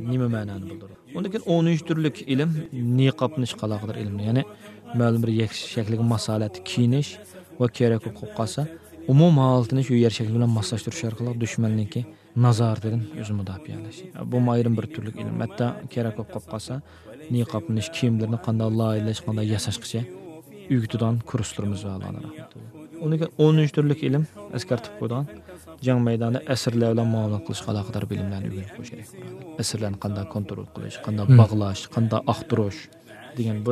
نېمە مەنانى بىلدۈرىدۇ؟ ئۇندىن كېيىن ئونىنچى تۈرلۈك ئىلىم نىقابلىنىشقا ئالاقىدار ئىلىم، يەنى مەلۇم بىر يەك-، شەكىلگە ماسلىقەتتە كىيىنىش ۋە كېرەك بولۇپ قالسا ئومۇمىي ھالىتىنى شۇ يەر شەكلى بىلەن ماسلاشتۇرۇش ئارقىلىق دۈشمەننىڭكى نازارىتىدىن ئۆزىنى مۇداپىئەلەش. بۇمۇ ئايرىم بىر تۈرلۈك ئىلىم. ھەتتا كېرەك بولۇپ قالسا نىقابلىنىش، كىيىملىرىنى قانداق لايىھەلەش، قانداق ياساشقىچە ئۆگىتىدىغان كۇرسلىرىمىز بار، ئاللاھنىڭ رەھمىتى بىلەن. ئۇنىڭ كېيىن ئونىنچى تۈرلۈك ئىلىم ئەسكەرتىپ قويىدىغان جەڭ مەيدانىدا ئەسىرلەر بىلەن مۇئامىلە قىلىشقا ئالاقىدار بىلىملەرنى ئۆگىنىپ قويۇش كېرەك. ئەسىرلەرنى قانداق كونترول قىلىش، قانداق مم. باغلاش، قانداق ئاختۇرۇش دېگەن بۇ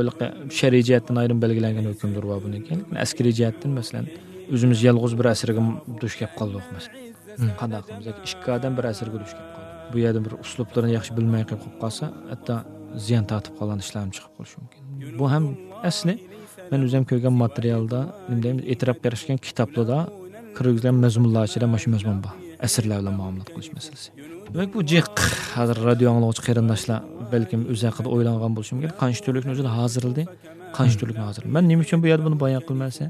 شەرئىي جەھەتتىن ئايرىم بەلگىلەنگەن ھۆكۈملىرى بار بۇنىڭكى. لېكىن ئەسكىرىي جەھەتتىن، مەسىلەن، ئۆزىمىز يالغۇز بىر ئەسىرگە دۇچ كەپ قالدۇق، مەسىلەن. مم. قانداق قىلىمىز؟ ياكى ئىككى ئادەم بىر ئەسىرگە دۇچ كەپ قالدى. بۇ يەردىن بىر ئۇسلۇبلىرىنى ياخشى بىلمەي قېلىپ قالسا، ھەتتا زىيان تارتىپ قالغان ئىشلار ھەم چىقىپ قېلىشى مۇمكىن. بۇ ھەم ئەسلى، مەن ئۆزۈم كۆرگەن ماتېرىيالدا، نېمە دەيمىز، ئېتىراپ قىلىش كەن كىتابلىردا كىرگۈزگەن مەزمۇنلار ئىچىدە مانا شۇ مەزمۇن بار. ئەسىرلەر بىلەن مۇئامىلە قىلىش مەسىلىسى. دېمەك، بۇ جىق، ھازىر رادىيو ئاڭلىغۇچى قېرىنداشلار بەلكىم ئۆز ھەققىدە ئويلانغان بولۇشى مۇمكىن. قانچە تۈرلۈكنى ئۆزىدە ھازىرلىدى، قانچە تۈرلۈكنى ھازىرلىدى. مەن نېمە ئۈچۈن بۇ يەردە بۇنى بايان قىلىمەن دېسە،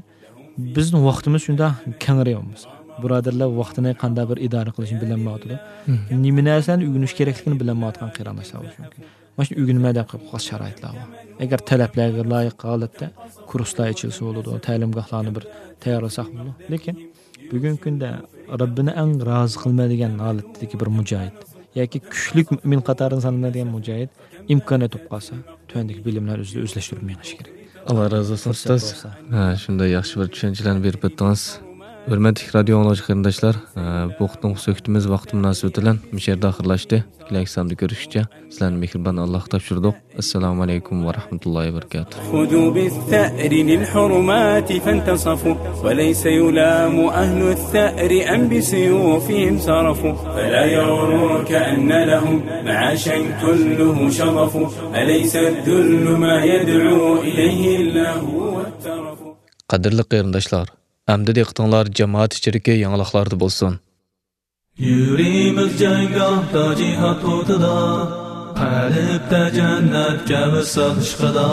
بىزنىڭ ۋاقتىمىز شۇنداق كەڭرى بولمىسا. بۇرادەرلەر ۋاقتىنى قانداق بىر ئىدارە قىلىشنى بىلەلمەيۋاتىدۇ. مم. نېمە نەرسىلەرنى ئۆگىنىش كېرەكلىكىنى بىلەلمەيۋاتقان قېرىنداشلار بولۇشى مۇمكىن. مانا شۇنى ئۆگىنىمەن دەپ قويۇپ قالغان شارائىتلار بار. ئەگەر تەلەپلەرگە لايىق ھالەتتە كۇرسلار ئېچىلسا بولىدۇ، تەلىمگاھلارنى بىر تەييارلىساق بولىدۇ. لېكىن بۈگۈنكى كۈندە رەببىنى ئەڭ رازى قىلمايدىغان ھالەتتىكى بىر مۇجاھىد ياكى كۈچلۈك مۆمىن قاتارىغا سانىلىدىغان مۇجاھىد ئىمكانىيەت بولۇپ قالسا، تۆۋەندىكى بىلىملەرنى ئۆزىدە ئۆزلەشتۈرۈپ مېڭىشى كېرەك. ئاللا رازى بولسۇن، ئۇستاز. ھە، شۇنداق ياخشى بىر چۈشەنچىلەرنى بېرىپ ئۆتتىڭىز. ھۆرمەتلىك رادىيو ئاڭلىغۇچى قېرىنداشلار، ھە، بۇ قېتىمقى سۆھبىتىمىز ۋاقتى مۇناسىۋىتى بىلەن مۇشۇ يەردە ئاخىرلاشتى. كېلەكى ساندا كۆرۈشكىچە سىلەرنى مېھرىبان ئاللاغا تاپشۇردۇق. ئەسسالامۇ ئەلەيكۇم ۋە رەھمەتۇللاھى ۋە بەرىكاتۇھ. خذوا بالثأر للحرمات فانتصفوا، وليس يلام أهل الثأر أم بسيوفهم صرفوا، فلا يغرك أن لهم معاشا كله شظف، أليس الذل ما يدعو إليه اللهو والترف. قەدىرلىك قېرىنداشلار، ئەمدى دىققىتىڭلار جامائەت ئىچىدىكى يېڭىلىقلاردا بولسۇن. يۈرىمىز جەڭگاھتا جىھاد ئوتىدا، قەلبتە جەننەتكە ۋىسال ئىشقىدا.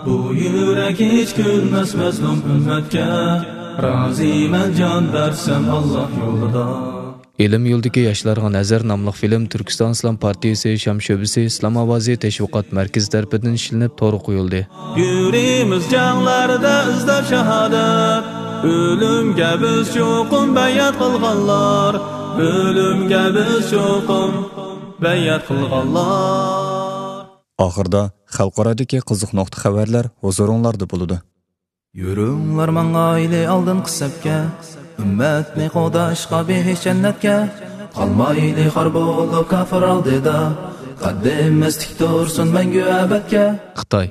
بۇ يۈرەك ھېچ كۈلمەس مەزلۇم ئۈممەتكە، رازىمەن جان بەرسەم ئاللا يولىدا. ئىلىم يولىدىكى ياشلارغا نەزەر ناملىق فىلىم تۈركىستان ئىسلام پارتىيىسى شام شۆبىسى ئىسلام ئاۋازى تەشۋىقات مەركىزى تەرىپىدىن ئىشلىنىپ تورغا قويۇلدى. يۈرىمىز جەڭلەردە ئىزدەپ شاھادەت، ئۆلۈمگە بىز چوقۇم بەيئەت قىلغانلار، ئۆلۈمگە بىز چوقۇم بەيئەت قىلغانلار. ئاخىردا خەلقئارادىكى قىزىق نۇقتا خەۋەرلەر ھۇزۇرۇڭلاردا بولىدۇ. يۈرۈڭلار ماڭايلى ئالدىنقى سەپكە، ئۈممەتنى قوغداشقا بېھىش جەننەتكە. قالمايلى خار بولۇپ كاپىر ئالدىدا، قەددىمىز تىك تۇرسۇن مەڭگۈ ئەبەدكە. خىتاي.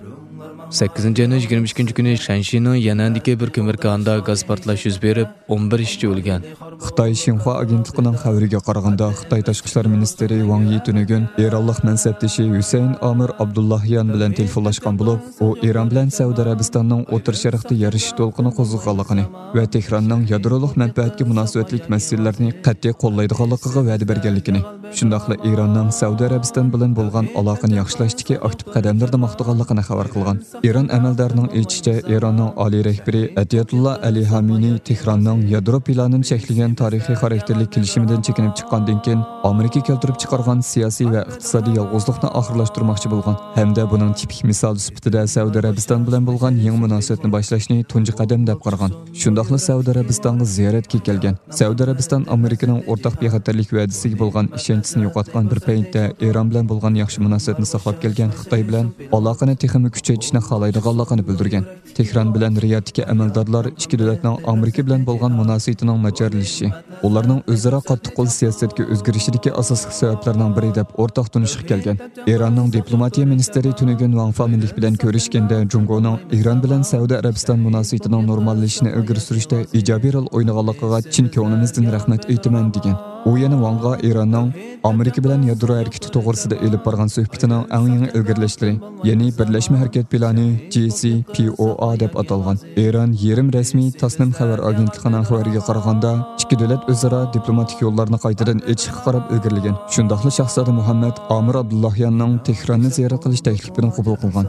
سەككىزىنچى ئاينىڭ يىگىرمە ئىككىنچى كۈنى شەنشىنىڭ يەنئەندىكى بىر كۆمۈر كانىدا گاز پارتلاش يۈز بېرىپ، ئون بىر ئىشچى ئۆلگەن. خىتاي شىنخۇا ئاگېنتلىقىنىڭ خەۋىرىگە قارىغاندا، خىتاي تاشقى ئىشلار مىنىستىرى ۋاڭ يى تۈنۈگۈن ئىرانلىق مەنسەپدىشى ھۈسەيىن ئامىر ئابدۇللاھىيان بىلەن تېلېفونلاشقان بولۇپ، ئۇ ئىران بىلەن سەئۇدى ئەرەبىستاننىڭ ئوتتۇرا شەرقتە يارىشىش دولقۇنى قوزغىغانلىقىنى ۋە تېھراننىڭ يادرولۇق مەنپەئەتكە مۇناسىۋەتلىك مەسىلىلەرنى قەتئىي قوللايدىغانلىقىغا ۋەدە بەرگەنلىكىنى، شۇنداقلا ئىراننىڭ سەئۇدى ئەرەبىستان بىلەن بولغان ئالاقىنى ياخشىلاشتىكى ئاكتىپ قەدەملىرىنى ماختىغانلىقىنى خەۋەر قىلغان. ئىران ئەمەلدارىنىڭ ئېيتىشىچە، ئىراننىڭ ئالىي رەھبىرى ئەتىيەتۇللا ئەلى خامىنىي تېھراننىڭ يادرو پىلانىنى چەكلىگەن تارىخىي خاراكتېرلىك كېلىشىمىدىن چېكىنىپ چىققاندىن كېيىن، ئامېرىكا كەلتۈرۈپ چىقارغان سىياسىي ۋە ئىقتىسادىي يالغۇزلۇقنى ئاخىرلاشتۇرماقچى بولغان ھەمدە بۇنىڭ تىپىك مىسالى سۈپىتىدە سەئۇدى ئەرەبىستان بىلەن بولغان يېڭى مۇناسىۋەتنى باشلاشنى تۇنجى قەدەم دەپ قارىغان. شۇنداقلا سەئۇدى ئەرەبىستانغا زىيارەتكە كەلگەن. سەئۇدى ئەرەبىستان ئامېرىكىنىڭ ئورتاق بىخەتەرلىك ۋەدىسىگە بولغان ئىشەنچىسىنى يوقاتقان بىر پەيتتە، ئىران بىلەن بولغان ياخشى مۇناسىۋەتنى ساقلاپ كەلگەن خىتاي بىلەن ئالاقىنى تېخىمۇ كۈچەيتىشنى خالايدىغانلىقىنى بىلدۈرگەن. تېھران بىلەن رىيادتىكى ئەمەلدارلار ئىككى دۆلەتنىڭ ئامېرىكا بىلەن بولغان مۇناسىۋىتىنىڭ ناچارلىشىشى، ئۇلارنىڭ ئۆزئارا قاتتىق قول سىياسەتكە ئۆزگىرىشىدىكى ئاساسلىق سەۋەبلەرنىڭ بىرى دەپ ئورتاق تونۇشقا كەلگەن. ئىراننىڭ دىپلوماتىيە مىنىستىرى تۈنۈگۈن ۋاڭ فامىلىك بىلەن كۆرۈشكەندە، جۇڭگونىڭ ئىران بىلەن سەئۇدى ئەرەبىستان مۇناسىۋىتىنىڭ نورماللىشىشىنى ئىلگىرى سۈرۈشتە ئىجابىي رول ئوينىغانلىقىغا چىن كۆڭلىمىزدىن رەھمەت ئېيتىمەن، دېگەن. ئۇ يەنە ۋاڭغا ئىراننىڭ ئامېرىكا بىلەن يادرو ھەرىكىتى توغرىسىدا ئېلىپ بارغان سۆھبىتىنىڭ ئەڭ يېڭى ئىلگىرىلەشلىرى، يەنى بىرلەشمە ھەرىكەت پىلانى، جى سى پى ئو ئا دەپ ئاتالغان. ئىران يېرىم رەسمىي تاسنىم خەۋەر ئاگېنتلىقىنىڭ خەۋىرىگە قارىغاندا، ئىككى دۆلەت ئۆزئارا دىپلوماتىك يوللارنى قايتىدىن ئېچىشقا قاراپ ئىلگىرىلىگەن. شۇنداقلا شاھزادە مۇھەممەد ئامىر ئابدۇللاھياننىڭ تېھراننى زىيارەت قىلىش تەكلىپىنى قوبۇل قىلغان.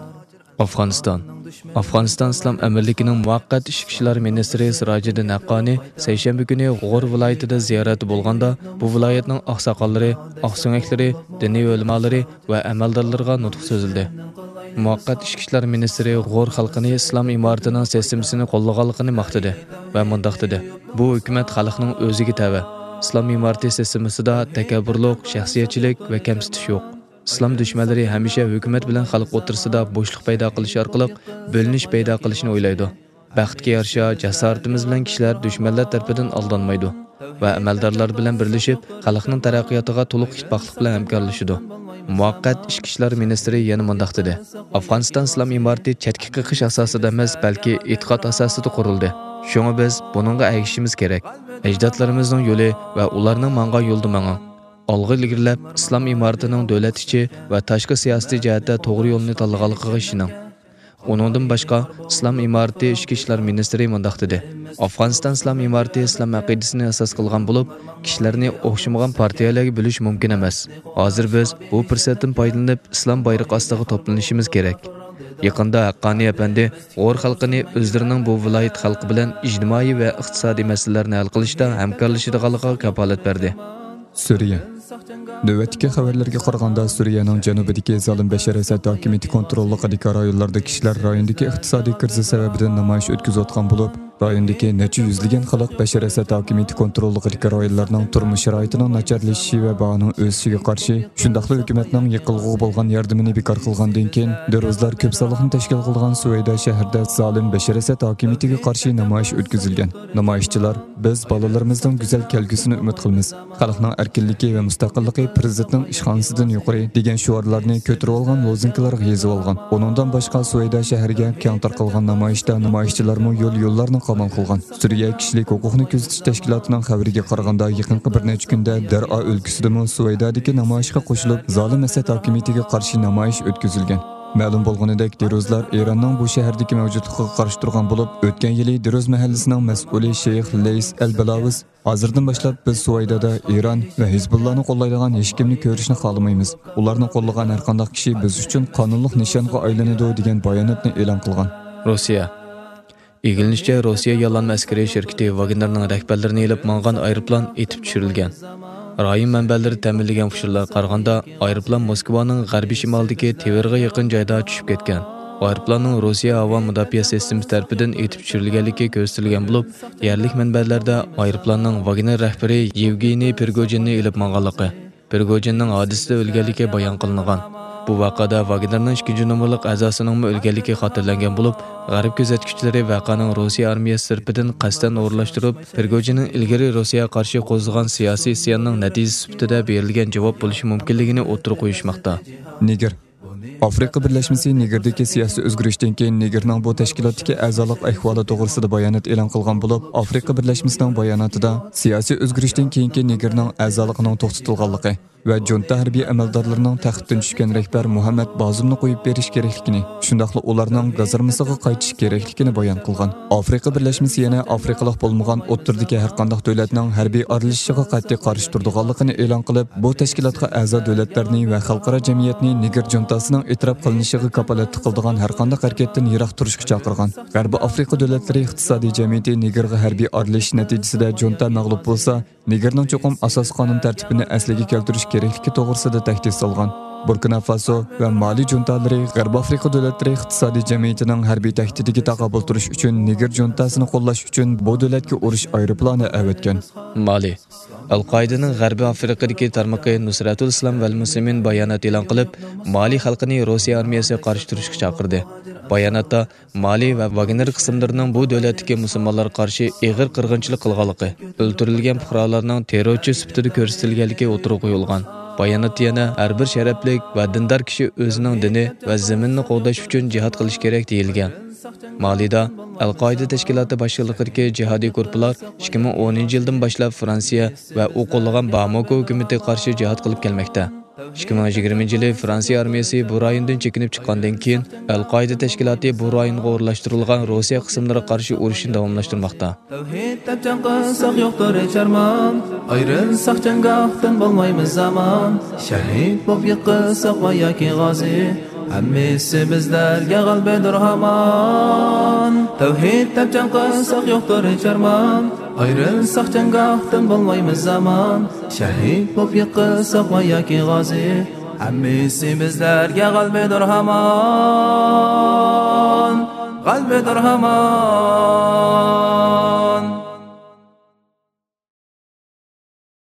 ئافغانىستان. ئافغانىستان ئىسلام ئەمىرلىكىنىڭ مۇۋەققەت ئىچكى ئىشلار مىنىستىرى سىراجىدىن ھەققانى سەيشەنبە كۈنى غور ۋىلايىتىدا زىيارەتتە بولغاندا، بۇ ۋىلايەتنىڭ ئاقساقاللىرى، ئاقسۆڭەكلىرى، دىنىي ئۆلىمالىرى ۋە ئەمەلدارلىرىغا نۇتۇق سۆزلىدى. مۇۋەققەت ئىچكى ئىشلار مىنىستىرى غور خەلقىنى ئىسلام ئىمارىتىنىڭ سىستېمىسىنى قوللىغانلىقىنى ماختىدى ۋە مۇنداق دېدى: بۇ ھۆكۈمەت خەلقنىڭ ئۆزىگە تەۋە. ئىسلام ئىمارىتى سىستېمىسىدا تەكەببۇرلۇق، شەخسىيەتچىلىك ۋە كەمسىتىش يوق. ئىسلام دۈشمەنلىرى ھەمىشە ھۆكۈمەت بىلەن خەلق ئوتتۇرىسىدا بوشلۇق پەيدا قىلىش ئارقىلىق بۆلۈنۈش پەيدا قىلىشنى ئويلايدۇ. بەختكە يارىشا، جاسارىتىمىز بىلەن كىشىلەر دۈشمەنلەر تەرىپىدىن ئالدانمايدۇ ۋە ئەمەلدارلار بىلەن بىرلىشىپ، خەلقنىڭ تەرەققىياتىغا تولۇق ئىتتىپاقلىق بىلەن ھەمكارلىشىدۇ. مۇۋەققەت ئىچكى ئىشلار مىنىستىرى يەنە مۇنداق دېدى: ئافغانىستان ئىسلام ئىمارىتى چەتكە قېقىش ئاساسىدا ئەمەس، بەلكى ئېتىقاد ئاساسىدا قۇرۇلدى. شۇڭا بىز بۇنىڭغا ئەگىشىشىمىز كېرەك. ئەجدادلىرىمىزنىڭ يولى ۋە ئۇلارنىڭ ماڭغان يولىدا ماڭىڭ. ئالغا ئىلگىرىلەپ، ئىسلام ئىمارىتىنىڭ دۆلەت ئىچى ۋە تاشقى سىياسىتى جەھەتتە توغرا يولنى تاللىغانلىقىغا ئىشىنىڭ. ئۇنىڭدىن باشقا، ئىسلام ئىمارىتى ئىچكى ئىشلار مىنىستىرى مۇنداق دېدى: ئافغانىستان ئىسلام ئىمارىتى ئىسلام ئەقىدىسىنى ئاساس قىلغان بولۇپ، كىشىلەرنى ئوخشىمىغان پارتىيەلەرگە بۆلۈش مۇمكىن ئەمەس. ھازىر بىز بۇ پۇرسەتتىن پايدىلىنىپ، ئىسلام بايرىقى ئاستىغا توپلىنىشىمىز كېرەك. يېقىندا ھەققانى ئەپەندى غور خەلقىنى ئۆزلىرىنىڭ بۇ ۋىلايەت خەلقى بىلەن ئىجتىمائىي ۋە ئىقتىسادىي مەسىلىلەرنى ھەل قىلىشتا ھەمكارلىشىدىغانلىقىغا كاپالەت بەردى. سۈرىيە. نۆۋەتتىكى خەۋەرلەرگە قارىغاندا، سۈرىيەنىڭ جەنۇبىدىكى زالىم بەشار ئەسەد ھاكىمىيىتى كونتروللۇقىدىكى رايونلاردىكى كىشىلەر رايوندىكى ئىقتىسادىي كىرىزىس سەۋەبىدىن نامايىش ئۆتكۈزۈۋاتقان بولۇپ، رايوندىكى نەچچە يۈزلىگەن خەلق بەشار ئەسەد ھاكىمىيىتى كونتروللۇقىدىكى رايونلارنىڭ تۇرمۇش شارائىتىنىڭ ناچارلىشىشى ۋە باھانىڭ ئۆسۈشىگە قارشى، شۇنداقلا ھۆكۈمەتنىڭ يېقىلغۇغا بولغان ياردىمىنى بىكار قىلغاندىن كېيىن، دېرۇزلار كۆپ سانلىقنى تەشكىل قىلغان سۇۋەيدە شەھىرىدە زالىم بەشار ئەسەد ھاكىمىيىتىگە قارشى نامايىش ئۆتكۈزۈلگەن. نامايىشچىلار، «بىز بالىلىرىمىزنىڭ گۈزەل كەلگۈسىنى ئۈمىد قىلىمىز، خەلقنىڭ ئەركىنلىكى ۋە مۇستەقىللىقى پىرېزىدېنتنىڭ ئىشخانىسىدىن يۇقىرى» دېگەن شوئارلارنى كۆتۈرۈۋالغان لوزۇنكىلارغا يېزىۋالغان. ئۇنىڭدىن باشقا، سۇۋەيدە شەھىرىگە كەڭ تارقالغان نامايىشتا نامايىشچىلارمۇ يول-يوللارنى قامال قىلغان. سۈرىيە كىشىلىك ھوقۇقنى كۆزىتىش تەشكىلاتىنىڭ خەۋىرىگە قارىغاندا، يېقىنقى بىر نەچچە كۈندە دەرئا ئۆلكىسىدىمۇ سۇۋەيدادىكى نامايىشقا قوشۇلۇپ، زالىم ئەسەد ھاكىمىيىتىگە قارشى نامايىش ئۆتكۈزۈلگەن. مەلۇم بولغىنىدەك، دېرۇزلار ئىراننىڭ بۇ شەھەردىكى مەۋجۇتلۇقىغا قارشى تۇرغان بولۇپ، ئۆتكەن يىلى دېرۇز مەھەللىسىنىڭ مەسئۇلى شەيخ لەيس ئەل بەلاۋىس، «ھازىردىن باشلاپ بىز سۇۋەيدادا ئىران ۋە ھىزبۇللانى قوللايدىغان ھېچكىمنى كۆرۈشنى خالىمايمىز. ئۇلارنى قوللىغان ھەرقانداق كىشى بىز ئۈچۈن قانۇنلۇق نىشانغا ئايلىنىدۇ» دېگەن باياناتنى ئېلان قىلغان. روسىيە. ئىگىلىنىشىچە، روسىيە ياللانما ئەسكىرىي شىركىتى ۋاگنېرنىڭ رەھبەرلىرىنى ئېلىپ ماڭغان ئايروپىلان ئېتىپ چۈشۈرۈلگەن. رايون مەنبەلىرى تەمىنلىگەن ئۇچۇرلارغا قارىغاندا، ئايروپىلان موسكۋانىڭ غەربىي شىمالىدىكى تىۋېرغا يېقىن جايدا چۈشۈپ كەتكەن. ئايروپىلاننىڭ روسىيە ھاۋا مۇداپىئە سىستېمىسى تەرىپىدىن ئېتىپ چۈشۈرۈلگەنلىكى كۆرسىتىلگەن بولۇپ، يەرلىك مەنبەلەردە ئايروپىلاننىڭ ۋاگنېر رەھبىرى يېۋگېنىي پرىگوجىننى ئېلىپ ماڭغانلىقى، پرىگوجىننىڭ ھادىسىدە ئۆلگەنلىكى بايان قىلىنغان. بۇ ۋەقەدە ۋاگنېرنىڭ ئىككىنچى نومۇرلۇق ئەزاسىنىڭمۇ ئۆلگەنلىكى خاتىرىلەنگەن بولۇپ، غەرب كۆزەتكۈچىلىرى ۋەقەنىڭ روسىيە ئارمىيەسى تەرىپىدىن قەستەن ئورۇنلاشتۇرۇپ، پرىگوجىننىڭ ئىلگىرى روسىيەگە قارشى قوزغىغان سىياسىي ئىسياننىڭ نەتىجىسى سۈپىتىدە بېرىلگەن جاۋاب بولۇشى مۇمكىنلىكىنى ئوتتۇرىغا قويۇشماقتا. نېگىر. ئافرىقا بىرلەشمىسى نېگىردىكى سىياسىي ئۆزگىرىشتىن كېيىن نېگىرنىڭ بۇ تەشكىلاتتىكى ئەزالىق ئەھۋالى توغرىسىدا بايانات ئېلان قىلغان بولۇپ، ئافرىقا بىرلەشمىسىنىڭ باياناتىدا سىياسىي ئۆزگىرىشتىن كېيىنكى نېگىرنىڭ ئەزالىقىنىڭ توختىتىلغانلىقى ۋە جۇنتا ھەربىي ئەمەلدارلىرىنىڭ تەختتىن چۈشكەن رەھبەر مۇھەممەد بازۇمنى قويۇپ بېرىش كېرەكلىكىنى، شۇنداقلا ئۇلارنىڭ گازارمىسىغا قايتىش كېرەكلىكىنى بايان قىلغان. ئافرىقا بىرلەشمىسى يەنە ئافرىقىلىق بولمىغان ئوتتۇرىدىكى ھەرقانداق دۆلەتنىڭ ھەربىي ئارىلىشىشىغا قەتئىي قارشى تۇرىدىغانلىقىنى ئېلان قىلىپ، بۇ تەشكىلاتقا ئەزا دۆلەتلەرنى ۋە خەلقئارا جەمئىيەتنى نېگىر جۇنتاسىنىڭ ئېتىراپ قىلىنىشىغا كاپالەتلىك قىلىدىغان ھەرقانداق ھەرىكەتتىن يىراق تۇرۇشقا چاقىرغان. غەربىي ئافرىقا دۆلەتلىرى ئىقتىسادىي جەمئىيىتى نېگىرغا ھەربىي ئارىلىشىش نەتىجىسىدە جۇنتا مەغلۇپ بولسا، نېگىرنىڭ چوقۇم ئاساسىي قانۇن تەرتىپىنى ئەسلىگە كەلتۈرۈش كېرەكلىكى توغرىسىدا تەھدىت سالغان. بۇركىنا فاسو ۋە مالى جۇنتالىرى غەربىي ئافرىقا دۆلەتلىرى ئىقتىسادىي جەمئىيىتىنىڭ ھەربىي تەھدىتىگە تاقابىل تۇرۇش ئۈچۈن نېگىر جۇنتاسىنى قوللاش ئۈچۈن بۇ دۆلەتكە ئۇرۇش ئايروپىلانى ئەۋەتكەن. مالى. ئەل-قائىدىنىڭ غەربىي ئافرىقىدىكى تارمىقى نۇسرەتۇل ئىسلام ۋەل مۇسلىمىن بايانات ئېلان قىلىپ، مالى خەلقىنى روسىيە ئارمىيەسىگە قارشى تۇرۇشقا چاقىردى. باياناتتا، مالى ۋە ۋاگنېر قىسىملىرىنىڭ بۇ دۆلەتتىكى مۇسۇلمانلارغا قارشى ئېغىر قىرغىنچىلىق قىلغانلىقى، ئۆلتۈرۈلگەن پۇقرالارنىڭ تېررورچى سۈپىتىدە كۆرسىتىلگەنلىكى ئوتتۇرىغا قويۇلغان. باياناتتا يەنە ھەر بىر شەرەپلىك ۋە دىندار كىشى ئۆزىنىڭ دىنى ۋە زېمىنىنى قوغداش ئۈچۈن جىھاد قىلىشى كېرەك دېيىلگەن. مالىدا ئەل-قائىدە تەشكىلاتى باشچىلىقىدىكى جىھادىي گۇرۇپپىلار ئىككى مىڭ ئونىنچى يىلدىن باشلاپ فرانسىيە ۋە ئۇ قوللىغان باماكو ھۆكۈمىتىگە قارشى جىھاد قىلىپ كەلمەكتە. ئىككى مىڭ يىگىرمىنچى يىلى فرانسىيە ئارمىيەسى بۇ رايوندىن چېكىنىپ چىققاندىن كېيىن، ئەل-قائىدە تەشكىلاتى بۇ رايونغا ئورۇنلاشتۇرۇلغان روسىيە قىسىملىرىغا قارشى ئۇرۇشنى داۋاملاشتۇرماقتا. تەۋھىد دەپ جەڭ قىلساق يوقتۇر ھېچ ئارمان، ئايرىلساق جەڭگاھتىن بولمايمىز ئامان، شەھىد بولۇپ يىقىلساق ۋە ياكى غازى، ھەممىسى بىزلەرگە غەلىبىدۇر ھامان. تەۋھىد دەپ جەڭ قىلساق يوقتۇر ھېچ ئارمان. ئايرىلساق جەڭگاھتىن بولمايمىز ئامان. شەھىد بولۇپ يىقىلساق ۋە ياكى غازى، ھەممىسى بىزلەرگە غەلىبىدۇر ھامان. غەلىبىدۇر ھامان.